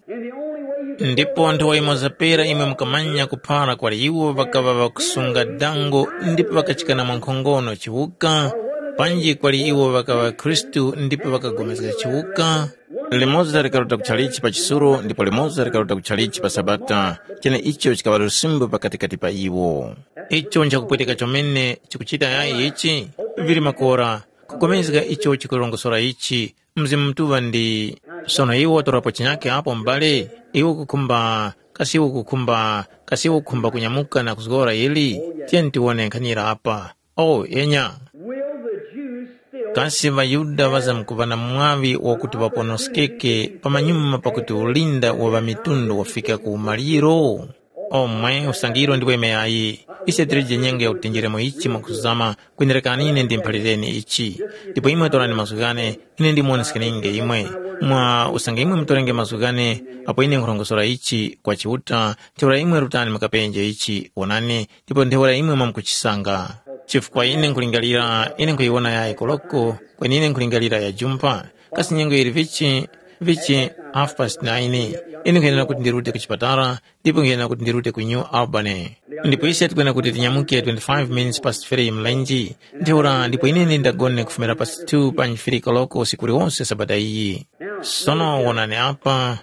Ndipo nthowa imoza pera imwe mukamanya kuphara kwali iwo ŵakaŵa ŵakusunga dango ndipo ŵakachikana mwankhongono chiwuka, panji kwali iwo ŵakaŵa Khristu ndipo ŵakagomezga chiwuka, limoza likaruta kuchalichi pa chisulo ndipo limoza likaruta kuchalichi pa Sabata, cheneicho chikaŵa lusimbo pakatikati pa iwo. Icho nchakupweteka chomene chikuchita yayi ichi, vili makora, kugomezga icho chikurongosora ichi, Mzimu Mutuŵa ndi. Sono iwo watorapo chinyakhe apo m'bale, iwe ukukhumba, kasi iwe ukukhumba, kasi iwe ukukhumba kunyamuka na kuzgora ili? Tiyeni tiwone nkhanira apa. Oh, enya. Will the Jews still Kasi ŵaYuda ŵazamkuŵa na mwaŵi wakuti ŵaponoskeke pamanyuma pakuti ulinda wa ŵamitundu wafika ku umaliro? Omwe usangiro ndi weme yayi. Ise tilije nyengo yakuti tinjiremo ichi mwakuzama, kwenerekani ine ndimuphalireni ichi. Ndipo imwe torani mazgu ghane, ine ndimuwoneskeninge imwe. Mwa usange imwe mutorenge mazgu ghane, apo ine nkhurongosora ichi kwa Chiuta, ntheura imwe rutani mukapenje ichi, wonani, ndipo ntheura imwe mwamkuchisanga. Chifukwa ine nkulingalira, ine nkhuyiwona yayi koloko, kweni ine nkulingalira ya jumpa. Kasi nyengo yili vichi? Vichi half past nine, ine nkhayenera kuti ndirute ku chipatala, ndipo nkhayenera kuti ndirute ku New Albany. Ndipo ise tikwenera kuti tinyamuke twenty-five minutes past three mlenji. Ntheura ndipo ine ndindagone kufumira past two panyi three koloko usiku uliwonse sabata iyi. Sono wonani apa,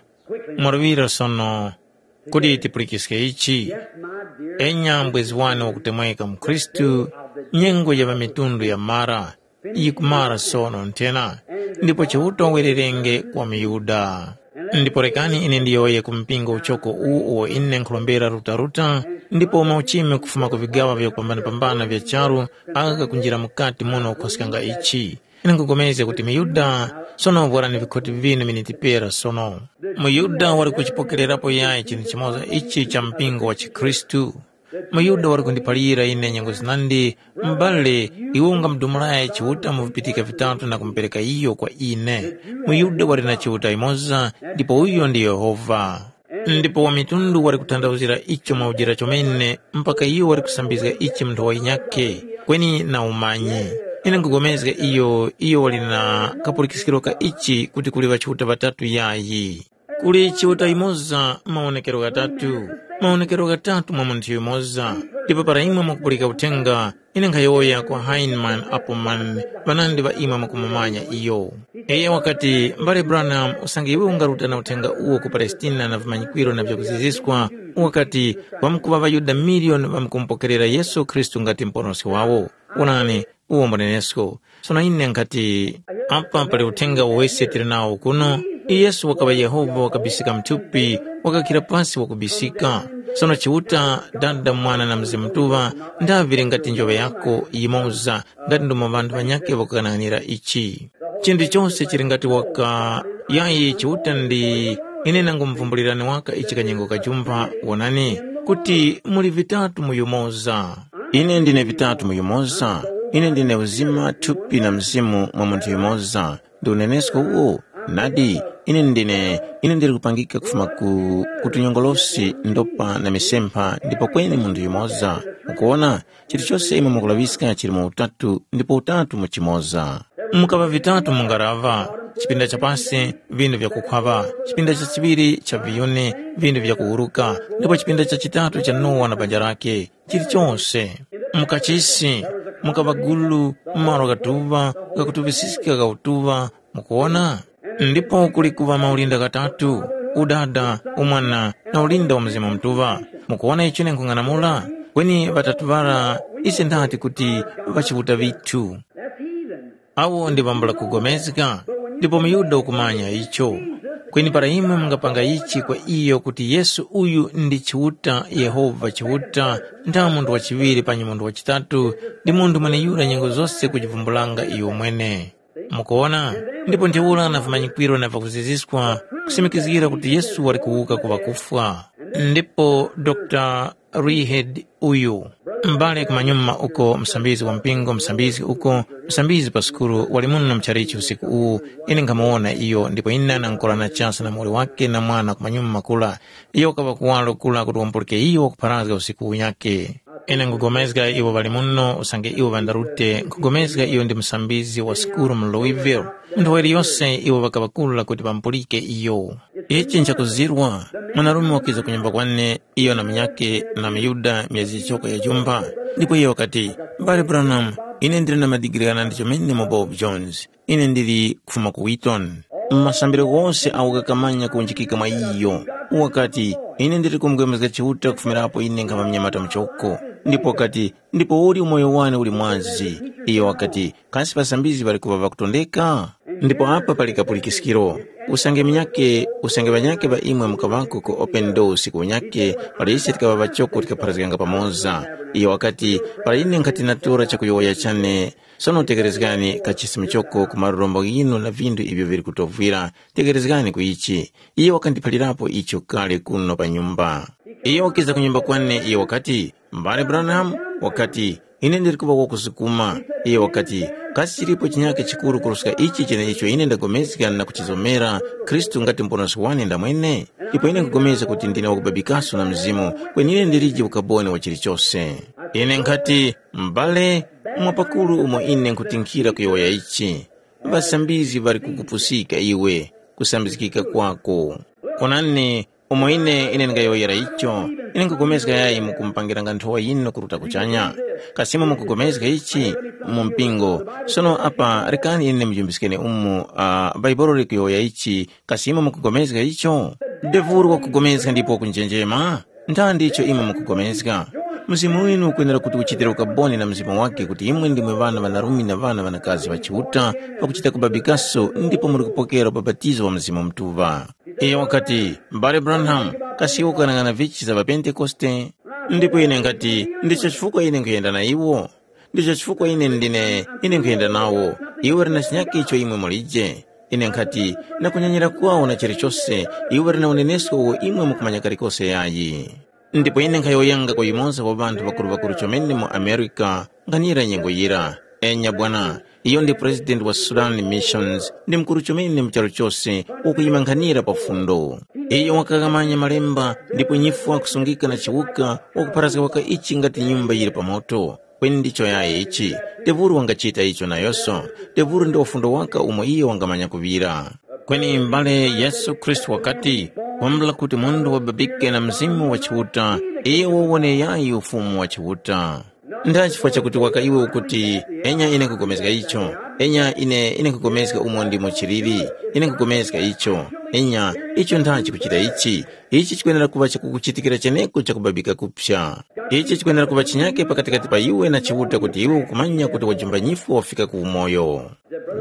mwaluŵira sono, kuti tipulikiske ichi. Enya mbwezi wane wakutemweka mu Khristu, nyengo ya ŵamitundu yamara, yikumara sono nthena, ndipo Chiuta wererenge kwa muYuda. Ndipo rekani ine ndiyowoye ku mpingo uchoko uwu uwo ine nkhurombera rutaruta, ndipo mauchimi kufuma ku vigaŵa vyakupambanapambana vya charu agha kakunjira mukati muno kukhoskanga ichi. Ine nkhupulikana kuti muYuda sono vwarani vikhoti vinu miniti pera sono. MuYuda wali kuchipokererapo yayi chinthu chimoza ichi cha mpingo wa chikhristu. MuYuda wali kundiphalira ine nyengo zinandi, m'bale, iwe ungamudumulayi Chiuta mu vipitika vitatu na kumupereka iyo kwa ine. MuYuda wali na Chiuta yumoza, ndipo uyo ndi Yehova. Ndipo wamitundu wali kutanthauzira icho mwaujira chomene, mpaka iyo wali kusambizga ichi mu nthowa yinyakhe, kweni na umanyi. Ine nkhupulikana iyo, iyo wali na kapulikiskiro ka ichi kuti kuli ŵachiuta ŵatatu yayi. Kuli Chiuta yumoza mawonekero ghatatu, mawonekero ghatatu mwa munthu yumoza. Ndipo para imwe mwakupulika uthenga, ine nkhayowoya kwa Hyman Appleman, ŵanandi ŵa imwe mwakumumanya iyo. Iyo wakati, Mbale Branham, usange iwe ungaruta na uthenga uwo ku Palestina na vimanyikwiro na vyakuziziskwa, wakati, ŵamkuŵa ŵaYuda miliyoni ŵamkumupokerera Yesu Khristu ngati Muponoski wawo. Wonani, uwo mbunenesko. Sono ine nkhati, apa pali uthenga wose tili nawo kuno. Yesu wakaŵa Yehova wakabisika mthupi, wakakhira pasi wakubisika. Sono Chiuta, Dada, Mwana na Mzimu Mutuŵa, ndaŵire ngati njoŵe yako yimoza, ngati ndomo ŵanthu ŵanyakhe ŵakughanaghanira ichi. Chinthu chose chili ngati waka yayi Chiuta ndi ine nangumuvumbulirani waka ichi kanyengo kajumpha, wonani, kuti muli vitatu mu yumoza. Ine ndine vitatu mu yumoza, ine ndine uzima, thupi na mzimu mwa munthu yumoza. Ndi unenesko uwo? Nadi, ine ndine, ine ndili kupangika kufuma ku, ku tunyongolosi, ndopa na misempha, ndipo kweni munthu yumoza. Mukuwona, chilichose imwe mukulaŵiska chili mu utatu, ndipo utatu mu chimoza. Mukaŵa vitatu mu ngaraŵa, chipinda cha pasi, vindu vyakukhwaŵa, chipinda cha chiŵiri cha viyuni, vindu vyakuwuruka, ndipo chipinda cha chitatu cha Nowa na banja lake. Chilichose. Mu kachisi, mukaŵa gulu, malo ghatuŵa, ghakutuŵisiska gha utuŵa, mukuwona? Ndipo kuli kuŵa maulinda ghatatu, Udada, Umwana, na ulinda wa Mzimu Mutuŵa. Mukuwona icho ine nkhung'anamula? Kweni ŵatatu ŵara, ise ndati kuti ŵachiuta ŵithu. Awo ndi ŵambula kugomezga, ndipo muYuda ukumanya icho. Kweni para imwe mungapanga ichi kwa iyo kuti Yesu uyu ndi Chiuta, Yehova Chiuta, ntha munthu wa chiŵiri panyi munthu wa chitatu, ndi munthu mweneyura nyengo zose kujivumbulanga iyo mwene. Mukuwona? Ndipo ntheura na vimanyikwiro na vyakuziziskwa kusimikizgira kuti Yesu wali kuwuka ku ŵakufwa. Ndipo Dr Reed uyu, m'bale kumanyuma uko, msambizgi wa mpingo, msambizgi uko, msambizgi pa sukulu, wali muno mu chalichi usiku uwu. Ine nkhamuwona iyo, ndipo ine nankolana chasa na muwoli wake na mwana kumanyuma kula. Iyo wakaŵa kuwaro kula kuti wampulike iyo wakupharazga usiku unyakhe. Ine nkhupulikana iwo ŵali muno usange iwo ŵandarute, nkhupulikana iyo ndi musambizgi wa sukulu mu Louisville. Mu nthowa yiliyose iwo ŵakaŵakurura kuti ŵamupulike iyo. Ichi nchakuzirwa, mwanarume wakiza ku nyumba kwane, iyo na munyakhe na muYuda myezi yichoko ya jumba. Ndipo iyo wakati, M'bale Branham, ine ndili na madigiri ghanandi chomene mu Bob Jones. Ine ndili kufuma ku Wheaton. Masambiro ghose agho ghakamanya kuwunjikika mwa iyo. Wakati, ine ndili kumupulikana Chiuta kufumirapo ine nkhama munyamata muchoko. Ndipo wakati, ndipo uli umoyo wane uli mwazi. Iyo wakati, kasi ŵasambizgi ŵali kuŵa ŵakutondeka? Ndipo apa pali kapulikiskiro. Usange munyakhe, usange ŵanyakhe ŵa imwe mukaŵako ku Open Door usiku unyakhe, para ise tikaŵa ŵachoko tikapharazganga pamoza. Iyo wakati, para ine nkhati natora chakuyowoya chane, sono tekerezgani kachisimu choko ku marurombo ghinu na vindu ivyo vili kutovwira, tekerezgani ku ichi. Iyo wakandiphalirapo icho kale kuno pa nyumba. Iyo wakiza ku nyumba kwane, iyo wakati, M'bale Branham, wakati, ine ndili kuŵa wakusukuma. Iyo wakati, kasi chilipo chinyakhe chikuru kuruska ichi cheneicho ine ndagomezga na kuchizomera Khristu ngati Muponoski wane ndamwene? Ipo ine nkugomezga kuti ndine wakubabikaso na Mzimu, kweni ine ndilije ukaboni wa chilichose. Ine nkhati, M'bale, mwa pakuru umo ine nkhutinkhira kuyowoya ichi, ŵasambizgi ŵali kukupusika iwe, kusambizgika kwako. Onani, umo ine ine ndingayowoyera icho, ine nkhupulikana yayi mukumupangiranga nthowa yinu kuruta kuchanya. Kasi imwe mukupulikana ichi mu mpingo? Sono apa rekani ine ndimujumbiskeni umu, uh, Bhaibuli likuyowoya ichi. Kasi imwe mukupulikana icho? Devuru wakupulikana ndipo kunjenjema. Ntandi icho imwe mukupulikana? Mzimu winu ukwenera kuti uchitire ukaboni na mzimu wake kuti imwe ndimwe ŵana ŵanarume na ŵana ŵanakazi ŵa Chiuta, pakuchita kubabikaso ndipo muli kupokera ubapatizo wa Mzimu Mutuŵa. Iyo wakati, M'bale Branham, kasi iwe ukanang'ana vichi za ŵaPentekoste? Ndipo ine nkhati, ndicho chifukwa ine nkhuyenda na iwo. Ndicho chifukwa ine ndine, ine nkhuyenda nawo. Iwe uli na chinyakhe icho imwe mulije. Ine nkhati, na kunyanyira kwawo na chilichose, iwe uli na unenesko uwo imwe mukumanya kalikose yayi. Ndipo ine nkhayowoyanga kwa yumoza wa ŵanthu ŵakuru-ŵakuru chomene mu America, nkhanira nyengo yira. Enya bwana, iyo ndi president wa Sudan Missions, ndi mukuru chomene mu charu chose, wakuyima nkhanira pa fundo. Iyo wakaghamanya malemba, ndipo nyifwa kusungika na chiwuka, wakupharazga waka ichi ngati nyumba yili pa moto. Kweni ndicho yayi ichi, tevuru wangachita icho nayoso, tevuru ndi ufundo waka umo iyo wangamanya kuŵira. Kweni m'bale Yesu Khristu wakati, kwambula kuti munthu wababike na Mzimu wa Chiuta, iyo wawone yayi Ufumu wa Chiuta. Nda chifukwa chakuti waka iwe ukuti, enya ine nkupulikana icho, enya ine ine nkupulikana umo ndimo chiliri, ine nkupulikana icho, enya icho nda chikuchita ichi, ichi chikwenera kuŵa chakukuchitikira cheneko chakubabika kupsa. Ichi chikwenera kuŵa chinyake pakatikati pa iwe na Chiuta kuti iwe ukumanya kuti wajumba nyifwa wafika ku umoyo.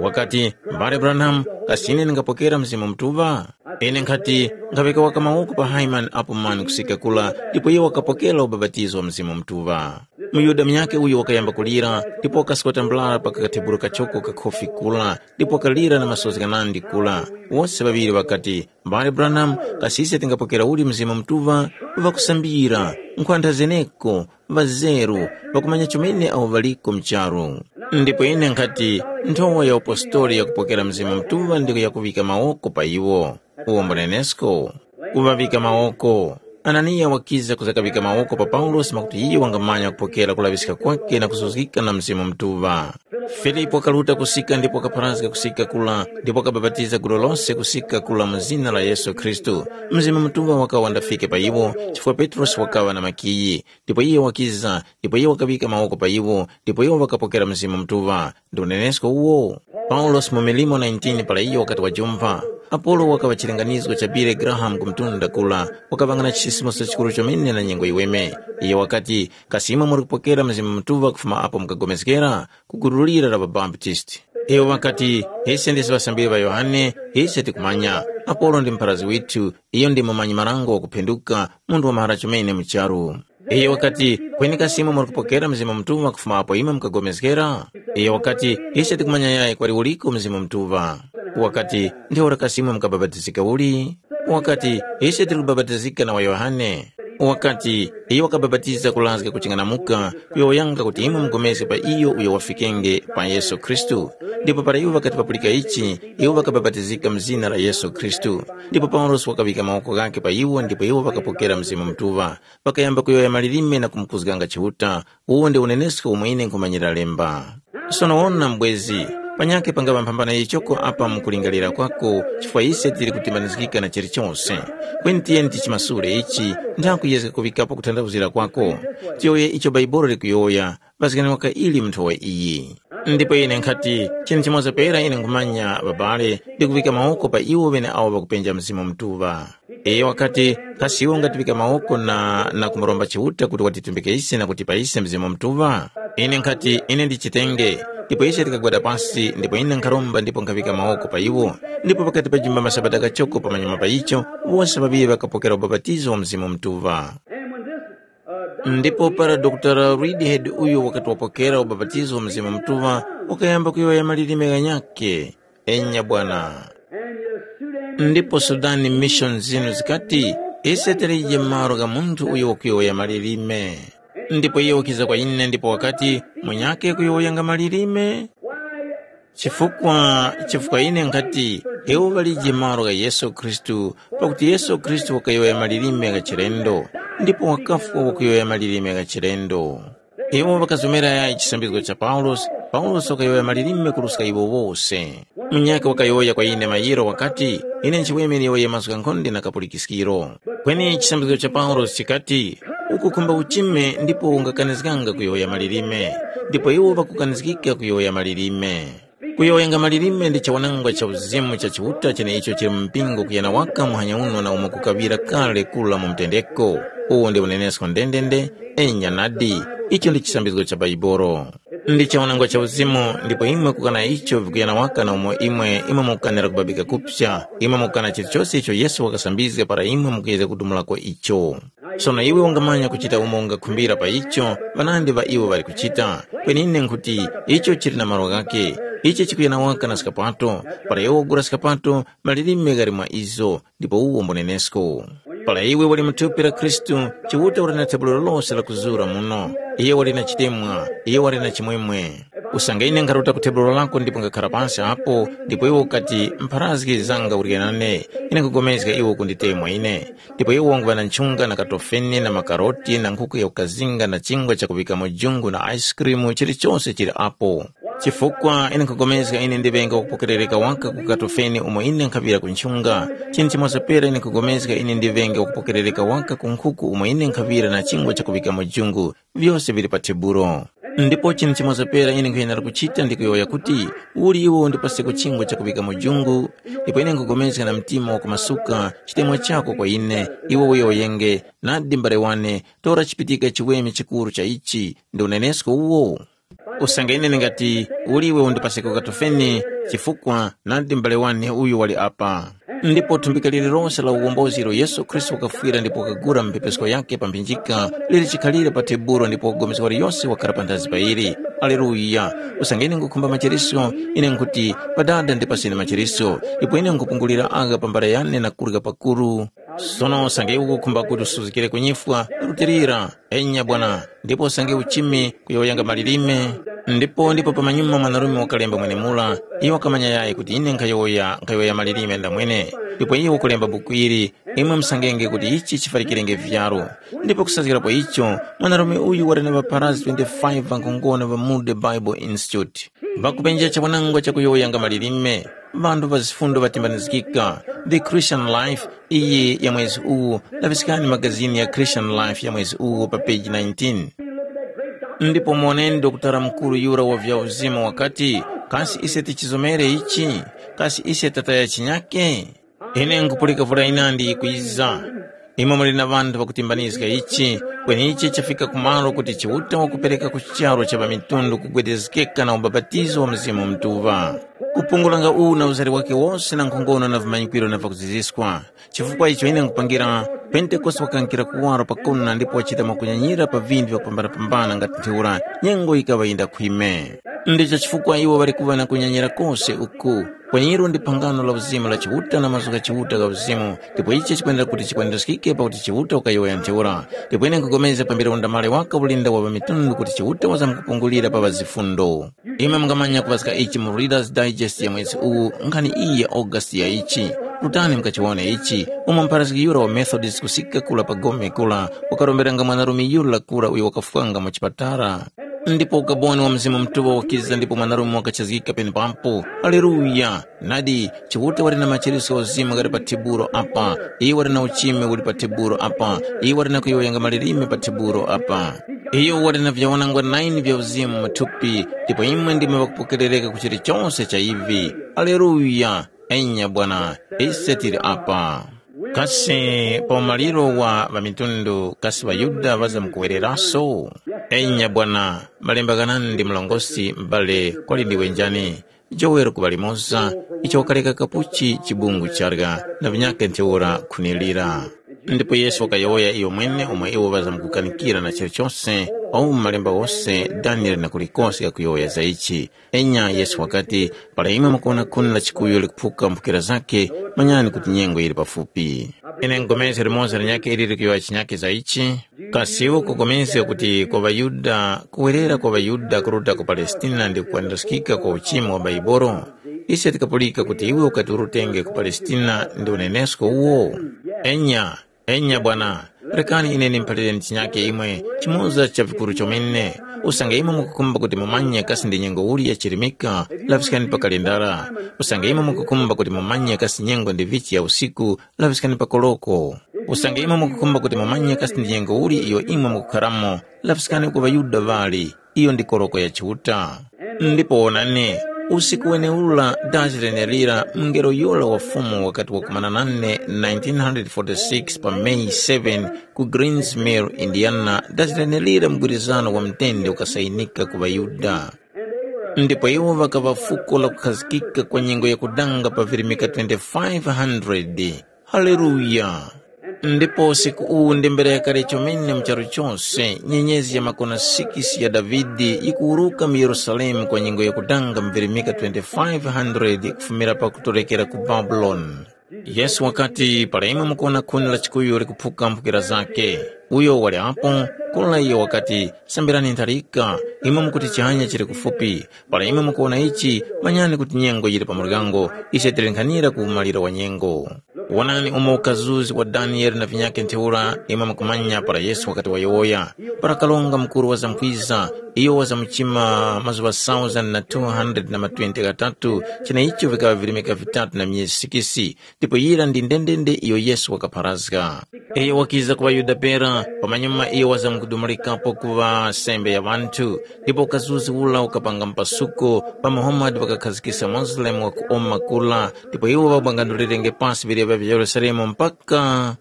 Wakati, M'bale Branham, kasi ine ndingapokera Mzimu Mutuŵa? Ine nkhati, nkhaŵika waka mawoko pa Haimani apo mani kusika kula, ndipo iyo wakapokera ubapatizo wa Mzimu Mutuŵa. MuYuda munyakhe uyo wakayamba kulira, ndipo wakaskota mbulara pa kathebulu kachoko kakhofi kula, ndipo wakalira na masozi ghanandi kula. Wose ŵaŵiri ŵakati, M'bale Branham, kasi ise tingapokera uli Mzimu Mutuŵa? Ŵakusambira, nkhwantha zeneko, ŵazeru, ŵakumanya chomene awo ŵaliko mu charu. Ndipo ine nkhati, nthowa ya upostoli yakupokera Mzimu Mutuŵa ndiko yakuŵika mawoko pa iwo. Uwo mbunenesko? Kuŵaŵika mawoko. Ananiya wakiza kuza kaŵika mawoko pa Paulosi mwakuti iyo wangamanya kupokera kulaŵiska kwake na kuzuzgika na Mzimu Mutuŵa. Filipu wakaruta kusika ndipo wakapharazga kusika kula ndipo wakabapatiza gulu lose kusika kula mu zina la Yesu Khristu. Mzimu Mutuŵa wakawa wandafike pa iwo, chifukwa Petrosi wakaŵa na makiyi. Ndipo iyo wakiza, ndipo iyo wakaŵika mawoko pa iwo, ndipo iwo ŵakapokera Mzimu Mutuŵa. Ndi unenesko uwo. Paulosi mu milimo nineteen para iyo wakati wajumva, Apolo wakaŵa chilinganizo cha Billy Graham ku mtunda kula, wakaŵanga na chisimuso chikuru chomene na nyengo yiweme. Iyo wakati, kasi imwe muri kupokera Mzimu Mutuŵa kufuma apo mukagomezgera? Ku gulu lira la ŵaBaptisti. Iwo ŵakati, ise ndise ŵasambiri ŵa Yohane, ise tikumanya. Apolo ndi mpharazi withu, iyo ndi mumanyi marango wakuphenduka, munthu wa mahara chomene mu charu. Iyo wakati, kweni kasi imwe muri kupokera Mzimu Mutuŵa kufuma apo imwe mukagomezgera? Iyo wakati, ise tikumanya yayi kwali uliko Mzimu Mutuŵa. Wakati, ntheura kasi imwe mukabapatizika uli? Wakati, ise tili kubapatizika na wa Yohane. Wakati, iyo wakabapatiza kulazga kuching'anamuka, kuyowoyanga kuti imwe mupulikane pa iyo uyo wafikenge pa Yesu Khristu. Ndipo para iwo ŵakati ŵapulika ichi, iwo ŵakabapatizika mu zina la Yesu Khristu. Ndipo Paulosi wakaŵika mawoko ghakhe pa iwo ndipo iwo ŵakapokera Mzimu Mutuŵa. Ŵakayamba kuyowoya malilime na kumukuzganga Chiuta. Uwu ndi unenesko umwe ine nkhumanyira lemba. Sono wona mbwezi, panyakhe pangaŵa mphambano yichoko apa mukulingalira kwako, chifukwa ise tili kutimbanizgika na chilichose. Kweni tiyeni tichimasule ichi, nthaku yezga kuŵikapo kuthandauzira kwako. Tiyowoye icho Bhaibuli likuyowoya, ŵazgani waka ili mu nthowa iyi. Ndipo ine nkhati, chinthu chimoza pera ine nkhumanya ŵabale, ndi kuŵika mawoko pa iwo ŵeneawo ŵakupenja Mzimu Mutuŵa. Iyo wakati, kasi iwe ungatiŵika mawoko na, na kumuromba Chiuta kuti watitumbike ise na kutipa ise Mzimu Mutuŵa? Ine nkhati, ine ndichitenge. Ndipo ise tikagwada pasi, ndipo ine nkharomba ndipo nkhaŵika mawoko pa iwo. Ndipo pakati pa jumba masabata ghachoko pamanyuma pa icho, wose ŵaŵiri ŵakapokera ubapatizo wa Mzimu Mutuŵa. Ndipo para Dr. Reedhead uyo wakati wapokera ubapatizo wa Mzimu Mutuŵa, wakayamba kuyowoya malilime ghanyakhe. Enya bwana. Ndipo Sudani Mission zinu zikati, ise tilije malo gha munthu uyo wakuyowoya malilime. Ndipo iye wakiza kwa ine ndipo wakati, munyakhe kuyowoyanga malilime? Chifukwa, chifukwa ine nkhati, iwo ŵalije malo gha Yesu Khristu, pakuti Yesu Khristu wakayowoya malilime gha chilendo, ndipo wakafwa wakuyowoya malilime gha chilendo. Iwo ŵakazomera yayi chisambizgo cha Paulosi, Paulosi wakayowoya malilime kuruska iwo wose. Munyakhe wakayowoya kwa ine mayiro wakati, ine nchiweme ndiyowoye mazgu ghankhonde na kapulikiskiro. Kweni chisambizgo cha Paulosi chikati, ukukhumba uchime ndipo ungakanizganga kuyowoya malilime, ndipo iwo ŵakukanizgika kuyowoya malilime. Kuyowoyanga malilime ndi chawanangwa cha uzimu cha Chiuta cheneicho chili mu mpingo kuyana waka muhanya uno na umo kukaŵira kale kura mu mtendeko. Uwo ndi unenesko ndendende, enya nadi, icho ndi chisambizgo cha Baibolo. Ndi chawanangwa cha uzimu, ndipo imwe kukana icho vikuyana waka na umo imwe, imwe mukukanira kubabika kupsa, imwe mukukana chilichose icho Yesu wakasambizga para imwe mukuyezga kudumulako icho. Sono iwe ungamanya kuchita umo ungakhumbira pa icho, ŵanandi ŵa iwo ŵali kuchita. Kweni ine nkhuti, icho chili na malo ghakhe. Ichi chikuyana waka na skapato, para iwe wagula skapato, malilime ghali mwa izo, ndipo uwo mbunenesko. Para iwe wali mu thupi la Khristu, Chiuta wali na tebulo lose la kuzura muno. Iye wali na chitemwa, iye wali na chimwemwe. Usange ine nkharuta ku tebulo lako ndipo ngakhara pansi apo, ndipo iwe ukati, mpharazgi zanga urye nane, ine nkugomezga iwe ukunditemwa ine. Ndipo iwo wanguŵa na nchunga na katofene na makaroti na nkhuku ya kukazinga na chingwa chakuŵikamo jungu na ice cream chilichose chili apo. Chifukwa ine nkhupulikana ine ndiŵenge wakupokerereka waka ku katofene umo ine nkhaŵira ku nchunga, chinthu chimoza pera ine nkhupulikana ine ndiŵenge wakupokerereka waka ku nkhuku umo ine nkhaŵira na chingwa chakuŵikamo jungu, vyose vili pa tebulo. Ndipo chinthu chimoza pera ine nkhuyenera kuchita ndi kuyowoya kuti, uli iwe undipaseko chingwa chakuŵikamo jungu? Ndipo ine nkhupulikana na mtima wakumasuka, chitemwa chako kwa ine, iwe uyowoyenge, nadi mbale wane, tora chipitika chiweme chikuru cha ichi, ndi unenesko uwo? Usange ine ndingati, uli iwe undipaseko katofeni, chifukwa nadi mbale wane uyu wali apa. Ndipo thumbika lililonse la uwombozi ilo Yesu Khristu wakafwira ndipo wakagula mu mphepeseko yakhe pa mphinjika, lili chikhalire pa tebulo ndipo wagomeska waliyose wakhala panthazi pa ili. Aleluya! Usange ine nkhukhumba machereso, ine nkhuti, Padada ndipaseni machereso, ndipo ine nkhupungulira agha pa mbale yane na kurya pakuru. Sono usange ukukhumba kuti usuzgikire ku nyifwa, rutilira, enya Bwana, ndipo usange uchime kuyowoyanga malilime. Ndipo ndipo pamanyuma mwanarume wakalemba mwenemura, iyo wakamanya yayi kuti ine nkhayowoya nkhayowoya malilime ndamwene. Ndipo iyo wakulemba buku ili, imwe musangenge kuti ichi chifalikirenge vyaro. Ndipo kusazgira pa icho, mwanarume uyu wali na ŵapharazgi twenty-five ŵankhongono ŵa mu The Bible Institute. Ŵakupenja chawanangwa chakuyowoyanga malilime, ŵanthu ŵa zifundo ŵatimbanizgika, The Christian Life, iyi ya mwezi uwu, laŵiskani magazini ya Christian Life ya mwezi uwu pa peji nineteen. Ndipo muwoneni dokotala mukuru yura wa vya uzimu wakati, kasi ise tichizomere ichi? Kasi ise tataya chinyake? Ine nkupulika vura yinandi yikwiza. Imwe muli na ŵanthu ŵakutimbanizga ichi, kweni ichi chafika kumalo kuti Chiuta wakupereka ku charu cha ŵamitundu kugwedezgeka na ubapatizo wa Mzimu Mutuŵa. Kupungulanga uwu na uzari wakhe wose na nkhongono na vimanyikwiro na vakuziziskwa. Chifukwa icho ine nkhupangira, Pentekoste wakankira kuwaro pakona ndipo wachita mwakunyanyira pa vinthu vyakupambanapambana ngati ntheura nyengo yikaŵa yindakhwime. Ndicho chifukwa iwo ŵali kuŵa na kunyanyira kose uku. Kweneru ndi phangano la uzimu la Chiuta na mazgu gha Chiuta gha uzimu, ndipo ichi chikwendera kuti chikwanirizgike pakuti Chiuta wakayowoya ntheura. Ndipo ine nkhupulikana pambere undamali waka ulinda wa ŵamitundu kuti Chiuta wazamkupungulira pa ŵazifundo. Imwe mungamanya kuŵaska ichi mu Reader's Digest ya mwezi uwu, nkhani iyi ya August ya ichi. Rutani mukachiwone ichi, umo mpharazgi yura wa Methodist kusika kura pa gome kura, wakaromberanga mwanarume yura kura uyo wakafwanga mu chipatala. Ndipo ukaboni wa Mzimu Mutuŵa wakiza ndipo mwanarume wakachizgika penepapo. Haleluya! Nadi, Chiuta wali na machereso gha uzimu ghali pa tebulo apa, iyo wali na uchime uli pa tebulo apa, iyo wali na kuyowoyanga malilime pa tebulo apa. Iyo wali na vyawanangwa nine vya uzimu mu thupi, ndipo imwe ndimwe ŵakupokerereka ku chilichose cha ivi. Aleluya! Enya Bwana, ise tili apa. Kasi pa umaliro wa ŵamitundu, kasi ŵaYuda ŵazamkuwereraso? Enya Bwana, malemba ghanandi mlongosi m'bale kwali ndiwe njani? Jowere kuŵa limoza, icho wakareka kapuchi chibungu charya, na vinyakhe ntheura khunilira. Ndipo Yesu wakayowoya iyo mwene umo iwo ŵazamkukanikira na chilichose, awu mu malemba ghose Daniele na kulikose ghakuyowoya za ichi. Enya Yesu wakati, para imwe mukuwona khuni la chikuyu likuphuka mphukira zakhe, manyani kuti nyengo yili pafupi. Ine nkhugomezga limoza linyakhe ili likuyowoya chinyakhe za ichi. Kasi iwe ukupulikana kuti kwa ŵaYuda, kuwerera kwa ŵaYuda kuruta ku Palestina ndi kukwaniraskika kwa uchimi wa Baibolo? Ise tikapulika kuti iwe ukati urutenge ku Palestina ndi unenesko uwo? Enya, enya Bwana, Rekani ine ndimuphalireni chinyake imwe, chimoza cha vikuru chomene. Usange imwe mukukhumba kuti mumanye kasi ndi nyengo uli ya chirimika, laŵiskani pa kalendara. Usange imwe mukukhumba kuti mumanye kasi nyengo ndi vichi ya usiku, laŵiskani pa koloko. Usange imwe mukukhumba kuti mumanye kasi ndi nyengo uli iyo imwe mukukharamo, laŵiskani ku ŵaYuda ŵali, iyo ndi koloko ya Chiuta. Ndipo wonani, usiku wenewura dazi lenelira mungelo yura wa Fumu wakati wakumana nane nineteen forty-six pa May seven ku Greens Mill, Indiana, dazi lenelira mgwirizano wa mtende ukasayinika ku ŵaYuda. Ndipo iwo ŵakaŵa fuko lakukhazikika kwa nyengo yakudanga pa virimika twenty-five hundred. Haleluya! Ndipo usiku uwu ndi mbera yakale chomene mu charu chose, nyenyezi ya makona sikisi ya Davide yikuwuruka mu Yerusalemu kwa nyengo yakudanga mu virimika twenty-five hundred kufumira pakutorekera ku Babuloni. Yesu wakati, para imwe mukuwona khuni la chikuyu likuphuka mphukira zake, uyo wali apo, kula iyo wakati, sambirani ntharika, imwe mukuti chihanya chili kufupi. Para imwe mukuwona ichi, manyani kuti nyengo yili pa muryango, ise tili nkhanira ku umaliro wa nyengo. Wonani umo ukazuzi wa Daniele na vinyakhe ntheura, imwe mukumanya para Yesu wakati wayowoya, para karonga mukuru wazamkwiza, iyo wazamuchima mazuŵa sauzani na two hundred na matwenty ghatatu, cheneicho vikaŵa virimika vitatu na myezi sikisi, ndipo yira ndi ndendende iyo Yesu wakapharazga. Iyo wakiza ku ŵaYuda pera, pamanyuma iyo wazamkudumulikapo kuŵa sembe ya ŵanthu, ndipo ukazuzi ula ukapanga mpasuko, pa Muhammad wakakhazikisa Muslim wakuoma kula, ndipo iwo ŵabwangandulirenge pasi vileva vya Yerusalemu mpaka,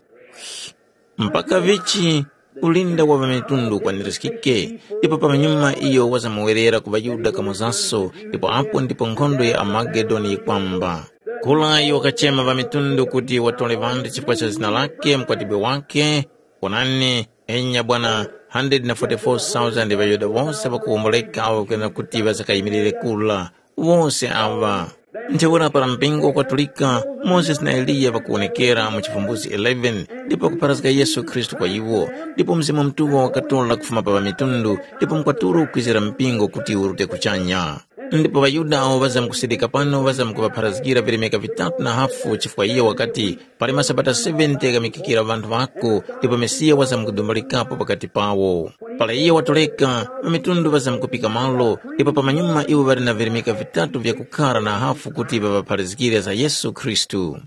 mpaka vichi ulinda wa ŵamitundu ukwaniriskike, ndipo pamanyuma iyo wazamuwerera ku ŵaYuda kamozaso, ndipo apo ndipo nkhondo ya Armagedoni yikwamba. Kula iyo wakachema ŵamitundu kuti watore ŵanthu chifukwa cha zina lake, mkwatibwe wake, wonani, enya bwana, hundred na forty-four thousand ŵaYuda wose ŵakuwomboleka awo kwenera kuti ŵazakayimirire kula, wose awa. Ntheura para mpingo ukwatulika, Mozesi na Eliya ŵakuwonekera mu Chivumbuzi eleven, ndipo kupharazga Yesu Khristu kwa iwo, ndipo Mzimu Mutuŵa wakatora kufuma pa ŵamitundu, ndipo mkwatulo ukwizira mpingo kuti urute kuchanya. Ndipo ŵaYuda awo ŵazamkusidika pano ŵazamkuŵapharazgira virimika vitatu na hafu chifukwa iyo wakati, pali masabata seventy ghamikikira ŵanthu ŵako, ndipo Mesiya wazamkudumbalikapo pakati pawo. Para iyo watoreka, ŵamitundu ŵazamkupika malo, ndipo pamanyuma iwo ŵali na virimika vitatu vyakukhara na hafu kuti ŵaŵapharazgire za Yesu Khristu.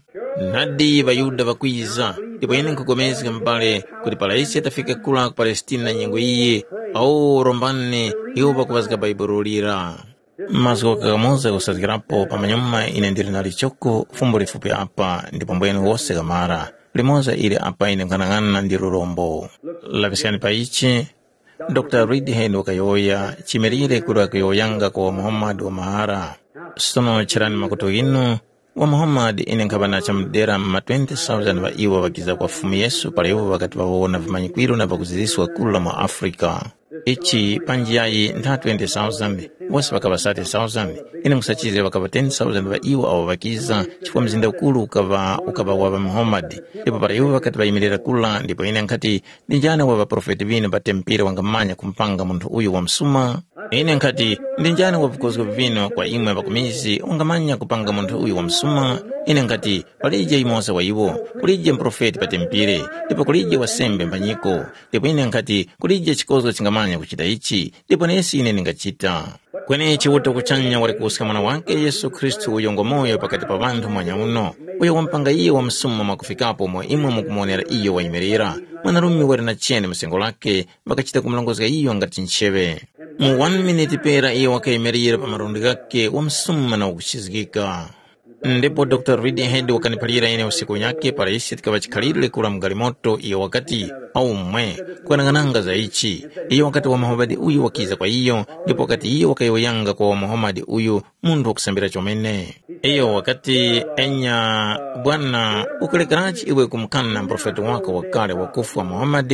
Nadi ŵaYuda ŵakwiza, ndipo ine nkhupulikana m'bale kuti para ise tafika kura ku Palestina nyengo iyi, awo rombani iwo ŵakuŵazga Bhaibuli lira. Mazgu ghakamoza kusazgirapo pamanyuma ine ndili na lichoko fumbo lifupi apa ndipo mbwenu wose kamara. Limoza ili apa ine nkhanang'ana ndi lurombo. Laŵiskani pa ichi, Dr. Reed Hale wakayowoya chimirire kuli wakuyowoyanga kwa Muhammad wa mahara. Sono cherani makutu ghinu, wa Muhammad ine nkhaŵa na chamudera ma twenty thousand ŵa iwo ŵakiza kwa Fumu Yesu para iwo ŵakati ŵawona vimanyikwiro na pakuziziska kula mu Africa. Ichi panji yayi ntha twenty thousand, wose ŵakaŵa thirty thousand, ine nkhusachizga ŵakaŵa ten thousand ŵa iwo awo ŵakiza, chifukwa mzinda ukuru ukaŵa ukaŵa wa ŵa Muhammad. Ndipo para iwo ŵakati ŵayimirira kula, ndipo ine nkhati, ndi njani wa ŵaprofeti ŵinu pa tempere wangamanya kumupanga munthu uyu wamsuma? Ine nkhati, ndi njani wa vikozgo vinu kwa imwe ŵakumizi wangamanya kupanga munthu uyu wamsuma? Ine nkhati, palije yumoza wa iwo, kulije muprofeti pa tempere, ndipo kulije wasembe mbanyiko. Ndipo ine nkhati, kulije chikozgo chingamanya kuchita ichi, ndipo nesi ine ndingachita. Kweni Chiuta kuchanya wali kuwuska Mwana wakhe Yesu Khristu uyo ngwamoyo pakati pa ŵanthu mwanyauno, uyo wamupanga iyo wamsuma mwakufikapo umo imwe mukumuwonera iyo wayimirira. Mwanarume wali na chene mu sengo lakhe, ŵakachita kumurongozga iyo ngati ncheŵe. Mu one minute pera iyo wakayimirira pa malundi ghakhe wamsuma na wakuchizgika. Ndipo Dr. Reed Hale wakaniphalira ine usiku unyakhe para ise tikaŵa chikhalire kura mu galimoto, iyo wakati, aumwe, kwanang'ananga za ichi. Iyo wakati wa Muhammad uyu wakiza kwa iyo, ndipo wakati iyo wakayowoyanga kwa wa Muhammad uyu, munthu wakusambira chomene. Iyo wakati, enya, bwana, ukulekerachi iwe kumukana muprofeti wako wakale wakufwa Muhammad?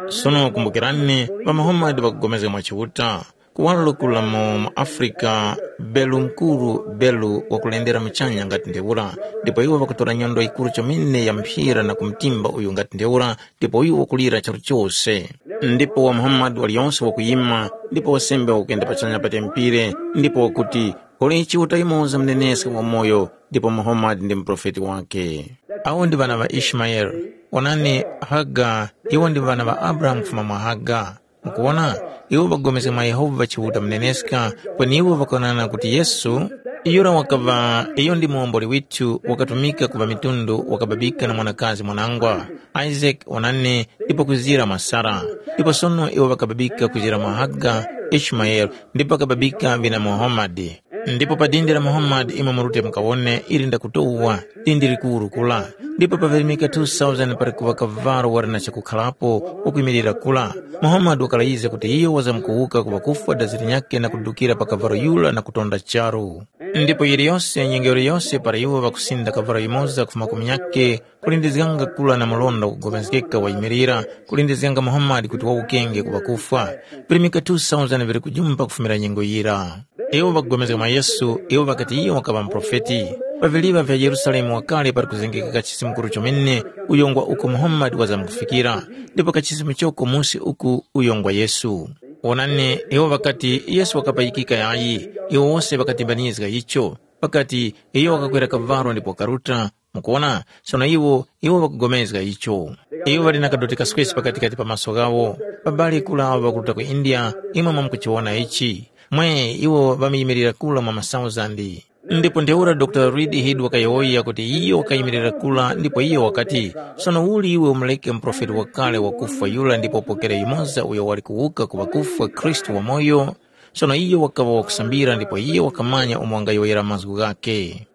Sono kumbukirani, ŵa Muhammad ŵakugomezga mwa Chiuta. Kuwaro kula mu Africa, Belu mukuru, Belu wakulendera muchanya ngati ntheura, ndipo iwo ŵakutora nyondo yikuru chomene ya mphira na kumtimba uyu ngati ntheura, ndipo uyu wakulira charu chose. Ndipo wa Muhammad waliyonse wakuyima, ndipo wasembe wakuyenda pachanya pa tempere, ndipo wakuti, kuli Chiuta yumoza muneneska wamoyo, ndipo Muhammad ndi muprofeti wake. Awo ndi ŵana ŵa Ishmaele. Onani, Haga, iwo ndi ŵana ŵa Abrahamu kufuma mwa Haga. Mukuwona, iwo ŵakupulikana mwa Yehova Chiuta muneneska, kweni iwo ŵakuwonana kuti Yesu, yura wakaŵa iyo ndi muwomboli withu, wakatumika ku ŵamitundu, wakababika na mwanakazi mwanangwa, Isake, onani, ndipo kuzira mwa Sara. Ndipo sono iwo ŵakababika kuzira mwa Haga, Ishumayele, ndipo ŵakababika vina Muhamadi. Ndipo pa dindi la Muhammad imwe murute mukawone ili ndakutowa, dindi likuru kula. Ndipo paŵelemeka two thousand pali kuŵa kavalo wali na chakukharapo wakuyimirira kula. Muhammad wakalayizga kuti iyo wazamkuwuka ku ŵakufwa dazi linyakhe na kudukira pa kavalo yura na kutonda charu. Ndipo yiliyose nyengo yiliyose para iwo ŵakusinda kavalo yumoza kufuma ku munyakhe, kulindizganga kula na mlonda wakupulikana wayimirira, kulindizganga Muhammad kuti wawukenge ku ŵakufwa. Virimika two thousand vili kujumpa kufumira nyengo yira. Iwo ŵakupulikana mwa Yesu, iwo ŵakati iyo wakaŵa muprofeti. Paviŵa vya Yerusalemu wakale pali kuzengeka kachisi mukuru chomene, uyo ngwa uko Muhammad wazamkufikira, ndipo kachisi muchoko musi uku uyo ngwa Yesu. Wonani, iwo ŵakati Yesu wakapayikika yayi, iwo wose ŵakatimbanizga icho. Ŵakati, iyo wakakwera kavalo ndipo wakaruta. Mukuwona, sono iwo, iwo ŵakupulikana icho. Iwo ŵali na kadoti kaswesi pakatikati pa maso ghawo. Babali kula awo ŵakuruta ku India, imwe mwamukuchiwona ichi. Mwe, iwo ŵamuyimilira kula mwa masauzandi. Ndipo ntheura Dr. Reed Head wakayowoya kuti iyo wakayimirira kula ndipo iyo wakati, sono uli iwe umureke muprofeti wakale wakufwa yura ndipo upokere yumoza uyo wali kuwuka ku ŵakufwa Khristu wamoyo? Sono iyo wakaŵa wakusambira ndipo iyo wakamanya umo wangayowoyera mazgu ghakhe.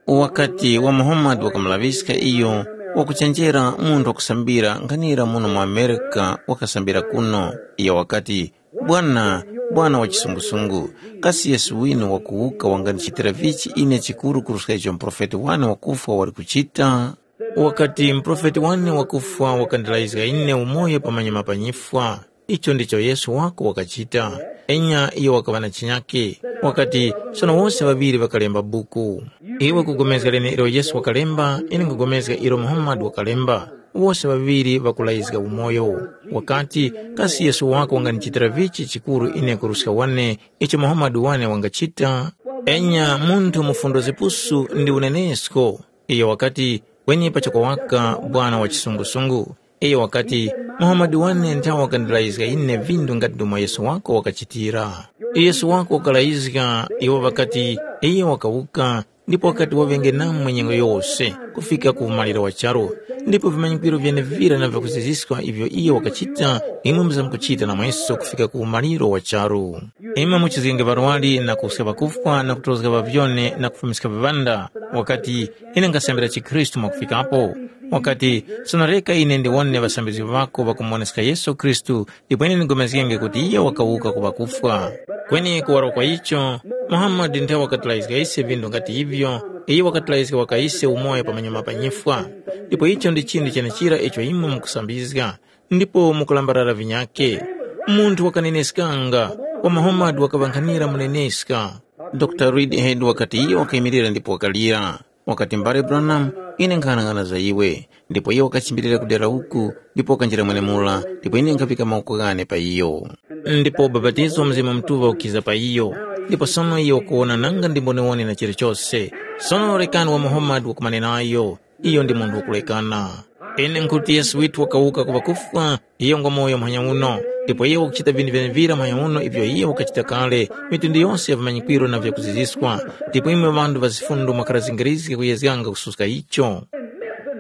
Wakati wa Muhammad wakamulaŵiska iyo wakuchenjera munthu wakusambira nkhanira muno mu Amerika wakasambira kuno. Iyo wakati, Bwana, Bwana wa chisungusungu, kasi Yesu winu wakuwuka wangandichitira vichi ine chikuru kuruska icho muprofeti wane wakufwa wali kuchita? Wakati, muprofeti wane wakufwa wakandilayizga ine umoyo pamanyuma pa nyifwa. Icho ndicho Yesu wako wakachita. Enya iyo wakaŵa na chinyake. Wakati, sono wose ŵaŵiri ŵakalemba buku. Iwe kupulikana leneilo Yesu wakalemba, ine nkupulikana ilo Muhammad wakalemba. Wose ŵaŵiri ŵakulayizga umoyo. Wakati, kasi Yesu wako wangandichitira vichi chikuru ine kuruska wane icho Muhammad wane wangachita? Enya munthu mufundo zipusu ndi unenesko. Iyo wakati, kweni pachoko waka Bwana wa chisungusungu. Iyo wakati, Muhammad wane nthawe wakandilayizga ine vindu ngati ndomwe Yesu wako wakachitira. Yesu wako wakalayizga iwo ŵakati, iyo wakawuka, ndipo wakati waŵenge namwe nyengo yose kufika ku umaliro wa charu. Ndipo vimanyikwiro vyenevira na vyakuziziska ivyo iyo wakachita, imwe muzamkuchita namweso kufika ku umaliro wa charu. Imwe muchizgenge ŵarwari na kuwuska ŵakufwa na kutozga ŵavyone na kufumiska viŵanda. Wakati, ine nkasambira chikhristu mwakufikapo. Wakati, sono reka ine ndiwone ŵasambizgi ŵako ŵakumuwoneska Yesu Khristu, ndipo ine ndigomezgenge kuti iyo wakawuka ku ŵakufwa. Kweni kuwaro kwa icho, Muhammad nthawe wakatilayizga ise vindu ngati ivyo, iyo wakatilayizga waka ise umoyo pamanyuma pa nyifwa. Ndipo icho ndi chinthu chenechira icho imwe mukusambizga, ndipo mukulambalala vinyakhe. Munthu wakaneneskanga, wa Muhammad wakaŵankhanira muneneska. Dr. Reed Head wakati iyo wakayimirira ndipo wakalira. Wakati, mbale Branham, ine nkhanang'ana za iwe. Ndipo iyo wakachimbirira kudera uku, ndipo wakanjira mwenemura, ndipo ine nkhaŵika mawoko ghane pa iyo. Ndipo ubapatizo wa Mzimu Mutuŵa ukiza pa iyo. Ndipo sono iyo wakuwona nanga ndi mboniwoni na chilichose. Sono rekani wa Muhammad wakumane nayo. Iyo ndi munthu wakulekana. Ine nkhuti Yesu withu wakawuka ku ŵakufwa, iyo ngwa moyo muhanya uno, ndipo iyo wakuchita vinthu vyenevira muhanya uno ivyo iyo wakachita kale, mitundu yose ya vimanyikwiro na vyakuziziska, ndipo imwe ŵanthu ŵa zifundo mwakhara zingirizge kuyezganga kususka icho.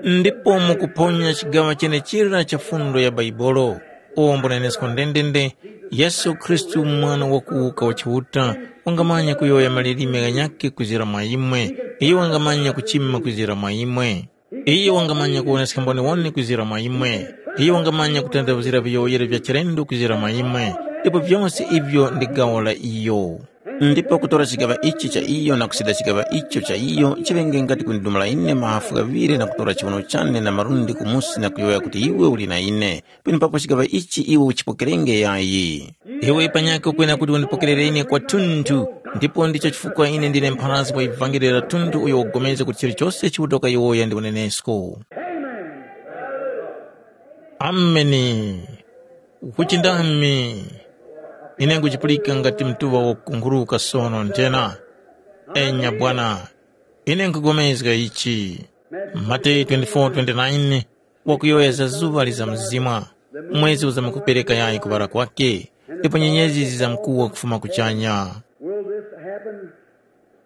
Ndipo mukuphonya chigaŵa chenechira cha fundo ya Baibolo, uwo mbunenesko ndendende, Yesu Khristu Mwana wakuwuka wa Chiuta, wangamanya kuyowoya malilime ghanyakhe kwizira mwa imwe, iyo wangamanya kuchima kwizira mwa imwe. Iyo wangamanya kuwoneska mboniwoni kwizira mwa imwe. Iyo wangamanya kutanthauzira viyowoyero vya chilendo kwizira mwa imwe, ndipo vyose ivyo ndi gawo la iyo. Ndipo kutora chigaŵa ichi cha iyo na kusida chigaŵa icho cha iyo chiŵenge ngati kundidumula ine mahafu ghaŵiri na kutora chiwuno chane na malundi kumusi na kuyowoya kuti iwe uli na ine. Penepapo chigaŵa ichi iwe uchipokerenge yayi. Iwe panyakhe ukwena kuti undipokerere ine kwathunthu, ndipo ndicho chifukwa ine ndine mpharazgi wa ivangeli la thunthu uyo wakupulikana kuti chilichose Chiuta wakayowoya ndi unenesko. Ameni. Ukuchindami. Ine nguchipulika ngati mtuŵa wakukunkhuluka sono nthena. Enya Bwana, ine nkupulikana ichi. Mateyu twenty-four twenty-nine. Wakuyowoya za zuŵa lizamzimwa, mwezi uzamkupereka yayi kuŵala kwake, ndipo nyenyezi zizamkuwa kufuma kuchanya. Will this happen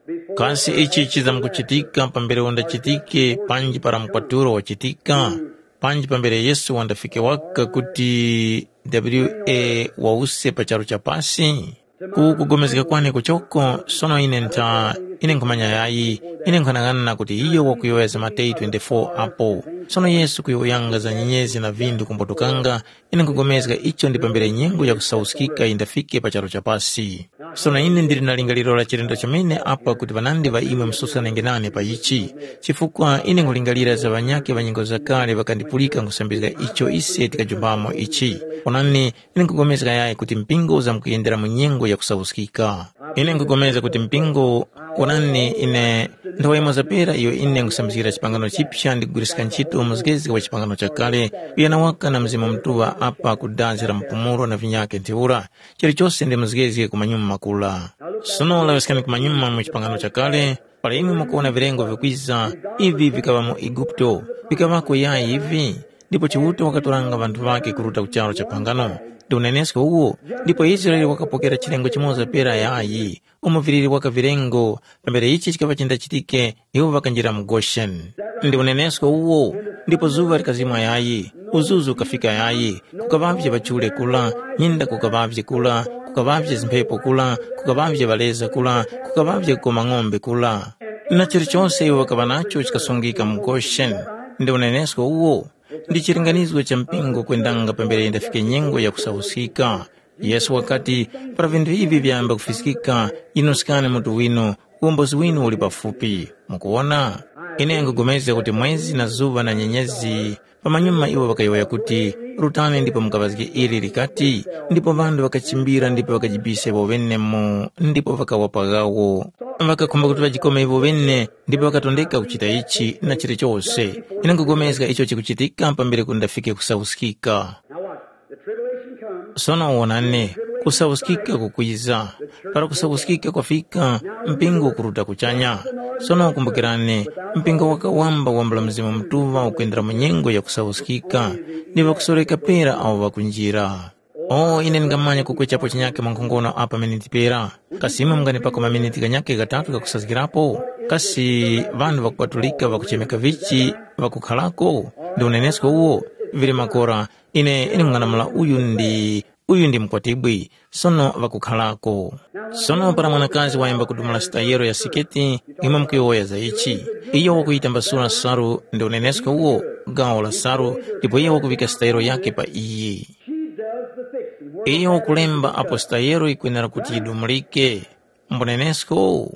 before Kasi ichi chizamkuchitika pambere undachitike panji para mkwatulo wachitika, panji pambere Yesu wandafike waka kuti W A wause pa charu cha pasi? Ku kugomezgeka kwane kuchoko, sono ine ntha, ine nkhumanya yayi, ine nkhanang'ana kuti iyo wakuyowoya za Mateyu twenty-four apo. Sono Yesu kuyowoyanga za nyenyezi na vindu kumbotukanga, ine nkugomezga icho ndi pambere nyengo ya kusauskika yindafike pa charu cha pasi. Sono ine ndili na lingaliro la chilendo chomene apa kuti ŵanandi ŵa imwe mususkhanenge nane pa ichi, chifukwa ine nkulingalira za ŵanyakhe ŵa nyengo zakale ŵakandipulika nkhusambizga icho ise tikajumbamo ichi. Onani, ine nkugomezga yayi kuti mpingo uzamkuyendera mu nyengo ya kusauskika. Ine nkugomezga kuti mpingo, onani, ine nthawa yimoza pera iyo ine nkusambizgira chipangano chipya ndi kugwiriska ntchito muzgezge wa chipangano chakale, kuyana waka na Mzimu Mutuŵa apa ku dazi la mpumulo na vinyakhe ntheura, chilichose ndi muzgezge ku manyuma makula. Sono laŵiskani ku manyuma mu chipangano chakale, para imwe mukuwona vilengo vikwiza, ivi vikaŵa mu Eguputo, vikaŵako yayi ivi? Ndipo Chiuta wakatoranga ŵanthu ŵakhe kuruta ku charu cha phangano, ndi unenesko uwo, ndipo Israele wakapokera chilengo chimoza pera yayi, umo viliri waka vilengo, pambere ichi chikaŵa chindachitike, iwo ŵakanjira mu Gosheni. Ndi unenesko uwo, ndipo zuŵa likazimwa yayi, uzuzu ukafika yayi, kukaŵavye ŵachule kula, nyinda kukaŵavye kula, kukaŵavye zimphepo kula, kukaŵavye ŵaleza kula, kukaŵavye kukoma ng'ombe kula. Na chilichose iwo ŵakaŵa nacho chikasungika mu Gosheni. Ndi unenesko uwo, ndi chilinganizo cha mpingo kwendanga pambere yindafike nyengo ya kusauskika. Yesu wakati, para vinthu ivi vyayamba kufiskika, yinuskani mutu winu, uwombozi winu uli pafupi. Mukuwona? Ine nkhupulikana kuti mwezi na zuŵa na nyenyezi, pamanyuma iwo ŵakayowoya kuti, rutani ndipo mukaŵazge ili likati, ndipo ŵanthu ŵakachimbira ndipo ŵakajibisa iwo ŵene mu ndipo ŵakawa paghawo. Ŵakakhumba kuti ŵajikome iwo ŵene ndipo ŵakatondeka kuchita ichi na chilichose. Ine nkhupulikana icho chikuchitika pambere kuti ndafike kusauskika. Now watch. The tribulation comes. Sono wonani, kusauskika kukwiza. Para kusauskika kwafika, mpingo ukuruta kuchanya. Sono kumbukirani, mpingo wakawamba wambula Mzimu Mutuŵa ukwendera mu nyengo ya kusauskika, ndi ŵakusoreka pera awo ŵakunjira. O, ine ndingamanya kukwechapo chinyake mwankhongono apa miniti pera. Kasi imwe munganipako maminiti ghanyake ghatatu ghakusazgirapo? Kasi ŵanthu ŵakupatulika ŵakuchemeka vichi ŵakukharako? Ndi unenesko uwo? Vili makora, ine, ine mung'anamula uyu ndi, uyu ndi mukwatibwi, sono ŵakukharako. Sono para mwanakazi wayamba kudumula sitayero ya siketi, imwe mukuyowoya za ichi. Iyo wakuyitambasula salu, ndi unenesko uwo, gawo la salu, ndipo iyo wakuŵika sitayero yakhe pa iyi. She does the fixing. Where Iyo ukulemba apo sitayero yikwenera kuti yidumulike. Mbunenesko?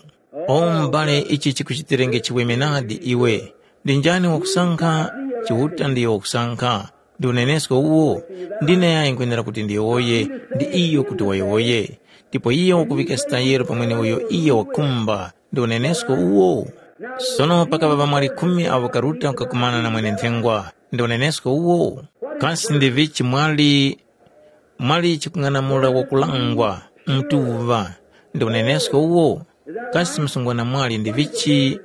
O m'bale, ichi chikuchitirenge chiweme nadi iwe. Ndi njani wakusankha? Chiuta ndiyo wakusankha. Ndi unenesko uwo? Ndine yayi nkwenera kuti ndiyowoye, ndi iyo kuti wayowoye. Ndipo iyo wakuŵika sitayero pa mweneuyo iyo wakhumba. Ndi unenesko uwo? Sono pakaŵa ŵamwali khumi awo ŵakaruta kukakumana na mwene-nthengwa. Ndi unenesko uwo? Kasi ndi vichi mwali, mwali chikung'anamula wakulangwa, mtuŵa? Ndi unenesko uwo? Kasi msungwana mwali ndi vichi?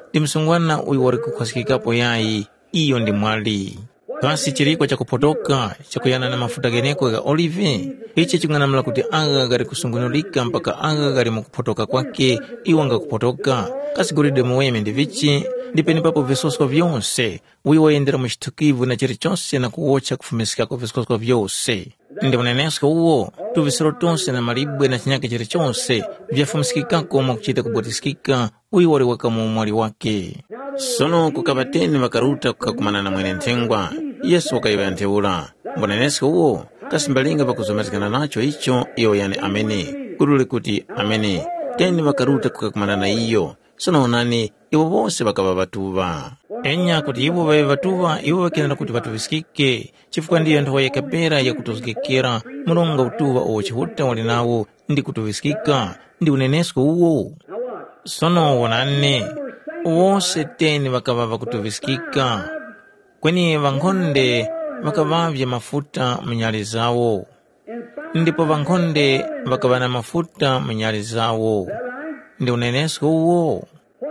Ndi msungwana uyo wali kukhwaskikapo yayi, iyo ndi mwali. Kasi chiriko chakuphotoka chakuyana na mafuta gheneko gha olive? Ichi chikung'anamula kuti agha ghali kusungunulika mpaka agha ghali mu kuphotoka kwake, iwo ngakuphotoka. Kasi golide muweme ndi vichi? Ndi penepapo visoso vyose, uyo wayendera mu chithukivu na chilichose na kuwotcha kufumiskako visoso vyose. Ndi unenesko uwo, tuvisiro tose na malibwe na chinyake chilichose vyafumiskikako mwakuchita kubwatiskika, uyo wali waka mu umwali wake. Sono kukaŵa teni ŵakaruta kukakumana na mwene-nthengwa. Yesu wakayowoya ntheura, mbunenesko uwo, kasi mbalinga ŵakuzomezgana nacho icho? Iyo yani amene. Kuti uli kuti, amene. Teni ŵakaruta kukakumana na iyo. Sono onani, iwo wose ŵakaŵa ŵatuŵa. Enya kuti iwo ŵaŵe ŵatuŵa, iwo ŵakenera kuti ŵatuŵiskike, chifukwa ndiyo nthowa yekha pera yakutozgekera mronga utuŵa uwo Chiuta wali nawo ndi kutuŵiskika, ndi unenesko uwo. Sono wonani, wose teni ŵakaŵa ŵakutuŵiskika, kweni ŵankhonde ŵakaŵavye mafuta mu nyali zawo. Ndipo ŵankhonde ŵakaŵa na mafuta mu nyali zawo. Ndi unenesko uwo?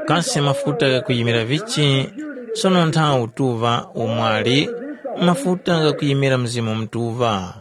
Kasi mafuta ghakuyimira vichi? Sono nthawe utuŵa umwali mafuta ghakuyimira Mzimu Mutuŵa.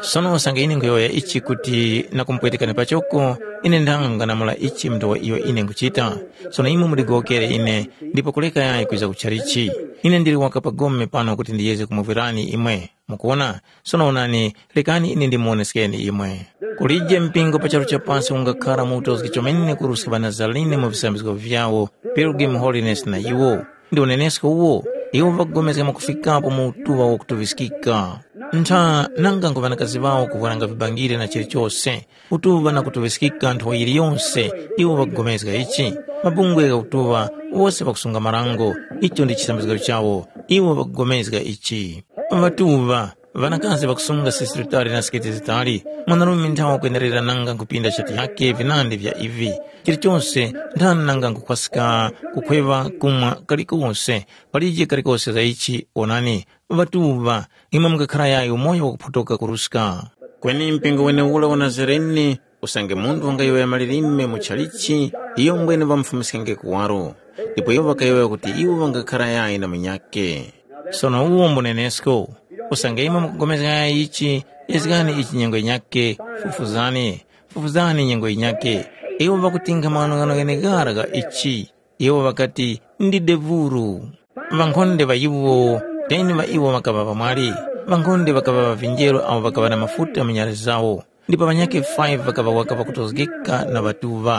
Sono usange ine nkhuyowoya ichi kuti na kumupwetekani pachoko, ine ndanga nkung'anamula ichi mnthu wa iyo ine nkhuchita. Sono imwe mundigowokere ine, ndipo kuleka yayi kwiza ku chalichi. Ine ndili waka pagome pano kuti ndiyeze kumuvwirani imwe. Mukuwona? Sono onani, rekani ine ndimuwoneskeni imwe. Kulije mpingo pa charu cha pasi ungakhara mu utozgi chomene kuruska ŵaNazarene mu visambizgo vyawo, Pilgrim Holiness na iwo. Ndi unenesko uwo, iwo ŵakupulikana mwakufikapo mu utuŵa wakutuŵiskika. Ntha nanga nkhu ŵanakazi ŵawo kuvwaranga vibangire na chilichose, utuŵa na kutuŵiskika nthowa yiliyose, iwo ŵakupulikana ichi. Mabungwe gha utuŵa, wose ŵakusunga marango, icho ndi chisambizgiro chawo, iwo ŵakupulikana ichi. Ŵatuŵa, ŵanakazi ŵakusunga sisi litali na siketi zitali, mwanarume nthawa kwenerera nanga nkupinda shati yake vinandi vya ivi. Chilichose nthani nanga nkukhwaska kukhweŵa kumwa kalikose, palije kalikose za ichi, onani, ŵatuŵa, imwe mungakhara yayi umoyo wakuphotoka kuruska. Kweni mpingo weneura wa Nazarene, usange munthu wangayowoya malilime mu chalichi, iyo mbwene ŵamufumiskenge kuwaro. Ndipo iwo ŵakayowoya kuti iwo ŵangakhara yayi na munyakhe. Sono uwo mbunenesko, usange imwe mukupulikana yayi ichi, yezgani ichi nyengo yinyakhe, fufuzani, fufuzani nyengo yinyakhe. Iwo ŵakutinkha maghanoghano gheneghara gha ichi. Iwo ŵakati, ndi devuru. Ŵankhonde ŵa iwo, teni ŵa iwo ŵakaŵa ŵamwali, ŵankhonde ŵakaŵa ŵa vinjeru awo ŵakaŵa na mafuta mu nyali zawo, ndipo ŵanyakhe five ŵakaŵa waka ŵakutozgeka na ŵatuŵa.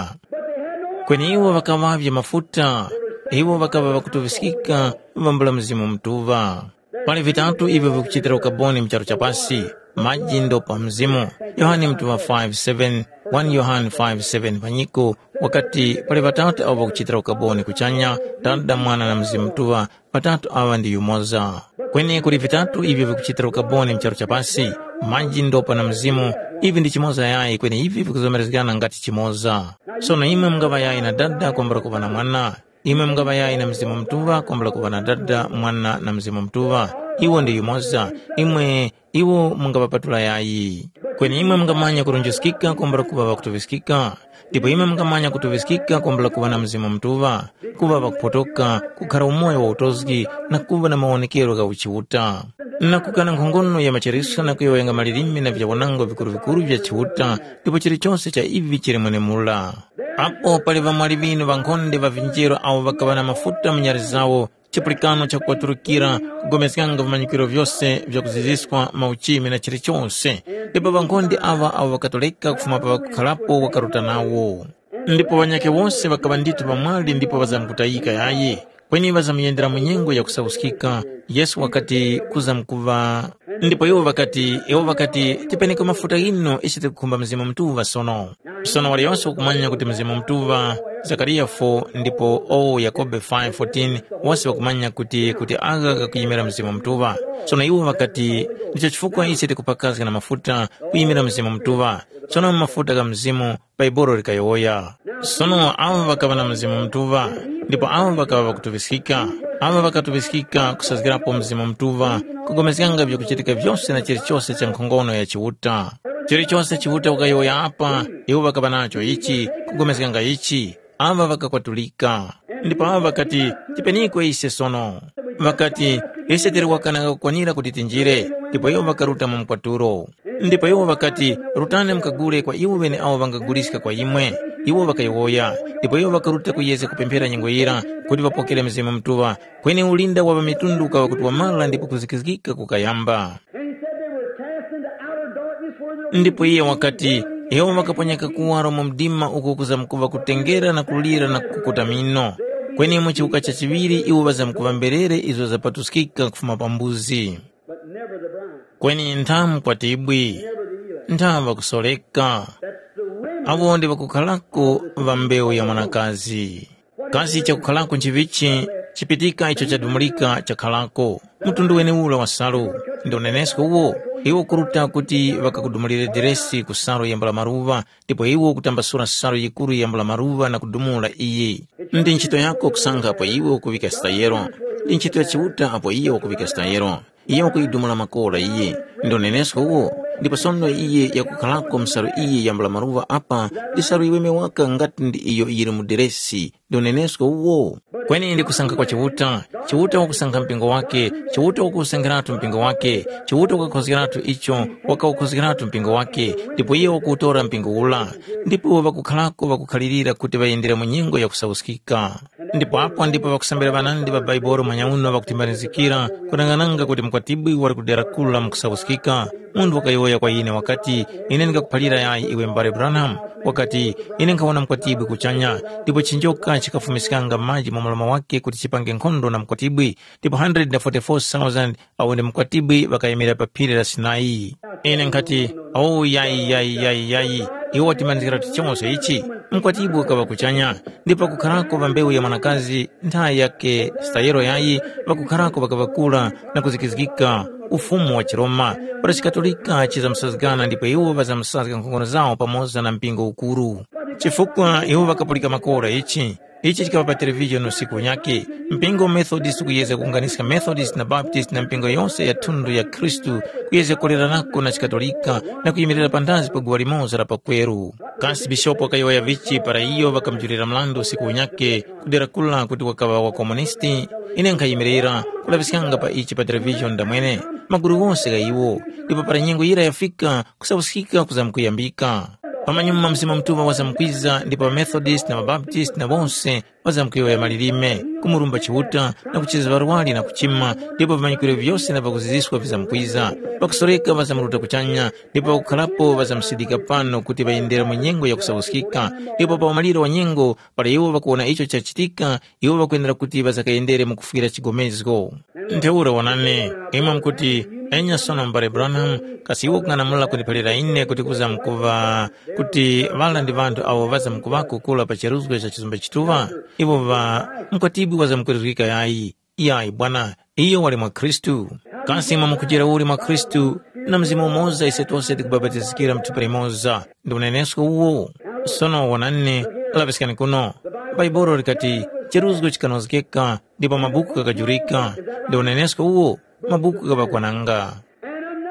Kweni iwo ŵakaŵavye mafuta, iwo ŵakaŵa ŵakutuŵiskika vambula Mzimu Mutuŵa. Pali vitatu ivyo vikuchitira ukaboni mu charu cha pasi, maji ndo pa Mzimu, Yohane Mutuŵa five seven, one Yohane five seven panyiko, wakati pali ŵatatu avo ŵakuchitira ukaboni kuchanya, Dada, Mwana na Mzimu Mutuŵa, ŵatatu aŵa ndi yumoza. Kweni kuli vitatu ivyo vikuchitira ukaboni mu charu cha pasi, maji, ndopa na Mzimu, ivi ndi chimoza yayi kweni ivi vikuzomerezgana ngati chimoza. Sono imwe mungaŵa yayi na Dada kwambula kuŵa na Mwana. Imwe mungaŵa yayi na Mzimu Mutuŵa kwambula kuŵa na Dada, Mwana na Mzimu Mutuŵa. Iwo ndi yumoza. Imwe iwo mungaŵapatula yayi. Kweni imwe mungamanya kurunjuskika kwambula kuŵa ŵakutuŵiskika. Ndipo imwe mungamanya kutuŵiskika kwambula kuŵa na Mzimu Mutuŵa, kuŵa ŵakuphotoka, kukhara umoyo wa utozgi na kuŵa na mawonekero gha uchiuta. Na kukana nkhongono ya machariswa na kuyowoyanga malilime na vyawanango vikuru-vikuru vya Chiuta, ndipo chilichose cha ivi chili mwenemura. Apo pali ŵamwali ŵinu ŵankhonde ŵa vinjero awo ŵakaŵa na mafuta mu nyali zawo, chipulikano cha kuŵaturukira, kugomezganga vimanyikiro vyose vya kuziziswa mauchimi na chilichose. Ndipo ŵankhonde aŵa awo ŵakatoleka kufuma pa ŵakukharapo wakaruta nawo. Ndipo ŵanyakhe wose ŵakaŵa ndithu ŵamwali ndipo ŵazamkutayika yayi, kweni ŵazamuyendera mu nyengo ya kusauskika. Yesu wakati kuzamkuŵa. Ndipo iwo ŵakati, iwo ŵakati, tipeneko mafuta ghino ise tikukhumba Mzimu Mutuŵa sono. Sono waliyose wakumanya kuti Mzimu Mutuŵa, Zakariya four ndipo o Yakobe five fourteen, wose ŵakumanya kuti kuti agha ghakuyimira Mzimu Mutuŵa. Sono iwo ŵakati, ndicho chifukwa ise tikupakazga na mafuta kuyimira Mzimu Mutuŵa. Sono mafuta gha Mzimu Bhaibuli likayowoya. Sono awo ŵakaŵa na Mzimu Mutuŵa, ndipo awo ŵakaŵa ŵakutuŵiskika. Awo ŵakatuŵiskika kusazgirapo Mzimu Mutuŵa, kugomezganga vyakuchitika vyose na chilichose cha nkhongono ya Chiuta. Chilichose Chiuta wakayowoya apa, iwo ŵakaŵa nacho ichi, kugomezganga ichi. Aŵa ŵakakwatulika. Ndipo awo ŵakati, tipeniko ise sono. Ŵakati, ise tili wakana kakukwanira kuti tinjire, ndipo iwo ŵakaruta mu mkwatulo. Ndipo iwo ŵakati, rutani mukagule kwa iwo ŵeneawo ŵangaguliska kwa imwe. Iwo ŵakayowoya, ndipo iwo ŵakaruta kuyezga kupemphera nyengo yira kuti ŵapokere Mzimu Mutuŵa, kweni ulinda wa ŵamitundu ukaŵa kuti wamara ndipo kuzikizgika kukayamba. And he said they were cast into outer darkness where there was Ndipo iye wakati, iwo ŵakaponyeka kuwaro mu mdima uko kuzamkuŵa kutengera na kulira na kukuta mino. Kweni mu chiwuka cha chiŵiri iwo ŵazamkuŵa mberere izo zapatuskika kufuma pa mbuzi. But never the bride, kweni nthamu kwatibwi, never the elect. Nthamu ŵakusoreka. That's the women. Awo ndi ŵakukhalako ŵa mbewu ya mwanakazi. Kasi chakukhalako nchivichi chipitika icho chadumulika chakhalako? Mtundu weneura wa salu ndi unenesko uwo. Iwo kuruta kuti ŵakakudumulire deresi ku salu yambula maruŵa, ndipo iwo kutambasula salu yikuru yambula maruŵa na kudumula iyi. Ndi ntchito yako kusankha apo iwe ukuŵika stayero. Ndi ntchito ya Chiuta apo iye wakuŵika stayero. Iye wakuyidumula makora iye. Ndi unenesko uwo. Ndipo sono iye yakukhalako msalu iyi yambula maruŵa apa, ndi salu yiweme waka ngati ndi iyo yili mu deresi. Ndi unenesko uwo. Kweni ndi kusankha kwa Chiuta. Chiuta wakusankha mpingo wake. Chiuta wakuwusankhiratu mpingo wake. Chiuta wakakhozgeratu icho, wakawukhozgeratu mpingo wake, ndipo iyo wakuwutora mpingo ula. Ndipo iwo ŵakukharako ŵakukhalirira kuti ŵayendere mu nyengo ya kusauskika. Ndipo apo ndipo ŵakusambira ŵanandi ŵa Baibolo manyauno ŵakutimbanizikira, kunangananga kuti mukwatibwi wali kudera kula mu kusauskika. Munthu wakayowoya kwa ine wakati, ine ndingakuphalira yayi iwe m'bale Branham? Wakati, ine nkhawona mukwatibwi kuchanya, ndipo chinjoka chikafumiskanga maji mu mlomo wake kuti chipange nkhondo na mukwatibwi, ndipo hundred na forty-four thousand awo ndi mukwatibwi ŵakayimira pa phiri la Sinai. Ine nkhati, “O yayi, yayi, yayi, yayi, iwo watimanizgiratu chose ichi? Mukwatibwi wakaŵa kuchanya, ndipo pakukharako ŵa mbewu ya mwanakazi nthayi yake stayero yayi, pakukharako ŵakaŵa kura na kuzikizgika ufumu wa chiRoma, para chiKatolika chizamusazgana ndipo iwo ŵazamusazga nkhongono zawo pamoza na mpingo ukuru. Chifukwa iwo ŵakapulika makora ichi, ichi chikaŵa pa televizhoni usiku unyakhe, mpingo wa Methodist kuyezga kuwunganiska Methodist na Baptist na mpingo yose ya thundu ya Khristu kuyezga kulererako na chiKatolika na kuyimirira panthazi pa guwa limoza la pakweru. Kasi bishopu wakayowoya vichi para iyo ŵakamujulira mrandu usiku unyakhe kudera kula kuti wakaŵa wa komunisti? Ine nkhayimirira kulaŵiskanga pa ichi pa televizhoni ndamwene, magulu ghose gha iwo, ndipo para nyengo yira yafika, kusauskika kuzamkuyambika. Pamanyuma Mzimu Mutuŵa wazamkwiza ndipo ŵaMethodist na ŵaBaptist na wose ŵazamkuyowoya malilime, kumurumba Chiuta na kucheza ŵarwari na kuchima, ndipo vimanyikwiro vyose na pakuziziska vizamkwiza. Pakusoreka ŵazamuruta kuchanya, ndipo pakukharapo ŵazamusidika pano kuti ŵayendera mu nyengo ya kusauskika, ndipo pa umaliro wa nyengo, para iwo ŵakuwona icho chachitika, iwo ŵakwenera kuti ŵasakayendere mu kufwira chigomezgo. Ntheura wonani, imwe mukuti, enya sono m'bale Branham, kasi iwe ukung'anamula kundiphalira ine kuti kuzamkuŵa kuti ŵala ndi ŵanthu awo ŵazamkuŵako kura pa cheruzgo cha chizumbe chituŵa? Iwo ŵa mkwatibwi wazamkweruzgika yayi. Yayi bwana, iyo wali mwa Khristu. Kasi imwe mukujera uli mwa Khristu, na Mzimu umoza ise tose tikubapatizikira mu thupi limoza, ndi unenesko uwo? Sono wonani, laŵiskani kuno. Bhaibuli likati, cheruzgo chikanozgeka, ndipo mabuku ghakajurika, ndi unenesko uwo, mabuku ghaŵakwananga.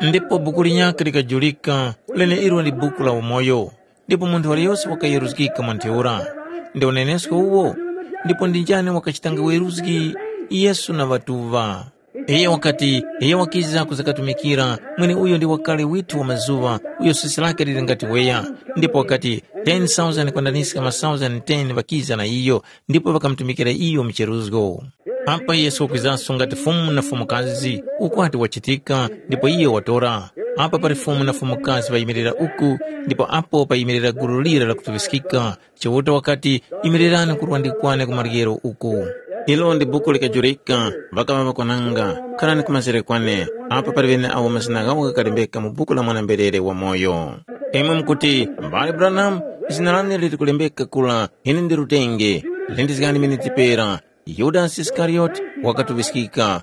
Ndipo buku linyakhe likajurika, leneilo ndi buku la umoyo, ndipo munthu waliyose wakayeruzgika mwa ntheura. Ndi unenesko uwo? Ndipo ndi njani wakachitanga weruzgi? Yesu na ŵatuŵa. Iyo wakati, iyo wakiza kuzakatumikira, mweneuyo ndi wakale withu wa mazuŵa, uyo sesi lake lili ngati weya. Ndipo wakati, ten thousand kwandaniska ma thousand ten ŵakiza na iyo, ndipo ŵakamutumikira iyo mu cheruzgo. Apa Yesu wakwizanso ngati Fumu na Fumukazi, ukwati wachitika, ndipo iyo watora. Apa pali Fumu na Fumukazi ŵayimirira uku, ndipo apo payimirira gulu lira lakutuŵiskika. Chiuta wakati, yimirirani kurwa ndikwane ku maryero uku. Ilo ndi buku likajurika, ŵakaŵa ŵakwananga, kharani ku mazere kwane, apa pali ŵene awo mazina ghawo ghakalembeka mu buku la mwana-mberere wamoyo. Imwe mukuti, mbale Branham, zina lane lili kulembeka kura, ine ndi lutenge, lindizgani mene tipera. Yudasi Isikariyoti wakatuŵiskika.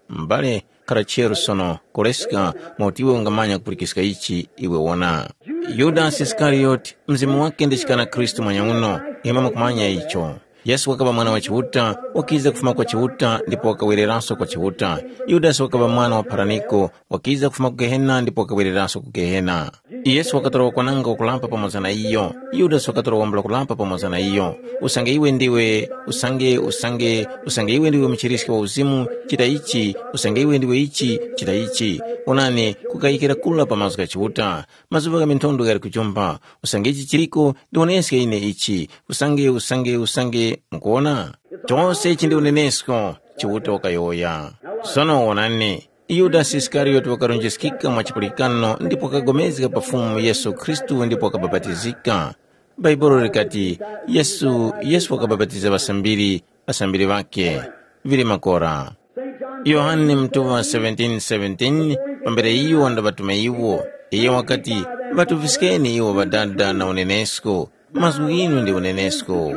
M'bale, khara cheru sono, koleska mauti iwe ungamanya kupulikiska ichi iwe wona. Yudasi Isikariyoti, mzimu wake ndi chikana Khristu mwanyang'uno, imwe mukumanya icho. Yesu wakaŵa mwana wa Chiuta, wakiza kufuma kwa Chiuta ndipo wakawereranso kwa Chiuta. Yudasi wakaŵa mwana wa pharaniko, wakiza kufuma ku Gehena ndipo wakawereranso ku Gehena. Yesu wakatora wakwananga wakulapa pamoza na iyo. Yudasi wakatora wambula kulapa pamoza na iyo. Usange iwe ndiwe, usange, usange, usange iwe ndiwe muchiriski wa uzimu, chita ichi, usange iwe ndiwe ichi, chita ichi. Onani, kukayikira kula pa mazgu gha Chiuta. Mazuŵa gha minthondo ghali kujomba. Usange ichi chiriko, ndiwoneske ine ichi. Usange, usange, usange, mukuwona? Chose ichi ndi unenesko, Chiuta wakayowoya. Sono wonani, Yudasi Isikariyoti wakarunjiskika mwa chipulikano ndipo wakapulikana pa Fumu Yesu Khristu ndipo wakabapatizika. Bhaibuli likati, Yesu, Yesu wakabapatiza ŵasambiri, ŵasambiri ŵakhe, vili makora. Yohane mutuŵa seventeen seventeen, pambere iyo wandaŵatuma iwo, iyo wakati, ŵatuŵiskeni iwo Ŵadada na unenesko, mazgu ghinu ndi unenesko.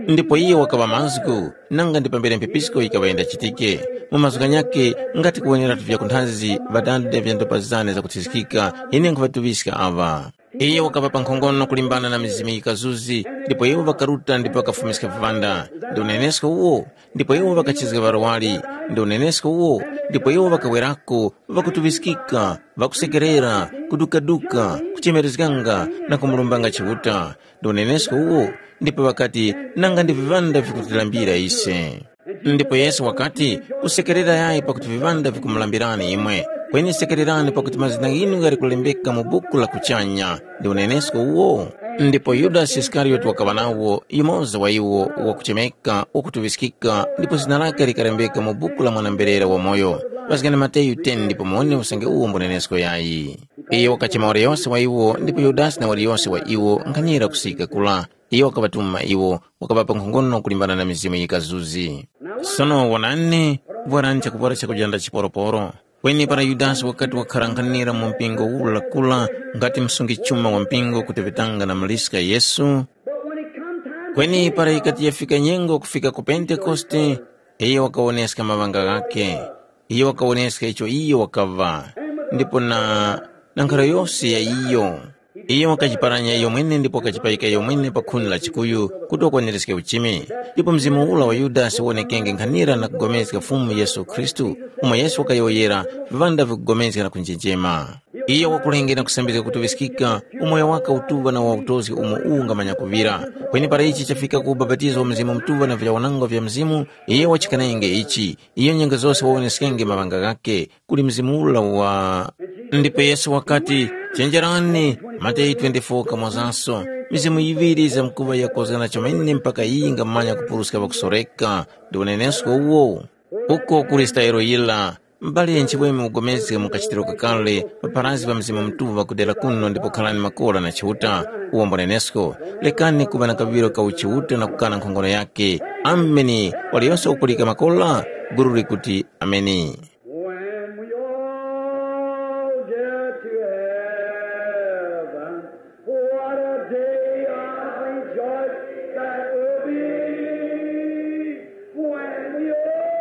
Ndipo iyo wakaŵa mazgu, nanga ndi pambere mphepisko yikaŵa yindachitike. Mu mazgu ghanyakhe ngati kuwoneratu vyakunthazi ŵadada vya ndopa zane zakuthizikika, ine nkhuŵatuŵiska aŵa. Iyo wakaŵapa nkhongono kulimbana na mizimu yikazuzi, ndipo iwo ŵakaruta ndipo ŵakafumiska viŵanda. Ndi unenesko uwo, ndipo iwo ŵakachizga ŵarwari. Ndi unenesko uwo, ndipo iwo ŵakawerako, ŵakutuŵiskika, ŵakusekerera, kudukaduka, kuchemerezganga na kumurombanga Chiuta. Ndi unenesko uwo, ndipo ŵakati, nanga ndi viŵanda vikutilambira ise. Ndipo Yesu wakati, kusekerera yayi pakuti viŵanda vikumulambirani imwe, kweni sekererani pakuti mazina ghinu ghali kulembeka mu buku la kuchanya. Ndi unenesko uwo. Ndipo Yudasi Isikariyoti wakaŵa nawo, yumoza wa iwo, wakuchemeka, wakutuŵiskika, ndipo zina lake likalembeka mu buku la mwana-mberere wamoyo. Paskani Mateyu ten ndipo muwone usange uwo mbunenesko yayi. Iyo wakachema waliyose wa iwo, ndipo Yudasi na waliyose wa iwo nkhanira kusika kula. Iyo wakaŵatuma iwo, wakaŵapa nkhongono kulimbana na mizimu yikazuzi. Sono wonani, vwarani chakuvwara chakujanda chiporoporo. Kweni para Yudasi wakati wakharankhanira mu mpingo ula kula ngati msungi chuma wa mpingo kuteŵetanga na muliska Yesu, kweni para yikati yafika nyengo kufika ku Pentekoste, iyo wakawoneska maŵanga ghakhe. Iyo wakawoneska icho iyo wakaŵa, ndipo na, na nkharo yose ya iyo. Iyo wakajiparanya iyo mwene ndipo wakajipayika iyo mwene pa khuni la chikuyu kuti wakwanereske uchimi. Ndipo mzimu ula wa Yudasi wonekenge nkhanira na kupulikana Fumu Yesu Khristu, umo Yesu wakayowoyera, viŵanda vikupulikana na kunjenjema. Iyo wakulenge na kusambizga kutuŵiskika, umoyo wake utuŵa na wautozgi umo uwu ungamanya kuŵira. Kweni para ichi chafika ku ubapatizo wa Mzimu Mutuŵa na vyawanangwa vya Mzimu, iyo wachikanenge ichi. Iyo nyengo zose wawoneskenge maŵanga ghakhe kuli Mzimu ula wa. Ndipo Yesu wakati, chenjerani, Mateyu twenty-four kamwazanso, mizimu yiŵiri yizamkuŵa yakozgana chomene mpaka yingamanya kupuruska ŵakusoreka. Ndi unenesko uwo. Uko kuli stayiro yira, m'bale nchiweme ugomezge mu kachitiro kakale, pa pharazgi pa Mzimu Mutuŵa kudera kuno ndipo khalani makora na Chiuta, uwo mbunenesko. Lekani kuŵa na kaŵiro ka uchiuta na kukana nkhongono yakhe. Ameni. Waliyose wakupulika makora, gulu likuti, Ameni. When we all get to heaven, what a day of rejoicing that will be. When we all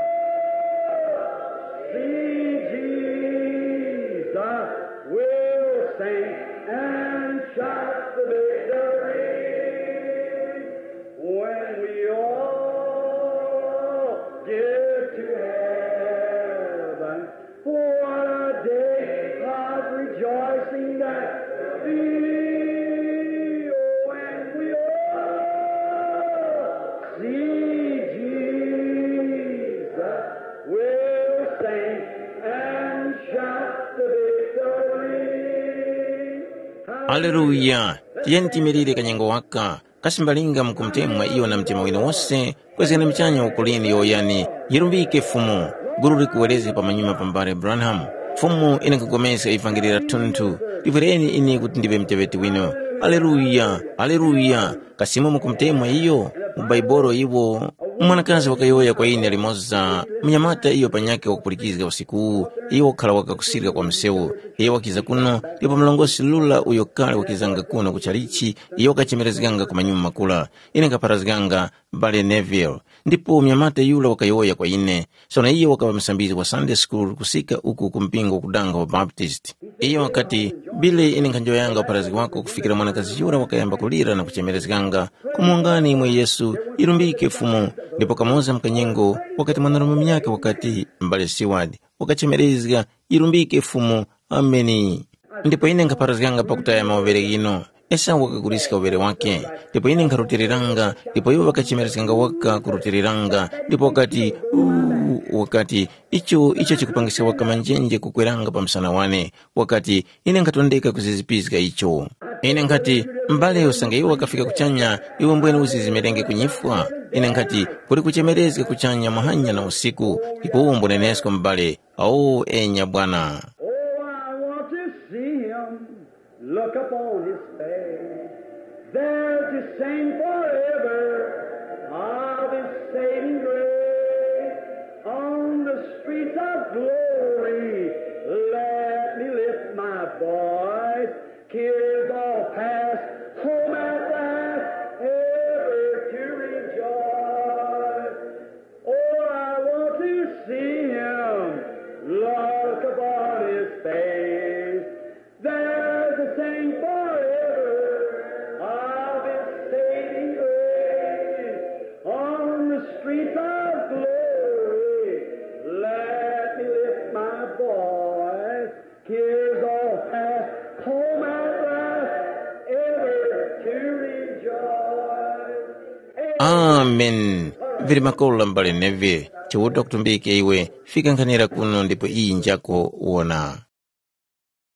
see Jesus, we'll sing and shout the victory. When we all get to heaven, what a day of rejoicing that will be. Oh, when we all see Jesus, we'll sing and shout the victory. Haleluya! Tiyeni tiyimirire kanyengo waka. Kasi mbalinga mukumutemwa iyo na mtima winu wose, kwezgani muchanya ukulini yowoyani, yirumbike Fumu. Gulu likuwerezga pamanyuma pa m'bale Branham. Fumu, ine nkhupulikana ivangeli la thunthu. Liŵireni ine kuti ndiŵe muteŵeti winu. Aleluya! Aleluya! Kasi imwe mukumutemwa iyo? Mu Baibolo iwo, mwanakazi wakayowoya kwa ine limoza, munyamata iyo panyakhe wakupulikizga usikuwu, iyo wakhala wakakusirika kwa msewu. Iyo wakiza kuno, ndipo mlongosi Lula uyo kale wakizanga kuno ku chalichi, iyo wakachemerezganga ku manyuma makula. Ine nkapharazganga m'bale Neville, ndipo mnyamata yura wakayowoya kwa ine. Sono iyo wakaŵa musambizgi wa Sunday School kusika uku ku mpingo wakudanga wa Baptist. Iyo wakati, Billy, ine nkhanjowoyanga upharazgi wako kufikira mwanakazi yura wakayamba kulira na kuchemerezganga, kumwongani imwe Yesu, yirumbike Fumu. Ndipo kamoza mkanyengo wakati mwanarume munyakhe wakati, m'bale Seward, wakachemerezga, yirumbike Fumu. Ameni. Ndipo ine nkhapharazganga pakutaya mauvere ghino. Esau wakaguliska uvere wakhe. Ndipo ine nkharutiliranga, ndipo iwo ŵakachemerezganga waka kurutiliranga, ndipo wakati, “Uu,” wakati, “Icho, icho chikupangiska waka manjenje kukweranga pa msana wane.” Wakati, “Ine nkhatondeka kuzizipizga icho.” Ine nkhati, “M'bale, usange iwe wakafika kuchanya, iwe mbwene uzizimirenge kunyifwa.” Ine nkhati, “Kuli kuchemerezga kuchanya muhanya na usiku, ndipo uwo mbunenesko m'bale.” Awo enya bwana. Oh, I want to see him. Look upon his face. There to sing forever of his saving grace. On the streets of glory, let me lift my voice. Cares all past, home at last, ever to rejoice. Oh, I want to see him. Look upon his Amen. Vili makolo la mbale Neve, Chiuta kutumbike iwe, fika nkhanira kuno ndipo iyi njako wona.